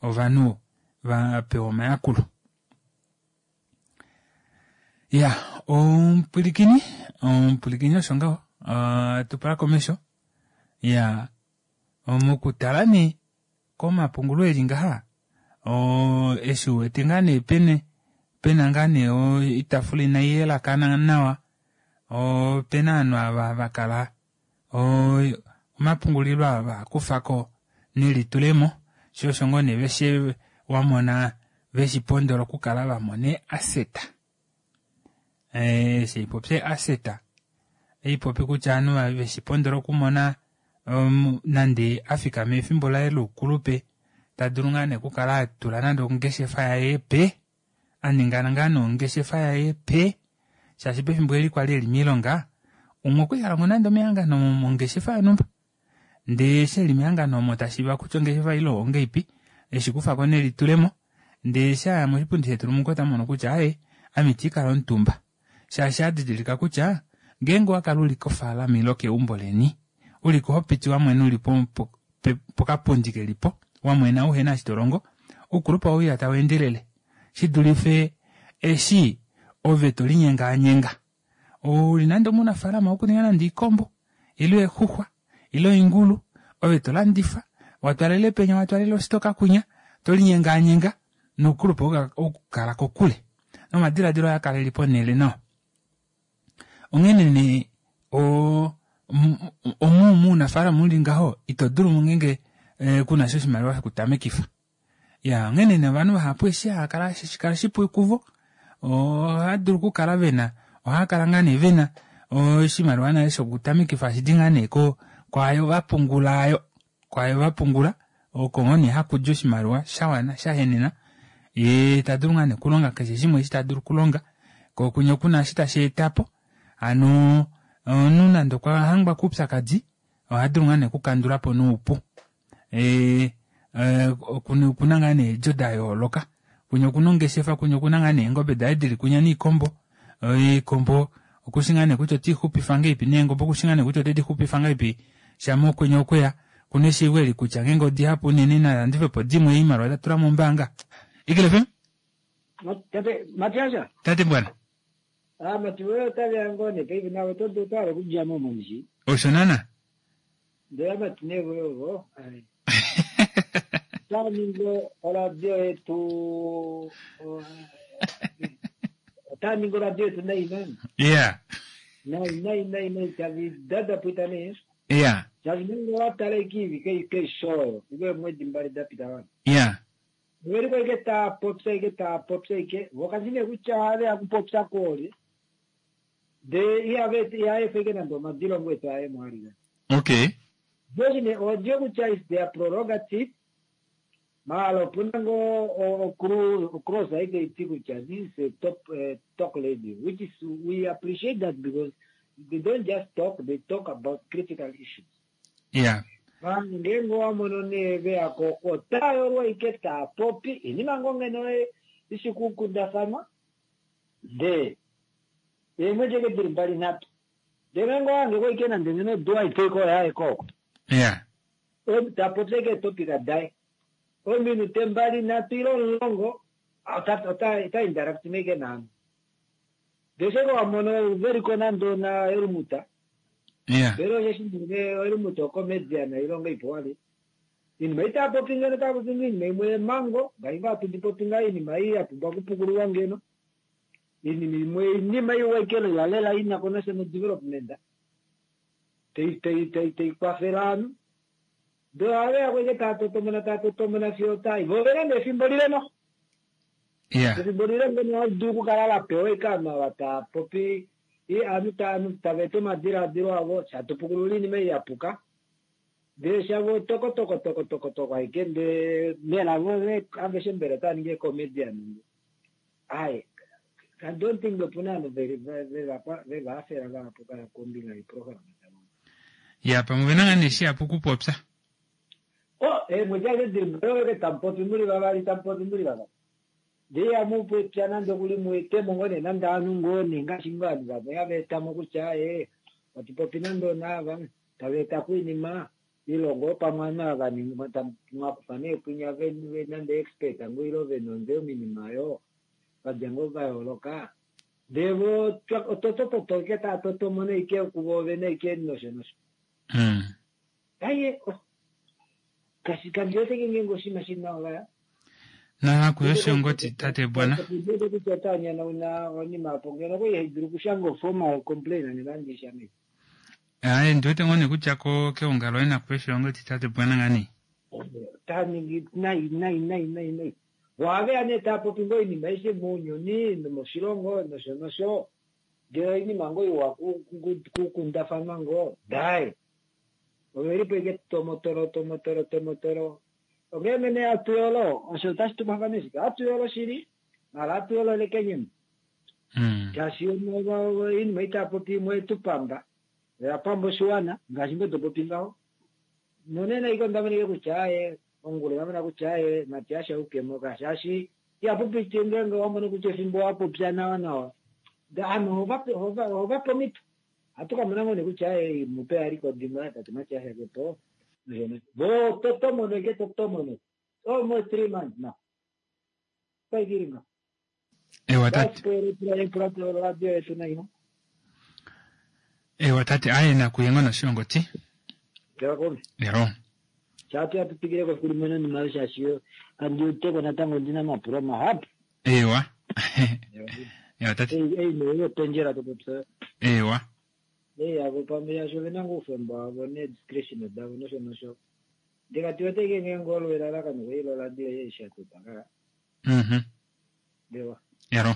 ovanhu va pewa omayakulo. Ya omupwilikini omupwilikini osho ngaho uh, tupula komesho ya mokutala nee komapungulo eli ngaha o, eshi uwete ngaa nee pene pena ngaa nee oitafula inai yelakana nawa opena ovanhu ava va kala omapungulilo ava kufa ko nelitulemo sho osho ngoo nee veshe wamona veshipondola okukala va mona easeta eshi haipopya easeta oipopi kutya ovanhu veshipondola okumona um, nande afika mefimbo laye loukulupe ta dulu ngaa nee okukala atula nande ongeshefa yaye pe aninga ngaa nee ongeshefa yaye pe shaashi pefimbo eli kwali eli miilonga umwe okwali ha longo nande omehangano mongeshefa yonhumba ndee eshi eli mehangano omo tashiiva kutya ongeshefa ile ongeipi eshi kufako nelitulemo ndee eshi aya moshipundi shetulumuko ota mono kutya aaye ame iti kala omutumba shaashi adidilika kutya ngeenge owakala uli kofaalama ile keumbo leni uliko hopiti wamwena uli pokapundi kelipo wamwena uhena eshi tolongo oukulupe owauya tau endelele shidulife eshi ove tolinyengaanyenga uli nande omunafaalama wokuninga nande oikombo ile eexuxwa ile oingulu ove tolandifa watwalele penya watwalele ositoka kunya tolinyengaanyenga noukulupe okukala kokule nomadiladilo oyaa kala eli ponhele nawa onghene nee omu muunafaalama uli ngaho ito dulu ngeenge kunasha oshimaliwa shokutamekifa ya onghene nee ovanhu vahapu eshi haakala shikala shipu kuvo ohava dulu okukala vena ohaakala ngaa nee vena oshimaliwa nale shokutamekifa hashidi ngaa nee kwaayo vapungula ayo kwaayo vapungula oko ngoo nee hakudi oshimaliwa shawana shahenena yee tadulu ngaa nee okulonga keshe shimwe eshi tadulu okulonga koo kunya okuna eshi tashi etapo hano omunhu nande okwa hangwa koupyakadi ohadulu ngaa nee okukandulapo noupu okuna ngaa nee eedjo da yooloka kunya okuna ongeshefa kunya okuna ngaa nee eengobe daye dili kunya noikombo oikombo okushi ngaa nee kutya otiixupifa ngahelipi neengobe okushi ngaa nee kutya otedixupifa ngahelipi shama okwenye okweya okuna eshiivo eli kutya ngeenge odihapu unene nalandifepo dimwe oimaliwa tatula mombaanga. Eagle FM? Tate Matias. Tate Mbwana. Ah, mati wewe otaveya ngoo nee paife nawe oto dulu otwahala okudja mo momushi. Osho nana. Ndele amati nee voye ovo. Otava ningi oradio yetu otava ningi oradio yetu nai nani. Yeah. Nai nai nai nai tavi dada pwita nee. Yeah. Shaashi ngeenge owa tala ike ivike ike show oyo ile eemwedi mbali da pita wana. Yeah. Veliko ike taa popya ike taa popya ike vo kashi nee kutya ohave ya kupopya koolye ndee ihava iha efa ike nande omadilongo etu aye mo alika. Okay. Veli nee olye kutya is their prerogative maala opuna ngoo ocross aike iti kutya this is a top uh, talk lady which is we appreciate that because they don't just talk they talk about critical issues. Yeah. Vanhu ngeenge owa mono nee ve ya ko otaa yolwa ike taa popi inima ngoo ngeno ishi kukundafanwa ndee eemwedi eke dili mbali nhatu ndee ngeenge owa hange ko ike nande ngeno odula aike ike oyo aeke oko Yeah. ta popya ike eetopika daye ominute mbali nhatu ile omulongo ota ota ota interact ike naanhu ndee eshi eke wa mono veliko nande ona elumuta Yeah. Mbela osheshi nge oilumuta ocomedian oilonga ipu wali. Iinima ei taa popi ngeno taa popi ngoo iinima imwe yemango ngaashi ngoo hatu di popi ngaa iinima ei ya pumbwa okupukululwa ngeno. Iinima imwe iinima iwa ike lela lela ina ko nasha no development tai tai tai tai kwafele ovanhu. Ndee ohave ya ko ike taa totomona taa totomona fiyo otai. Vo ovena nee efimbo lile noho. Yeah. Efimbo lile ngeno ohali dulu okukala la pewa ike ovanhu ava tava popi ovanhu ovanhu tava eta omadilaadilo avo shatu pukulula oinima ei ya puka ndee shavo toko toko toko toko toko aike ndee mbela vo aveshe mbela otava ningi eecomedian ai I don't think opuna ovanhu veva hafela vahapu kombinga yeeprograma davo. Ya pamwe ovena ngaa nee shihapu okupopya. Oh, eemwedi adishe dili mbali ove tamu popi muli vavali tamu popi muli vavali. Ndee ihamu popya nande okuli mu etemo ngoo nee nande ovanhu ngoo nee ngaashi ngoo ovanhu vamwe hava etamo kutya ee atu popi nande onaava tava etako oinima. Ile ngoo pamwe ovanhu ava mwa kufa nee kwinya nande expert ngoo ile vena ondjo minima oyo vadja ngoo vayooloka ndee vo ototototo ike taa totomo neike kuvo vene ike nosho nosho. Aye, oh. Kashi kandiwete ngeenge oshinima shili nawa vaya. Nakuyo shongoti tate bwana. Ndiwete kutya ota nyanyauna onima apo ngeno okwali haidulu okushanga oformal complaint nande ishange. Aye ndiwete ngoo nee kutya ko keongalo ye nakuyo shongoti tate bwana ngani. Ota ningi nai nai nai nai nai. Ohaveya nee taa popi ngoo oinima aishe mounyuni nomoshilongo nosho nosho. Ndele oinima ngoo iwa kukundafanwa ngoo dai. Ovelipo ike tomotolo tomotolo tomotolo. Onghee mene atuyolo osho otashi tumafana shike atuyolo shili mala atuyolo lekenyemo. Shaashi oinima itaa popi imwe etupamba oya pamba oshiwana ngaashi ngoo topopi ngaho. Nonena ike onda monike kutya aye ongula onda mona kutya aye Matias aukemo ka shaashi ihapu piti ngeenge wamono kutya efimbo wapopya nawa nawa. Ovanhu ohovape omhito. Ohatu ka mona ngoo nee kutya aye mupe a likodimwa tate Matias kepo. Vo totomono ike totomono. Almost 3 months now. Kwaikiringa. Ewa tate. Radio yetu nayo. Ewa tate aye nakuye ngoo noshilongoti. Lero. Chatu yatupikireko kulimwe nonima shaashi kandiuteko natango ndina mapulo mahapu. Ewa. Ewa tate. Ei neyo pendjera topopya. Ewa. Ei avo pamwe shaashi ovena ngoo oufemba wavo ne discretion davo nosho nosho. Ndikati wete ngeenge olo elalakano kweli loradio yeishatota ka. Ewa. Yaro.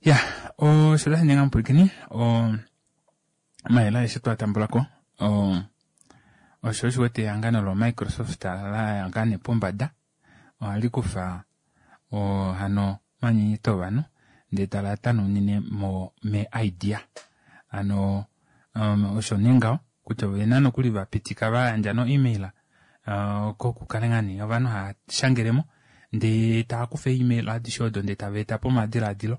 Ya, osho tashi ninga mupwilikini, omayele aeshe twatambulako, osho osho wete ehangano loMicrosoft la yanga nee pombada, ohali kufa hano omanyenyeto ovanhu ndee tala tanunine mo me idea. Hano osho nee ngaho kutya ovena nokuli vapitika vayandja no email kokukale ngaa nee ovanhu hava shangelemo ndee tava kufa email adishe odo ndee tava eta po omadiladilo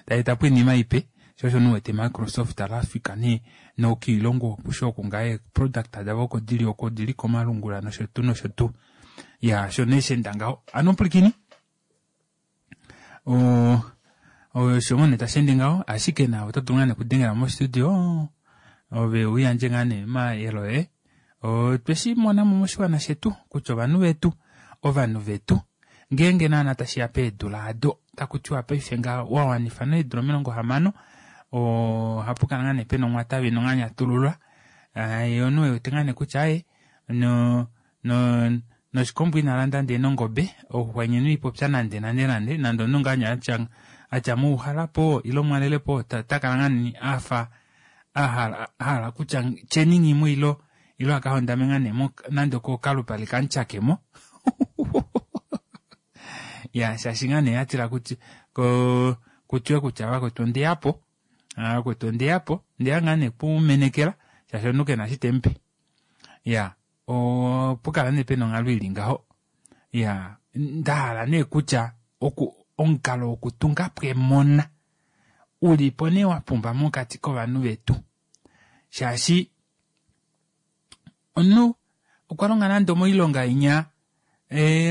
tava eta po oinima ipe sho osho nuwete Microsoft lafika nee nokiilongo okusho oku ngaa product davo oko dili oko dili komalungula nosho tuu nosho tuu. Ya sho nee shenda ngaho ano pwilikini osho ngoo nee tashi ende ngaho ashike naave oto dulu ngaa nee okudengela mostudio ove uyandje ngaa nee omayele oye. Otweshi monamo moshiwana shetu kutya ovanhu vetu ngeenge naana tashiya peedula ado takutiwa paife nga wawanifa needula 60 ohapu kala ngaa nee pena omwatavi nonganyatululwa ye omunhu wewete ngaa nee kutya aye noshikombo ina landa ndee nongobe ouxwanyeni ipopya nande nande nande nande omunhu ngaa atya muuhalapo ile mwalelepo takala ngaa nee afa ahala kutya tyeningi ilo akahondame ngaa nee nande kokalupale kamutyakemo. Ya shaashi ngaa nee atila kutiwe kutya vakwetu ondeyapo vakwetu ondeyapo ndeya ngaa nee kumenekela shaashi omunhu kena eshi temupe. Ya opukala nee pena onghalo ili ngaho. Ya ndahala nee kutya omukalo wokutunga pwemona ulipo nee wapumba mokati kovanhu vetu shaashi omunhu okwa longa nande moilonga inya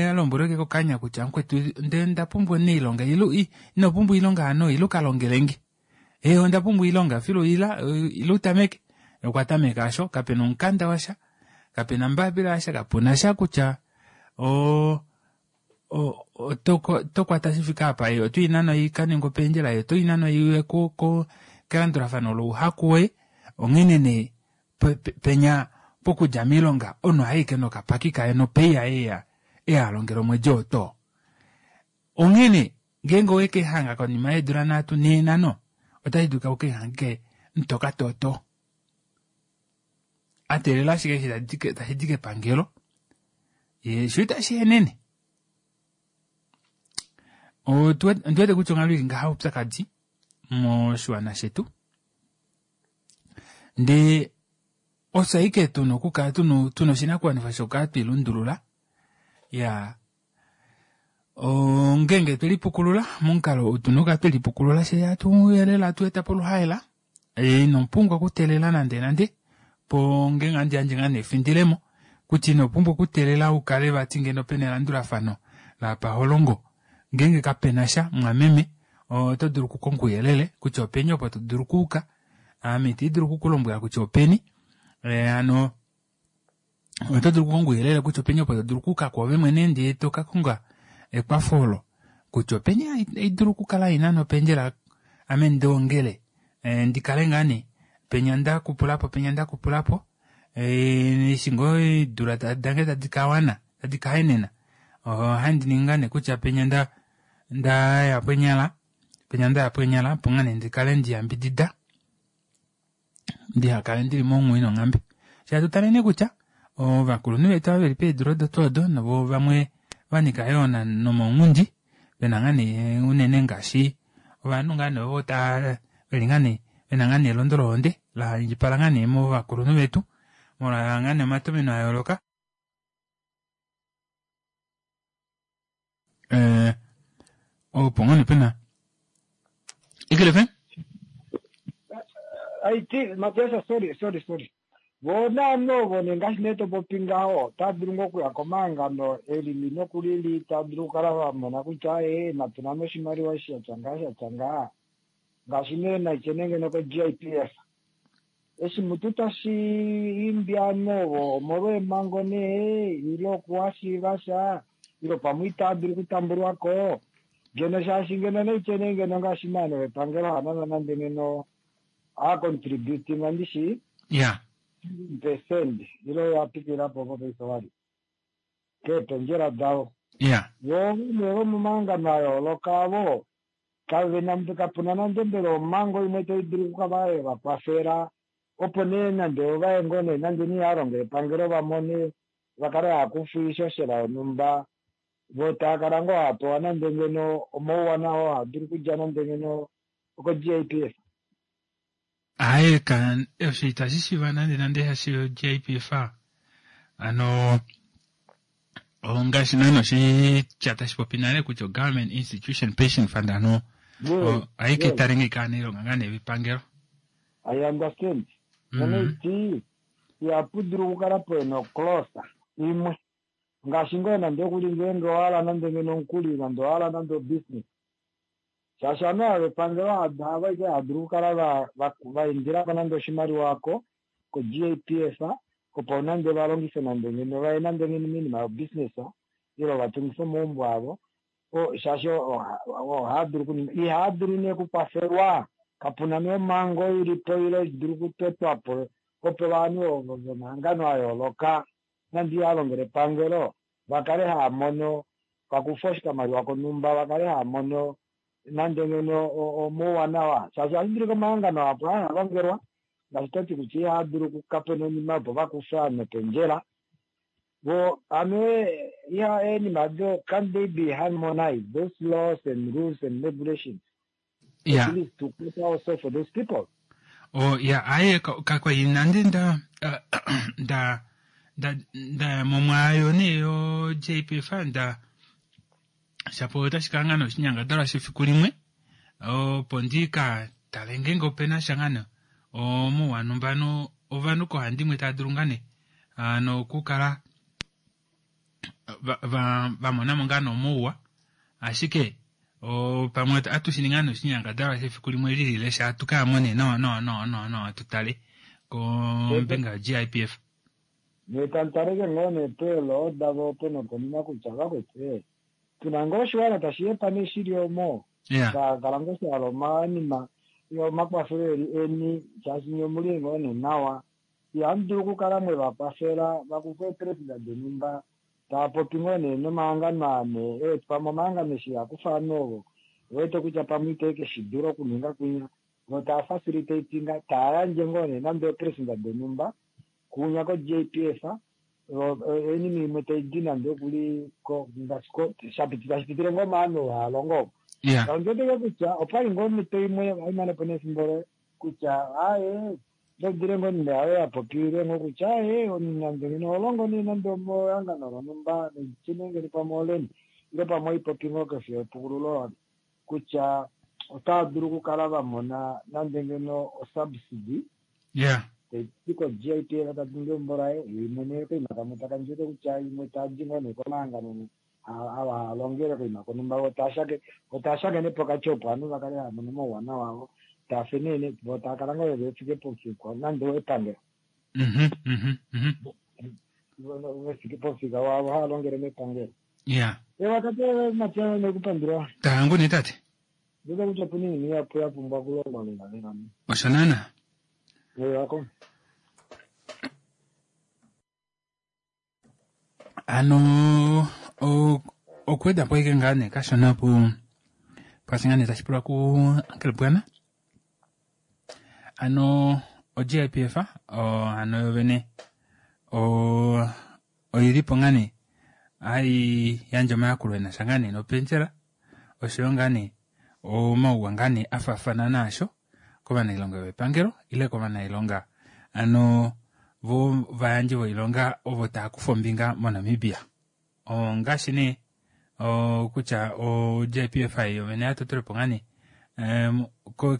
alombwelweke kokanya kutya mukwetu nde ndapumbwa oilonga ino pumbwa oilonga hano ila ukalongelenge onda pumbwa oilonga filu ila utameke okwa tameka asho kapena omukanda washa kapena mbapila yasha kapuna sha kutya oto kwata shifika apa oto inano ikaninga opendjela oto inano iwe kelandulafano louhaku woye onghene nee penya pokudja miilonga omunhu ohaike nokapaki kaye nopei yaye eya alongela omwedi oto. Onghene ngeenge oweke hanga konima yeedula 3 4 5 otashi dulika ukehange mutoka toto. Atelela ashike eshi tashi di kepangelo ye sho itashi henene. Ondiwete kutya onghalo ili ngaha oupyakadi moshiwana shetu. Ndee ofye ashike tuna okukala tuna oshinakuwanifwa shokukala twilundulula. Ya ngeenge twelipukulula momukalo ou tuna okukala twelipukulula she hatuyelela hatu eta poluhaela ino pumbwa okuteelela nande nande. Opo ngeenge handi yandje ngaa nee efindilemo kutya ino pumbwa okuteelela u kale vati ngeno pena elandulafano lapaholongo. Ngeenge kapena sha mumwameme oto dulu okukonga ouyelele kutya openi opo to dulu okuuka. Ame ita dulu okukulombwela kutya openi. Hano oto dulu okukonga ouyelele kutya openi opo to dulu okuuka kwoove mwene ndee to ka konga ekwafo olo kutya openi haidulu okukala ina nopendjela ame ndoongele ndi kale ngaa nee penya nda kupulapo penya nda kupulapo eshi ngoo eedula dange tadi ka wana tadi ka henena ohandi ningi ngaa nee kutya penya nda ndaya pwenyala penya ndaya pwenyala opo ngaa nee ndikale ndiyambidida ndihakale ndili monghwi nonghambe. Shatu tale nee kutya ovakulunhu vetu ava veli peedula odo tuu odo novo vamwe vanika yoo nomaunghundi vena ngaa nee unene ngaashi ovanhu ngaa nee ovo tava veli ngaa nee vena ngaa nee elondo lohonde la indjipala ngaa nee movakulunhu vetu molwa ngaa nee omatomeno a yooloka. Opo ngoo nee pena Eagle FM. Aiti Matias, sorry sorry sorry. Vo naanhu ovo nee ngaashi nee to popi ngaho, otava dulu ngoo okuya komahangano e lili noku lili, tava dulu okukala va mona kutya ee natu nane oshimaliwa eshi sha tya ngaha sha tya ngaha. Ngaashi nee naitye nee ngeno ko-GIPF. Eshi mutu tashi imbi ovanhu ovo omolweemhango nee ile okuhashiiva sha ile pamwe itava dulu okutambulwa ko ngeno shaashi ngeno naitye nee ngeno ngaashi maano vepangelo hanana nande ngeno a contributing ndishi ya percent ile ya pitilila po opo paife wali keependjela davo ya vo vamwe vomomahangano a yooloka avo Kave na, kapu na nande mbela omhango imwe tai dulu okukala ye va kwafela opo nee nande ova ye ngoo nee nande nee ihava epangelo va mone va kale hava kufa oishoshela yonhumba vo tava kala ngoo hava pewa nande ngeno omauwanawa oo haa dulu okudja nande ngeno oko-GIPF. Aaye, ka, osho itashi shiva nande nande hashi GIPF. Ano ongaashi naana oshitya tashi popi nale kutya Government Institution Pension Fund ano ohayi ke tale ngeyi kaaniilonga ngaa nee vepangelo. I understand. Nono iti ihapu dulu okukala pwena oclose imwe ngaashi ngoo nande okuli ngeenge owa hala nande ngeno omukuli nande owa hala nande obusiness shaashi ovanhu ava vepangelo havo ashike hava dulu okukala va indila ko nande oshimaliwa oko ko-GAPF opo nande va longife nande ngeno vaye nande ngeno moinima yobusiness ile va tungife omaumbo avo shaashi ohaa dulu okuninga ihaa dulu nee okukwafelwa kapuna nee omhango ilipo ile dulu okutotwa po opo ovanhu ovo vomahangano a yooloka nande ihaa longele epangelo va kale haa mono pakufa oshikamaliwa konhumba va kale haa mono nande ngeno omauwanawa shaashi ohashi dulika omahangano apo haa longelwa ngaashi toti kutya ihaa dulu okukapena oinima opo vakufe ovanhu opendjela vo ano iha eenima do can they be harmonized those laws and rules and regulations Yeah. at least to cater also for those people. Oh, ya aye kakwali nande nda nda nda nda momwaayo nee yo JPF nda shapo otashi kala ngaa noshinyangadalwa shefiku limwe opo ndi ka tale ngeenge opena sha ngaa nee omauwa mbano ovanhu koohandimwe tava dulu ngaa nee ano okukala va mona mo ngaa nee omauwa ashike pamwe atu shi ninga noshinyangadalwa shefiku limwe lilile sha atu ka mone nawa nawa nawa nawa nawa tu tale kombinga yo-GIPF. Nee tamutaleke ngoo nee peelo davo opo nokonima kutya vakwetu tuna ngoo oshiwana tashi yepa nee shili omo sha kala ngoo sha hala omanima omakwafelo eli eni shaashi nye omuli ngoo nee nawa ihamu dulu okukala mwe va kwafela va kufe eepresident donhumba tava popi ngoo nee nomahangano aa nee ewete pamwe omahangano eshi a kufa ovanhu ovo wete kutya pamwe ite ke shi dula okuninga kwinya vo tava facilitatinga tava yandje ngoo nee nande eepresident donhumba kunya ko-JPF oinima imwe tai di nande okuli ngaashi tashi pitile ngoo ovanhu ovo hava longo ovo. Ondi wete kutya opwali ngoo omhito imwe haimane po nefimbo loye kutya aaye dodile ngoo oinima yayo ya popile ngoo kutya aaye nande ngeno oho longo nee nande omehangano lonhumba nonditye ngeno pamwe oleni ile pamwe oipopi ngoo kofi yepukululo kutya otava dulu okukala va mona nande ngeno osubsidy. Taiti ko-GIPF ta tungu eumbo laye, ye mwene koima kamwe taka ndjuke kutya imwe tadi ngoo nee komahangano ava haa longele koima konhumba vo taa shakene pokati opo ovanhu va kale hava mono omauwanawa avo taa fe nee vo taa kala ngoo ve fike pomufika nande owepangelo. Ve fike pomufika waavo hava longele mepangelo. Ya. Ewa tate Matias nekupandula. Taangu nee tate. Ndikuda kutya opuna oinima ihapu ya pumbwa okulongwa lela lela. Osho naana. Wako. Ano okuweda po ashike ngaa nee kashona pu pwaashi ngaa nee tashi pulwa ku Uncle Bwana. Ano o-GIPF ano yo vene oili po ngaa nee hai yandje omayakulo e na sha ngaa nee nopendjela oshoyo ngaa nee omauwa ngaa nee a faafana naasho kovanailonga vepangelo ile kovanailonga ano vo vayandji voilonga ovo tava kufa ombinga moNamibia. Ongaashi nee kutya o-JPF yovene ya totele po ngaa nee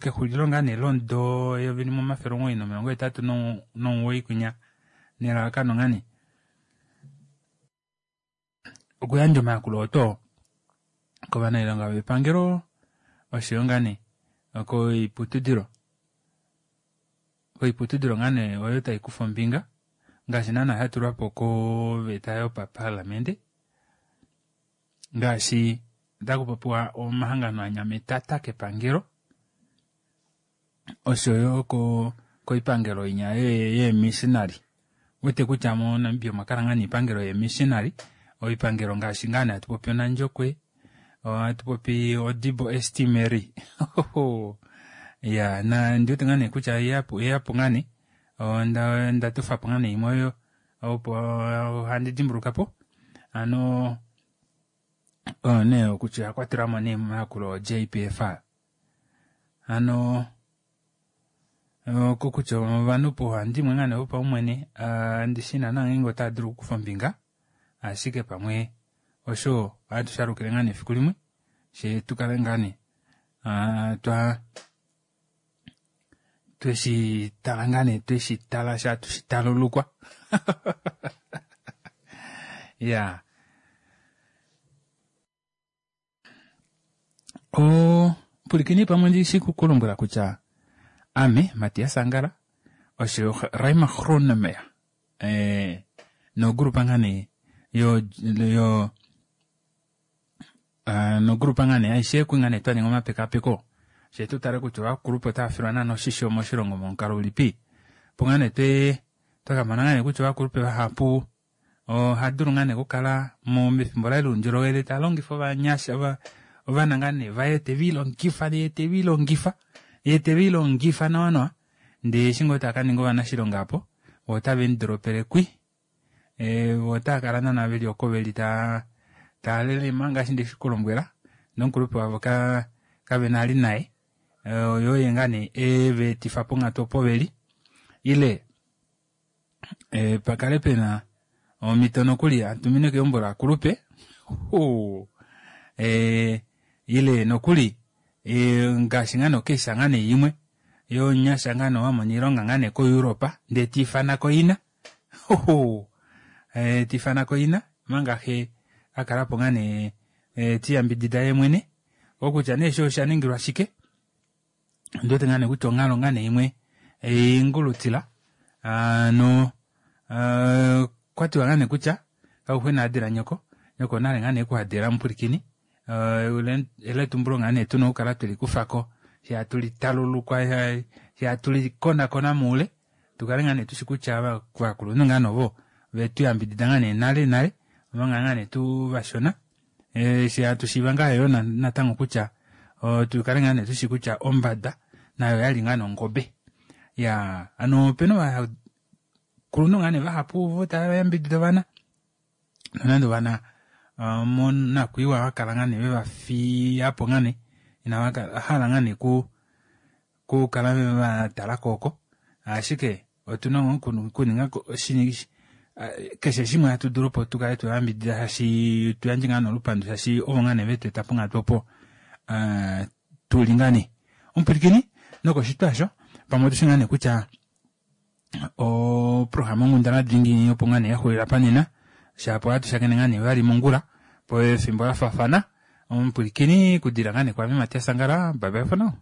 kexulilo ngaa nee lomudo eyovi limwe omafele omuwoi nomilongo hetatu nomuwoi kwinya nelalakano ngaa nee okuyandja omayakulo oto kovanailonga vepangelo oshoyo ngaa nee koiputudilo koiputudilo ngaa nee oyo tai kufa ombinga ngaashi naana sha tulwa po koveta yopaparlamente ngaashi otaku popiwa omahangano a nyametata kepangelo oshoyo koipangelo inya yeemissionary. Wete kutya moNamibia omwa kala ngaa niipangelo yeemissionary, oipangelo ngaashi ngaa nee hatu popi Onandjokwe, ohatu popi Odibo St Mary. Ya, na ndi wete ngaa nee kutya oyeyapo ngaa nee, onda tofa po ngaa nee imwe oyo opo handi dimbuluka po. Ano oyo nee kutya oya kwatelwa mo nee momayakulo o-JPF. Ano kokutya ovanhu pauhandimwe ngaa nee vopaumwene ndishi naana ngeenge otava dulu okukufa ombinga, ashike pamwe osho ohatu shalukile ngaa nee efiku limwe she tu kale ngaa nee twa tweshi tala ngaa nee tweshi tala sha tushi talulukwa. Ya. Pulikeni pamwe ndi shi kulombwela kutya ame Matias Angala osho Raima Gronemeyer nogrupa ngaa nee yo yo nogrupa ngaa nee aishe kwi ngaa nee twa ninga omapekapeko she tu tale kutya ovakulupe otava filwa naana oshisho moshilongo momukalo ulipi. Opo ngaa nee twe twakamona ngaa nee kutya ovakulupe vahapu oha dulu ngaa nee okukala mefimbo laye loundjolowele ta longifa ovanyasha ovana ngaa nee vaye tevilongifa ye tevilongifa ye tevilongifa nawa nawa ndee eshi ngoo taka ninga ovanashilonga apo vo otave mudoropele kwi vo otava kala naana veli oko veli taa lelema ngaashi ndeshi kulombwela nomukulupe wavo kavena ali naye oyo ye ngaa nee eveetifa ponghatu opo veli ile pakale pena omhito nokuli atumine keumbo laakulupe ile nokuli ngaashi ngaa nee okeisha ngaa nee imwe yomunyasha ngaa nee wamona oilonga ngaa nee koEurope ndee tiifana ko ina tiifana ko ina omanga xe akala po ngaa nee tiyambidida ye mwene okutya nee sho osha ningilwa shike ndiwete ngaa nee kutya onghalo ngaa nee imwe ingulutila no kwatiwa ngaa nee kutya kauxwena adila nyoko nyoko nale ngaa nee kuhadila mupwilikini eletumbulo ngaa nee tuna okukala tweli kufako sha tulitalulukwa sha tulikonakona muule tukale ngaa nee tushi kutya ovakulunhu ngaa novo vetuyambidida ngaa nee nale nale omanga ngaa nee tu vashona sha tushiiva ngaa yo natango kutya tukale ngaa nee tushi kutya ombada nayo oyali ngaa nongobe. Ya ano opena ovakulunhu ngaa nee vahapu ovo tava yambidida ovana nonande ovana monakwiiwa vakala ngaa nee vevafiyapo ngaa nee inava hala ngaa nee kukala vatala oko ashike otuna okuninga keshe shimwe hatu dulu opo tukale tuyambidida shashi tuyandje ngaa nolupandu shashi ovo ngaa nee vetweeta ponghatu opo tuli ngaa nee. Omupwilikini nokoshitwa osho pamwe otushi ngaa nee kutya Oprograma onghundana dingi opo ngaa nee yaxulila panena shapo ohatu shakene ngaa nee vali mongula pefimbo lafaafana. Omupwilikini kudila ngaa nee kwaame Matias Angala, bye bye for now.